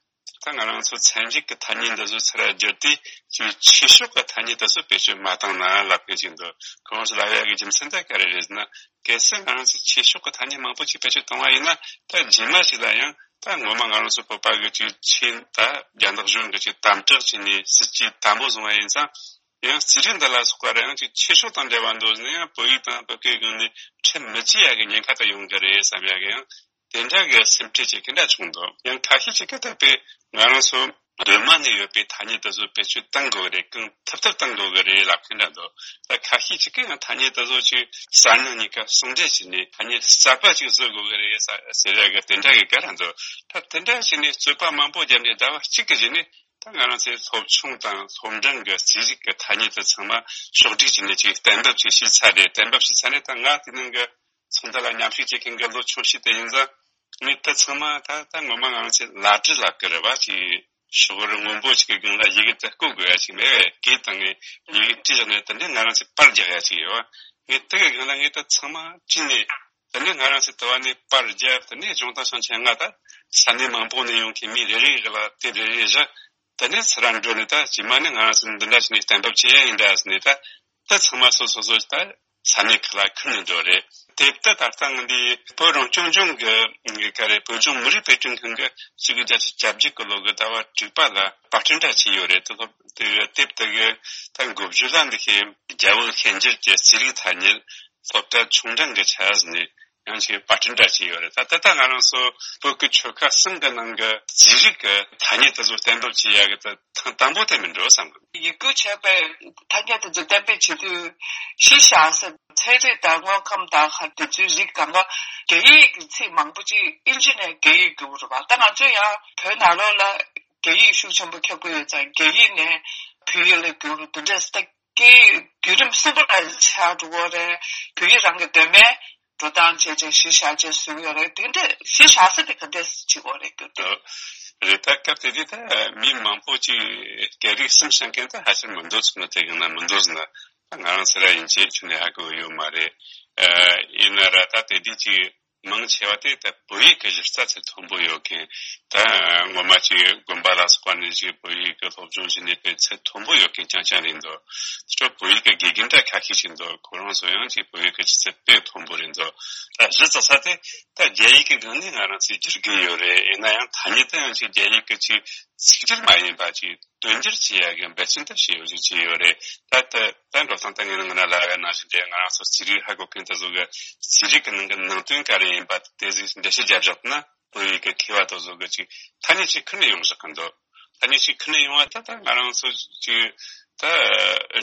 ད་ང་རང་ཚོ་ཚན་རིག་གི་ཐ་སྙད་འདི་ཚོ་ཚུར་བསྒྱུར་ཏེ་ཅིག་ཆོས་ཕྱོགས་ཀྱི་ཐ་སྙད་དེ་ཚོ་བེད་སྤྱོད་མ་བཏང་ན་ལབ་མཁན་ཅིག་འདུག་ཁོང་ཚོ་ལབ་ཡག་གི་རྒྱུ་མཚན་དེ་ག་རེ་རེད་ཟེར་ན། གལ་སྲིད་ང་རང་ཚོས་ཆོས་ཕྱོགས་ཀྱི་ཐ་སྙད་མང་པོ་ཅིག་བེད་སྤྱོད་བཏང་བ་ཡིན་ན་ད་རྗེས་མ་ཞིག་ལ་ཡང་ད་ངོ་མ་ང་རང་ཚོ་བོད་པ་གི་ཅིག་ཆོས་ད་རྒྱ་ནག་གཞུང་གི་ཅིག་དམ་དྲག་བྱས་ནས་སྲིད་ཇུས་དམ་པོ་བཟུང་བ་ཡིན་ཙང་ཡང་རྩིས་རིག་འདི་ལ་སོགས་པ་ར་ཡང་ཅིག་ཆོས་ཕྱོགས་དང་འབྲེལ་བ་འདུག་ཟེར་ན་ཡང་བོད་ཡིག་དང་བོད་སྐད་སྒང་ནས་ཁྲིད་མི་བྱེད་ཡག་གི་ཉེན་ཁ་དེ་ཡོང་གི་རེད་བསམ་ཡག་གི་ཡང་། དེ་འདྲ་གི་སེམས་ཁྲལ་བྱེད་མཁན་འདྲ་བྱུང་འདུག་ཡང་ཁ་ཤས་ཅིག་གིས་ད་དཔེ་ང་རང་ཚོ་གདོད་མ་ནས་ཡོད་པའི་ཐ་སྙད་དེ་ཚོ་བེད་སྤྱོད་གཏང་དགོས་རེད། གང་ཐུབ་ཐུབ་གཏང་དགོས་ཀྱི་རེད་ལབ་མཁན་འདྲ་འདུག་ད་ཁ་ཤས་ཅིག་གིས་ཡང་ཐ་སྙད་དེ་ཚོ་ཅིག་གསར་རྙིང་གཉིས་ཀ་ཟུང་འབྲེལ་བྱས་ནས་ཐ་སྙད་གསར་པ་ཅིག་བཟོ་དགོས་ཀྱི་རེད་ཟེར་ཡག་གི་དེ་འདྲ་གི་བཀའ་ར་འདུག་ད་དེ་འདྲ་བྱས་ནས་རྩོད་པ་མང་པོ་བརྒྱབ་ནས་ཟླ་བ་གཅིག་གི་རྗེས་ནས་ད་ང་རང་ཚོའི་སློབ་ཆུང་དང་སློབ་འབྲིང་གི་རྩིས་རིག་གི་ཐ་སྙད་དེ་ཚང་མ་ཕྱོགས་སྒྲིག་བྱས་ནས་ཅིག་གཏན་འབེབས་ཅིག་བྱས་ཚར་རེད། གཏན་འབེབས་བྱས་ཚར་ནས་ད་ང་དེ་ནང་གི་ཚོགས་འདུ་ལ་མཉམ་ཞུགས་བྱེད་མཁན་གྱི་ལོ་ཆུང་ཤོས་དེ་ཡིན་ཙང་། ངས་ད་ཚང་མ་ད་ད་ངོ་མ་ང་ཚོས་ལཱ་འབྲི་ལབ་ཀྱི་རེད་བ། ཅིག་ཤོག་བུ་སྔོན་པོ་ཞིག་གི་སྒང་ལ་ཡི་གེ་དེ་བརྐོ་དགོས་ཡ་ཞིག་མེད་པས། གོས་དང་ངས་ཡི་གེ་བྲིས་བཞག་ནས་དེ་འདྲའི་ང་རང་ཚོས་པར་རྒྱག་ཡ་ཞིག་ཡོད་བ། ངས་དེ་གི་སྒང་ལ་ངས་ད་ཚང་མ་བྲིས་ནས་དེ་འདྲའི་ང་རང་ཚོས་དུ་བ་ནས་པར་རྒྱབ། དེ་ནས་གཞུང་དང་ཞིང་ཆེན་ལྔ་ད་ས་གནས་མང་པོ་ནས་ཡོང་མཁན་མི་རེ་རེ་གི་ལ་དེབ་རེ་རེ་བཞག་དེ་ནས་ཚུར་ར་འགྲོ་ནས་ད་རྗེས་མ་ནས་ང་རང་ཚོ་འདི་འདྲ་བྱས་ནས་གཏན་འབེབས་བྱེད་ཡ་ཡིན་འདྲ་ཟེར་ནས་ད་ད་ཚང་མ་སོ་སོ་སོ་ད་ས་གནས་ཁག་ལ་ཁུར་ནས་འགྲོ་རེད། དེབ་ད་ད་ལྟ་ང་འདི་བོད་རང་སྐྱོང་ལྗོངས་ཀྱི་ག་རེ་བོད་ལྗོངས་མི་རིགས་དཔེ་སྐྲུན་ཁང་གི་ཆིག་སྟོང་དགུ་བརྒྱ་བརྒྱད་ཅུ་གྱ་བརྒྱད་གི་ལོ་གི་ཟླ་བ་དྲུག་པ་ལ་པར་སྐྲུན་འདྲ་བྱས་ཡོད་རེད། དེ་ལོ་དེ་དེབ་དེ་གི་ད་འགོ་བརྗོད་ལ་འདི་ཤེས་རྒྱ་བོད་ཤན་སྦྱར་གྱི་རྩིས་རིག་ཐ་སྙད་སློབ་གྲྭ་ཆུང་འབྲིང་གི་ཆ་ཟེར་ནས། ཡང་ཅིག་པར་སྐྲུན་འདྲ་བྱས་ཡོད་རེད། ད་ད་ལྟ་ང་རང་ཚོ་བོད་ཀྱི་ཆོལ་ཁ་གསུམ་གྱི་ནང་གི་རྩིས་རིག་གི་ཐ་སྙད་དེ་ཚོ་གཏན་འབེབས་བྱེད་ཡག་གི་ད་ཐེངས་དང་པོ་དེ་མིན་འགྲོ་བསམ་གི། ཡིག་སྒྱུར་བྱས་པའི་ཐ་སྙད་དེ་ཚོ་གཏན་འབེབས་བྱེད་དུས་གཞི་བཞག་ས་ཚན་རིག་དང་དངོས་ཁམས་དང་ཧ་དེ་ཚོའི་རིགས་གང་ག་རྒྱ་ཡིག་གི་ཚིག་མང་པོ་ཅིག་ཨིན་ཇི་ནས་རྒྱ་ཡིག་བསྒྱུར་བ་རེད་པ། ད་ང་ཚོ་ཡང་བོད་ནང་ལོགས་ལ་རྒྱ་ཡིག་ཤུགས་ཆེན་པོ་ཁྱབ་ཀྱི་ཡོད་ཙང་རྒྱ་ཡིག་ནས་བོད་ཡིག་ལ་བསྒྱུར་དེ་འདྲས་ད། སྐད་ཡིག་བརྒྱུད་རིམ་གསུམ་པ་ལ་ཆགས་འགྲོ་གི་རེད། བོད་ཡིག་རང་གི་གདོད་མའི་འགྲོ་སྟངས་བྱས་བྱས་གཞི་བཞག་བྱས་བཟོས་ཡོད་རེད། དེ་འདྲ་གཞི་བཞག་ས་དེ་ག་འདྲས་བྱེད་དགོས་རེད་རྒྱུ་དེ། རེད། ད་སྐབས་དེ་དུས་ད་མི་མང་པོ་ཅིག་སྐད་རིགས་གསུམ་ཤེས་མཁན་ད་ཧ་ཅང་མི་འདུག་ཚུགས་ན་དེ་གི་ན་མི་འདུག་ཟེར་ན་ད་ང་རང་ཚོ་ར་ཡིན་ཆེད་ཁྱོན་ནས་ཧ་གོ་ཡོད་མ་རེད། ཡིན་ན་ར་ད་དེ་དུས་ཅིག་མང་ཆེ་བ་དེ་ད་བོད་ཡིག་གི་གཞི་རྩ་ཚད་མཐོན་པོ་ཡོད་མཁན། ད་ངོ་མ་ཅིག་དགོན་པ་ལ་སོགས་པ་ནས་ཅིག་བོད་ཡིག་གི་སློབ་སྦྱོང་བྱས་ནས་དཔེ་ཚད་མཐོན་པོ་ཡོད་མཁན་རྐྱང་རྐྱང་རེད་འདུག་དེ་ཚོ་བོད་ཡིག་གི་དགེ་རྒན་འདྲ་ཁ་ཤས་ཤིག་འདུག་ཁོ་རང་ཚོ་ཡང་ཅིག་བོད་ཡིག་གི་ཆུ་ཚད་དཔེ་མཐོན་པོ་རེད་འདུག་ད་གཞི་རྩ་ས་དེ་ད་རྒྱ་ཡིག་གི་སྒང་ནས་ང་རང་ཚོས་བསྒྱུར་གི་ཡོད་རེད། ཡིན་ན་ཡང་ཐ་སྙད་དེ་ཡང་ཅིག་རྒྱ་ཡིག་གི་ཅིག་ཚིག་འགྲེལ་མ་ཡིན་པ་ཅིག་དོན་འགྱུར་བྱེད་ཡ་གི་འབད་བརྩོན་དེ་བྱེད་ཡོད་ཅིག་བྱས་ཡོད་རེད། ད་ད་ད་འགྲོ་སྟངས་ད་ངས་ང་ན་ལ་ཡ་ནང་བཞིན་དེ་ང་རང་ཚོ་རྩིས་རིག་ཧ་གོ་མཁན་དེ་ཚོ་གི་རྩིས་རིག་གི་ནང་གི་ནང་དོན་ག་རེ་ཡིན་པ་དེ་ཚོ་འགྲེལ་བཤད་རྒྱབ་བཞག་ན། བོད་ཡིག་གི་མཁས་པ་དེ་ཚོ་གི་ཅིག་ཐ་སྙད་ཅིག་ཁུར་ནས་ཡོང་བཞག་གི་འདུག་ཐ་སྙད་ཅིག་ཁུར་ནས་ཡོང་བ་ད་ད་ང་རང་ཚོ་ཅིག་ད་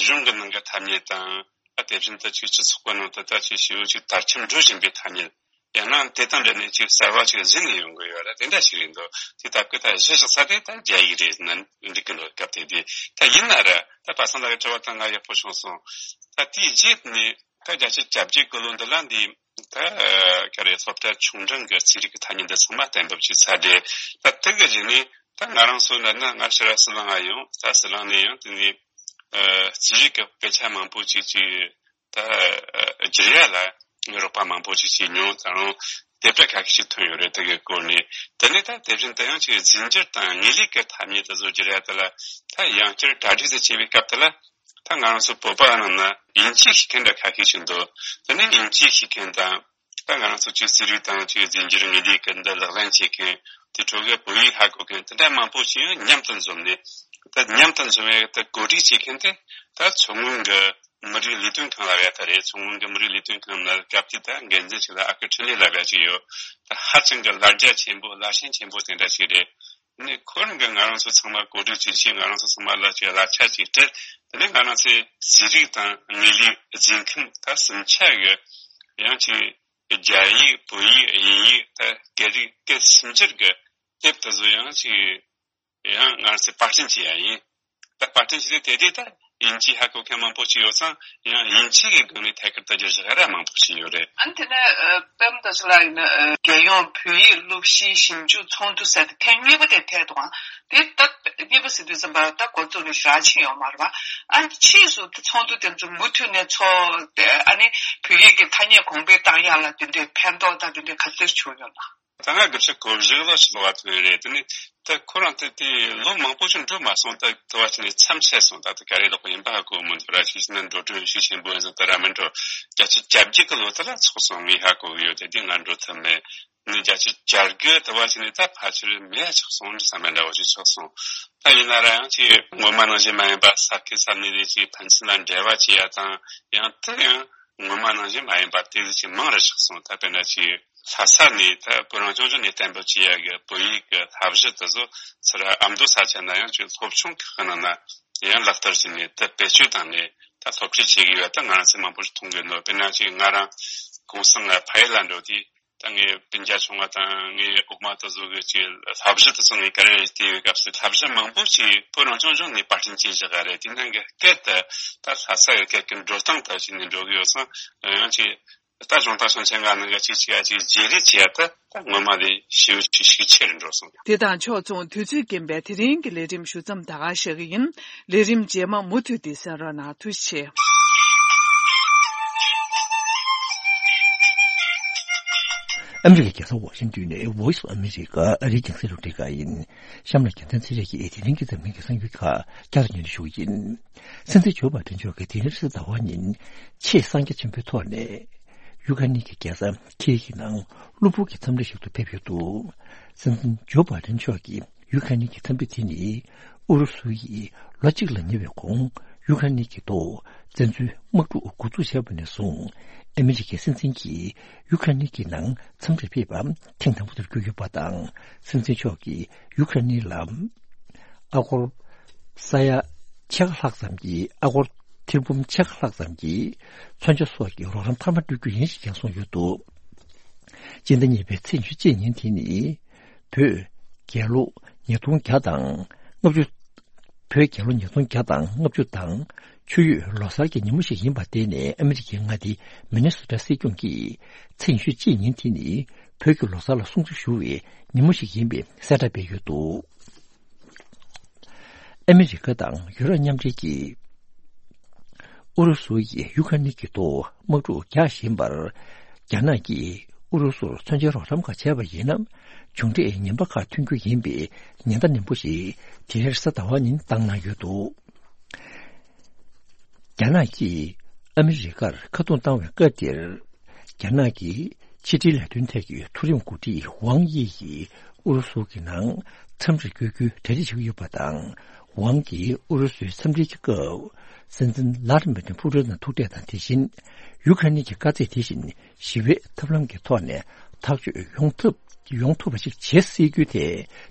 གཞུང་གི་ནང་གི་ཐ་སྙད་དང་། ཨ་དེ་བཞིན་དུ་ཅིག་སྤྱི་ཚོགས་པ་ནང་དུ་ད་ཅིག་ཞེ་པོ་ཅིག་དར་ཁྱབ་འགྲོ་བཞིན་པའི་ཐ་སྙད། ཡང་ན་དེ་དང་འབྲེལ་ནས་ཅིག་གསར་བ་ཅིག་གཟིགས་ནས་ཡོང་གི་ཡོད་རེད། དེ་འདྲ་ཞིག་རེད་འདུག་དེ་ལྟ་བུའི་ད་གཞི་བཞག་ས་དེ་ད་རྒྱ་ཡིག་རེད་ན་འགྲིག་གི་འདུག་སྐབས་དེ་དུས་ད་ཡིན་ན་ར་ད་པ་སངས་ལགས་ཀྱི་དྲི་བ་ད་ང་ཡག་པོ་བྱུང་སོང་། ད་དེའི་རྗེས་ནས་ད་བརྒྱད་ཅུ་གྱ་བརྒྱད་གི་ལོ་འདི་ལ་འདི་ད་ག་རེ་སློབ་གྲྭ་ཆུང་འབྲིང་གི་རྩིས་རིག་གི་ཐ་སྙད་འདི་ཚང་མ་གཏན་འབེབས་བྱས་ཚར་རེད། ད་དེ་གི་རྗེས་ནས་ད་ང་རང་ཚོ་འདྲ་ན་ང་ཕྱིར་ཟི་ལིང་ང་ཡོང་། ད་ཟི་ལིང་ནས་ཡང་དེ་ནས་རྩིས་རིག་གི་སྐད་ཆ་མང་པོ་ཅིག་ཅིག་ད་བསྒྱུར་ཡ་ལ་རོགས་པ་མང་པོ་ཞིག་བྱས་མྱོང་། ད་རུང་དེབ་ཕྲ་ཁ་ཤས་ཤིག་ཐོན་ཡོད་རེད། དེ་གའི་སྐོར་ནས། དེ་ནས་ད་དེ་བཞིན་དུ་ཡང་ཅིག་རྫས་འགྱུར་དང་དངོས་ལུགས་ཀྱི་ཐ་སྙད་དེ་ཚོ་བསྒྱུར་ཡ་དེ་ལ་ད་ཡང་བསྐྱར་གྲ་སྒྲིག་ཟེར་བྱས་པའི་སྐབས་དེ་ལ། ད་ང་རང་ཚོ་བོད་པ་ནང་ན་དབྱིན་ཇི་ཤེས་མཁན་འདྲ་ཁ་ཤས་ཤིག་འདུག་དེ་ནས་དབྱིན་ཇི་ཤེས་མཁན་དང་། ད་ང་རང་ཚོ་ཅིག་རྩིས་རིག་དང་ཅིག་རྫས་འགྱུར་དངོས་ལུགས་ཀྱི་འདི་ལག་ལེན་བྱེད་མཁན། དེ་འཕྲོ་གི་བོད་ཡིག་ཧ་གོ་མཁན་དེ་འདྲ་མང་པོ་ཞིག་མཉམ་དུ་འཛོམས་ནས། ད་མཉམ་དུ་འཛོམས་ཡ་ད་གོ་སྒྲིག་བྱེད་མཁན་དེ་ད་མཚོ་སྔོན་གྱི་མི་རིགས་ལས་དོན་ཁང་ལབ་ཡ་ད་རེད། མཚོ་སྔོན་གྱི་མི་རིགས་ལས་དོན་ཁང་ནང་སྐབས་དེ་ད་འགན་འཛིན་ཞིག་ལ་ཨ་ཁུ་འཕྲིན་ལས་ལབ་ཡ་ཅིག་ཡོད། ད་ཧ་ཅང་གི་ལ་རྒྱ་ཆེན་པོ་ལ་ཞེན་ཆེན་པོ་དེ་འདྲ་ཞིག་རེད། ནས་ཁོ་རང་གིས་ང་རང་ཚོ་ཚང་མ་གོ་སྒྲིག་བྱས་བྱས། ང་རང་ཚོ་ཚང་མ་ལ་ཅིག་གླ་ཆ་ཅིག་སྤྲད། དེ་ནས་ང་རང་ཚོའི་རྩིས་རིག་དང་དངོས་ལུགས་རྫས་མཁན་ད་གསུམ་ཆ་གི་ཡང་ཅིག་རྒྱ་ཡིག་བོད་ཡིག་དབྱིན་ཡིག་ད་སྐད་རིགས་སྐད་སུམ་ཅུ་གི་དེབ་དེ་ཚོ་ཡང་ཅིག་ཡང་ང་རང་ཚོས་པར་སྐྲུན་བྱས་ཡ་ཡིན། ད་པར་སྐྲུན་བྱས་ཏེ་དེ་དེ་ད་དབྱིན་ཇི་ཧ་གོ་མཁན་མང་པོ་ཅིག་ཡོད་ཙང་། ཡང་དབྱིན་ཇི་གི་སྒང་ནས་ཐད་ཀར་ད་བསྒྱུར་བཞག་ཡ་ར་མང་པོ་ཞིག་ཡོད་རེད། ཨ་ནི་དེ་ནས་ཨ་པད་མ་རྡོ་རྗེ་ལགས་ཡིན་ན། ཨ་རྒྱལ་ཡོངས་བོད་ཡིག་སློབ་གཞིའི་ཞིབ་འཇུག་ཚོགས་འདུ་ཟེར་ཏེ་ཐེངས་གཉིས་པ་དེ་ཐད་དུའང་དེ་ད་གཉིས་པ་ཟེར་དུས་ཙམ་པ་ད་འགོ་བཙུགས་ནས་ཞེ་དྲག་ཕྱིན་ཡོད་མ་རེད་པ། ཨ་ནི་ཕྱིས་སུ་དེ་ཚོགས་འདུ་དེ་ཚོ་མུ་མཐུད་ནས་ཚོགས་ཏེ། ཨ་ནི་བོད་ཡིག་གི་ཐ་སྙད་གོང་འཕེལ་བཏང་ཡག་ལ་དེ་འདྲའི་ཕན་ཐོགས་དང་དེ་འདྲའི་ག་ཚོད་བྱུང་ཡོད་ན། ད་ང་དགུ་བཅུ་གོ་བཞི་ལོ་ཞིག་ལོ་བ་ཐོན་རེད། དེ་ནི་ད་ཁོ་རང་དེ་དེ་ལོ་མང་པོ་ཞིག་འགྲོ་མ་སོང་། ད་དུ་བ་ཅི་ནས་མཚམས་ཆད་སོང་། ད་དེ་ག་རེ་ལོག་ཡིན་པ་ཧ་གོ་མི་འདུག་ར། ཤེས་ན་འགྲོ་གྲོན་ཤུགས་ཆེན་པོ་ཡིན་ཙང་ད་ར་མི་འགྲོ། བརྒྱད་ཅུ་གྱ་བརྒྱད་གི་ལོ་དེ་ལ་ཚོགས་སོང་ངས་ཧ་གོ་གི་ཡོད། དེ་དུས་ང་འགྲོ་ཐུབ་མེད། ནི་བརྒྱད་ཅུ་གྱ་དགུ་དུ་བ་ཅི་ནས་ད་ཕལ་ཆེར་མེད་ཆགས་སོང་འདྲ་བསམ་པ་འདྲ་བོ་ཞིག་ཆགས་སོང་། ད་ཡིན་ན་ར་ཡང་ཅིག་སྔོན་མ་ནང་བཞིན་མ་ཡིན་པ། ས་ཁུལ་ས་གནས་ལས་ཅིག་ཕན་ཚུན་ལ་འབྲེལ་བ་བྱེད་ཡ་དང་། ཡང་དེ་ཡང་སྔོན་མ་ནང་བཞིན་མ་ཡིན་པ་དེ་ཅིག་མང་རུ་ཆགས་སོང་། ད་དཔེར་ན་ཅིག་ལྷ་ས་ནས་ད་བོད་རང་སྐྱོང་ལྗོངས་ནས་གཏན་འབེབས་བྱས་ཡ་གི་བོད་ཡིག་གི་བསླབ་གཞི་དེ་ཚོ་ཚུར་ཨ་མདོ་ས་ཆ་ན་ཡང་ཅིག་སློབ་ཆུང་ཁག་ནང་ན་ཡང་ལག་བསྟར་བྱས་ནས་ད་བེད་སྤྱོད་བཏང་ནས་ད་སློབ་ཁྲིད་བྱེད་ཀྱི་ཡོད། ད་ང་རང་ཚོ་མང་པོ་ཞིག་མཐོང་གི་ཡོད། དཔེར་ན་ཅིག་ང་རང་གུང་སེང་ལ་ཕ་ཡུལ་ལ་འགྲོ་དུས། ད་ངའི་སྤུན་ཀྱག་ཆུང་བ་དང་ངའི་ཨུ་མ་དེ་ཚོ་གི་ཅིག་བསླབ་གཞི་དེ་ཚོ་ངས་ག་རེ་བལྟས་ཡོད་སྐབས་སུ། བསླབ་གཞི་མང་པོ་ཅིག་བོད་རང་སྐྱོང་ལྗོངས་ནས་པར་སྐྲུན་བྱས་བཞག་ག་རེད། དེ་ནང་གི་སྐད་དེ་ད་ལྷ་ས་གི་སྐད་ཀྱི་འགྲོ་སྟངས་དང་བྱས་ནས་འགྲོ་གི་ཡོད་ཙང་། ཡང་ཅིག་ད་གཞུང་དང་ཞིང་ཆེན་ཁག་ནང་གི་ཅིག་ཅིག་ཡ་ཅིག་བརྗེ་རེས་བྱས་ཡ་ད་ད་སྔོན་མ་ལས་ཞེ་པོ་ཅིག་ཤུགས་ཆེ་རུ་འགྲོ་སོང་། དེ་དང་ཕྱོགས་མཚུངས་དུས་ཚོད་རྐྱེན་པས་དེ་རིང་གི་ལས་རིམ་ཞུ་མཚམས་ད་ག་བཞག་གི་ཡིན། ལས་རིམ་རྗེས་མ་མུ་མཐུད་དེ་གསན་རོགས་གནང་། ཐུགས་རྗེ་ཆེ། ཨ་མི་རི་ཀའི་རྒྱལ་ས་ཝ་ཤིང་ཏོན་ནས་Voice of America ཨ་རིའི་རྒྱང་སྲིང་རླུང་འཕྲིན་ཁང་ཡིན། གཤམ་ལ་རྒྱལ་མཚན་ཚེ་རིང་གིས་དེ་རིང་གི་འཛམ་གླིང་གི་གསར་འགྱུར་ཁག་བསྐྱར་དུ་སྙན་སྒྲོན་ཞུ་གི་ཡིན། སྲིད་འཛིན་ཇོ་བྷའི་ཌེན་མཆོག་གིས་དེ་རིང་རེས་གཟའ་ཟླ་བ་ཉིན་ཆེས་གསང་རྒྱ་ཆེན་པོའི་ཐོག་ནས། ཡུ་ཁ་ནི་གི་རྒྱལ་ས་ཁིའེ་ཡི་ནང་གློ་བུར་གྱི་འཚམས་འདྲི་ཞིག་ཏུ་ཕེབས་ཡོད་འདུག་སྲིད་འཛིན་ཇོ་བྷའི་ཌེན་མཆོག་གིས་ཡུ་ཁ་ནི་གི་འཚམས་འདྲི་དེ་ནི། ཨུ་རུ་སུ་ཡིས་ལོ་གཅིག་ལ་ཉེ་བའི་གོང་ཡུ་ཁ་ནི་གི་ཐོག་བཙན་འཛུལ་དམག་འཁྲུག་འགོ་འཛུགས་བྱས་པ་ནས་བཟུང་། ཨ་མི་རི་ཀའི་སྲིད་འཛིན་གྱིས་ཡུ་ཁ་ནི་གི་ནང་འཚམས་འདྲིར་ཕེབས་པ་ཐེངས་དང་པོ་དེར་གྱུར་ཡོད་པ་དང་། སྲིད་འཛིན་མཆོག་གིས་ཡུ་ཁ་ནི་ལ། ཨ་སྒོར་ས་ཡ་ཕྱེད་ཀ་ལྷག་ཙམ་གྱི། ཨ་སྒོར་ཐེར་འབུམ་ཕྱེད་ཀ་ལྷག་ཙམ་གྱི་མཚོན་ཆ་སོགས་ཀྱི་རོགས་རམ་མཐའ་མ་སྤྲོད་རྒྱུ་ཡིན་ཞེས་ཀྱང་གསུངས་ཡོད་འདུག་སྤྱི་ཟླ་གཉིས་པའི་ཚེས་ཉི་ཤུ་གཅིག་ཉིན་དེ་ནི། བོད་རྒྱལ་ལོ་ཉིས་སྟོང་བརྒྱ་དང་ལྔ་བཅུ། བོད་རྒྱལ་ལོ་ཉིས་སྟོང་བརྒྱ་དང་ལྔ་བཅུ་དང་ཆུ་ཡོས་ལོ་གསར་གྱི་ཉིན་མོ་ཞིག་ཡིན་པར་བརྟེན་ནས། ཨ་མི་རི་ཀའི་མངའ་སྡེ་མི་ནི་སོ་ཊ་སྲིད་སྐྱོང་གིས་ཚེས་ཉི་ཤུ་གཅིག་ཉིན་དེ་ནི་བོད་ཀྱི་ལོ་གསར་ལ་སྲུང་བརྩི་ཞུ་བའི་ཉིན་མོ་ཞིག་ཡིན་པའི་གསལ་བསྒྲགས་སྤེལ་ཡོད་འདུག་ཨ་མི་རི་ཀ་དང་ཡུ་རོབ་མཉམ་འབྲེལ་གྱིས་ཨུ་རུ་སུ་ཡིས་ཡུ་ཁ་ནི་གི་ཐོག་དམག་འཁྲུག་རྒྱག་བཞིན་པར། རྒྱ་ནག་གིས་ཨུ་རུ་སུར་མཚོན་ཆའི་རོགས་རམ་ཁག་བྱས་པ་ཡིན་ན། མཇུག་འབྲས་ངན་པ་ཁག་ཐོན་རྒྱུ་ཡིན་པའི་ཉེན་བརྡ་ནན་པོ་ཞིག་དེ་རིང་རེས་གཟའ་ཟླ་བ་ཉིན་བཏང་གནང་ཡོད་འདུག་རྒྱ་ནག་གིས་ཨ་མི་རི་ཀར་ཁ་རྡུང་བཏང་བའི་སྐབས་དེར། རྒྱ་ནག་གི་ཕྱི་འབྲེལ་ལས་དོན་ཐད་ཀྱི་མཐོ་རིམ་འགོ་ཁྲིད་ཝང་དབྱི་ཡིས་ཨུ་རུ་སུ་གི་ནང་འཚམས་འདྲིར་བསྐྱོད་རྒྱུའི་གྲ་སྒྲིག་བྱེད་ཀྱི་ཡོད་པ་དང་། ཝང་གིས་ཨུ་རུ་སུའི་འཚམས་འདྲིའི་སྐབས། སྲིད་འཛིན་ལྷ་དྷི་མི་ཏིན་ཕུ་ཀྲིན་དང་ཐུག་འཕྲད་དང་། དེ་བཞིན་ཡུ་ཁ་རེན་གྱི་དཀའ་ཚེགས་དེ་བཞིན་ཞི་བའི་ཐབས་ལམ་གྱི་ཐོག་ནས་ཐག་གཅོད་ཡོང་ཐབས་ཡོང་ཐུབ་པ་ཞིག་བྱེད་སྲིད་རྒྱུ་དེ་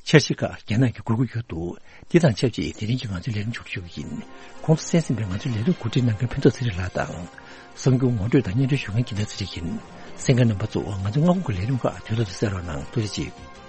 འཆར་གཞི་ཁག་རྒྱ་ནག་གིས་དགོས་ཀྱི་ཡོད་འདུག་འདི་དང་ཆབས་ཅིག་དེ་རིང་གི་ང་ཚོའི་ལས་རིམ་མཇུག་སྒྲིལ་ཞུ་གི་ཡིན། གོང་དུ་གསན་ཟིན་པའི་ང་ཚོའི་ལས་རིམ་གོ་སྒྲིག་གནང་མཁན་ཕུན་ཚོགས་ཚེ་རིང་ལགས་དང་། གསར་འགྱུར་ངོ་སྤྲོད་དང་སྙན་སྒྲོན་ཞུ་མཁན་འགྱུར་མེད་ཚེ་རིང་ཡིན། གསན་མཁན་རྣམ་པ་ཚོ། ང་ཚོའི་སྔ་དགོང་གི་ལས་རིམ་ཁག་དུས་ཐོག་ཏུ་གསན་རོགས་གནང་། ཐུགས་རྗེ་ཆེ།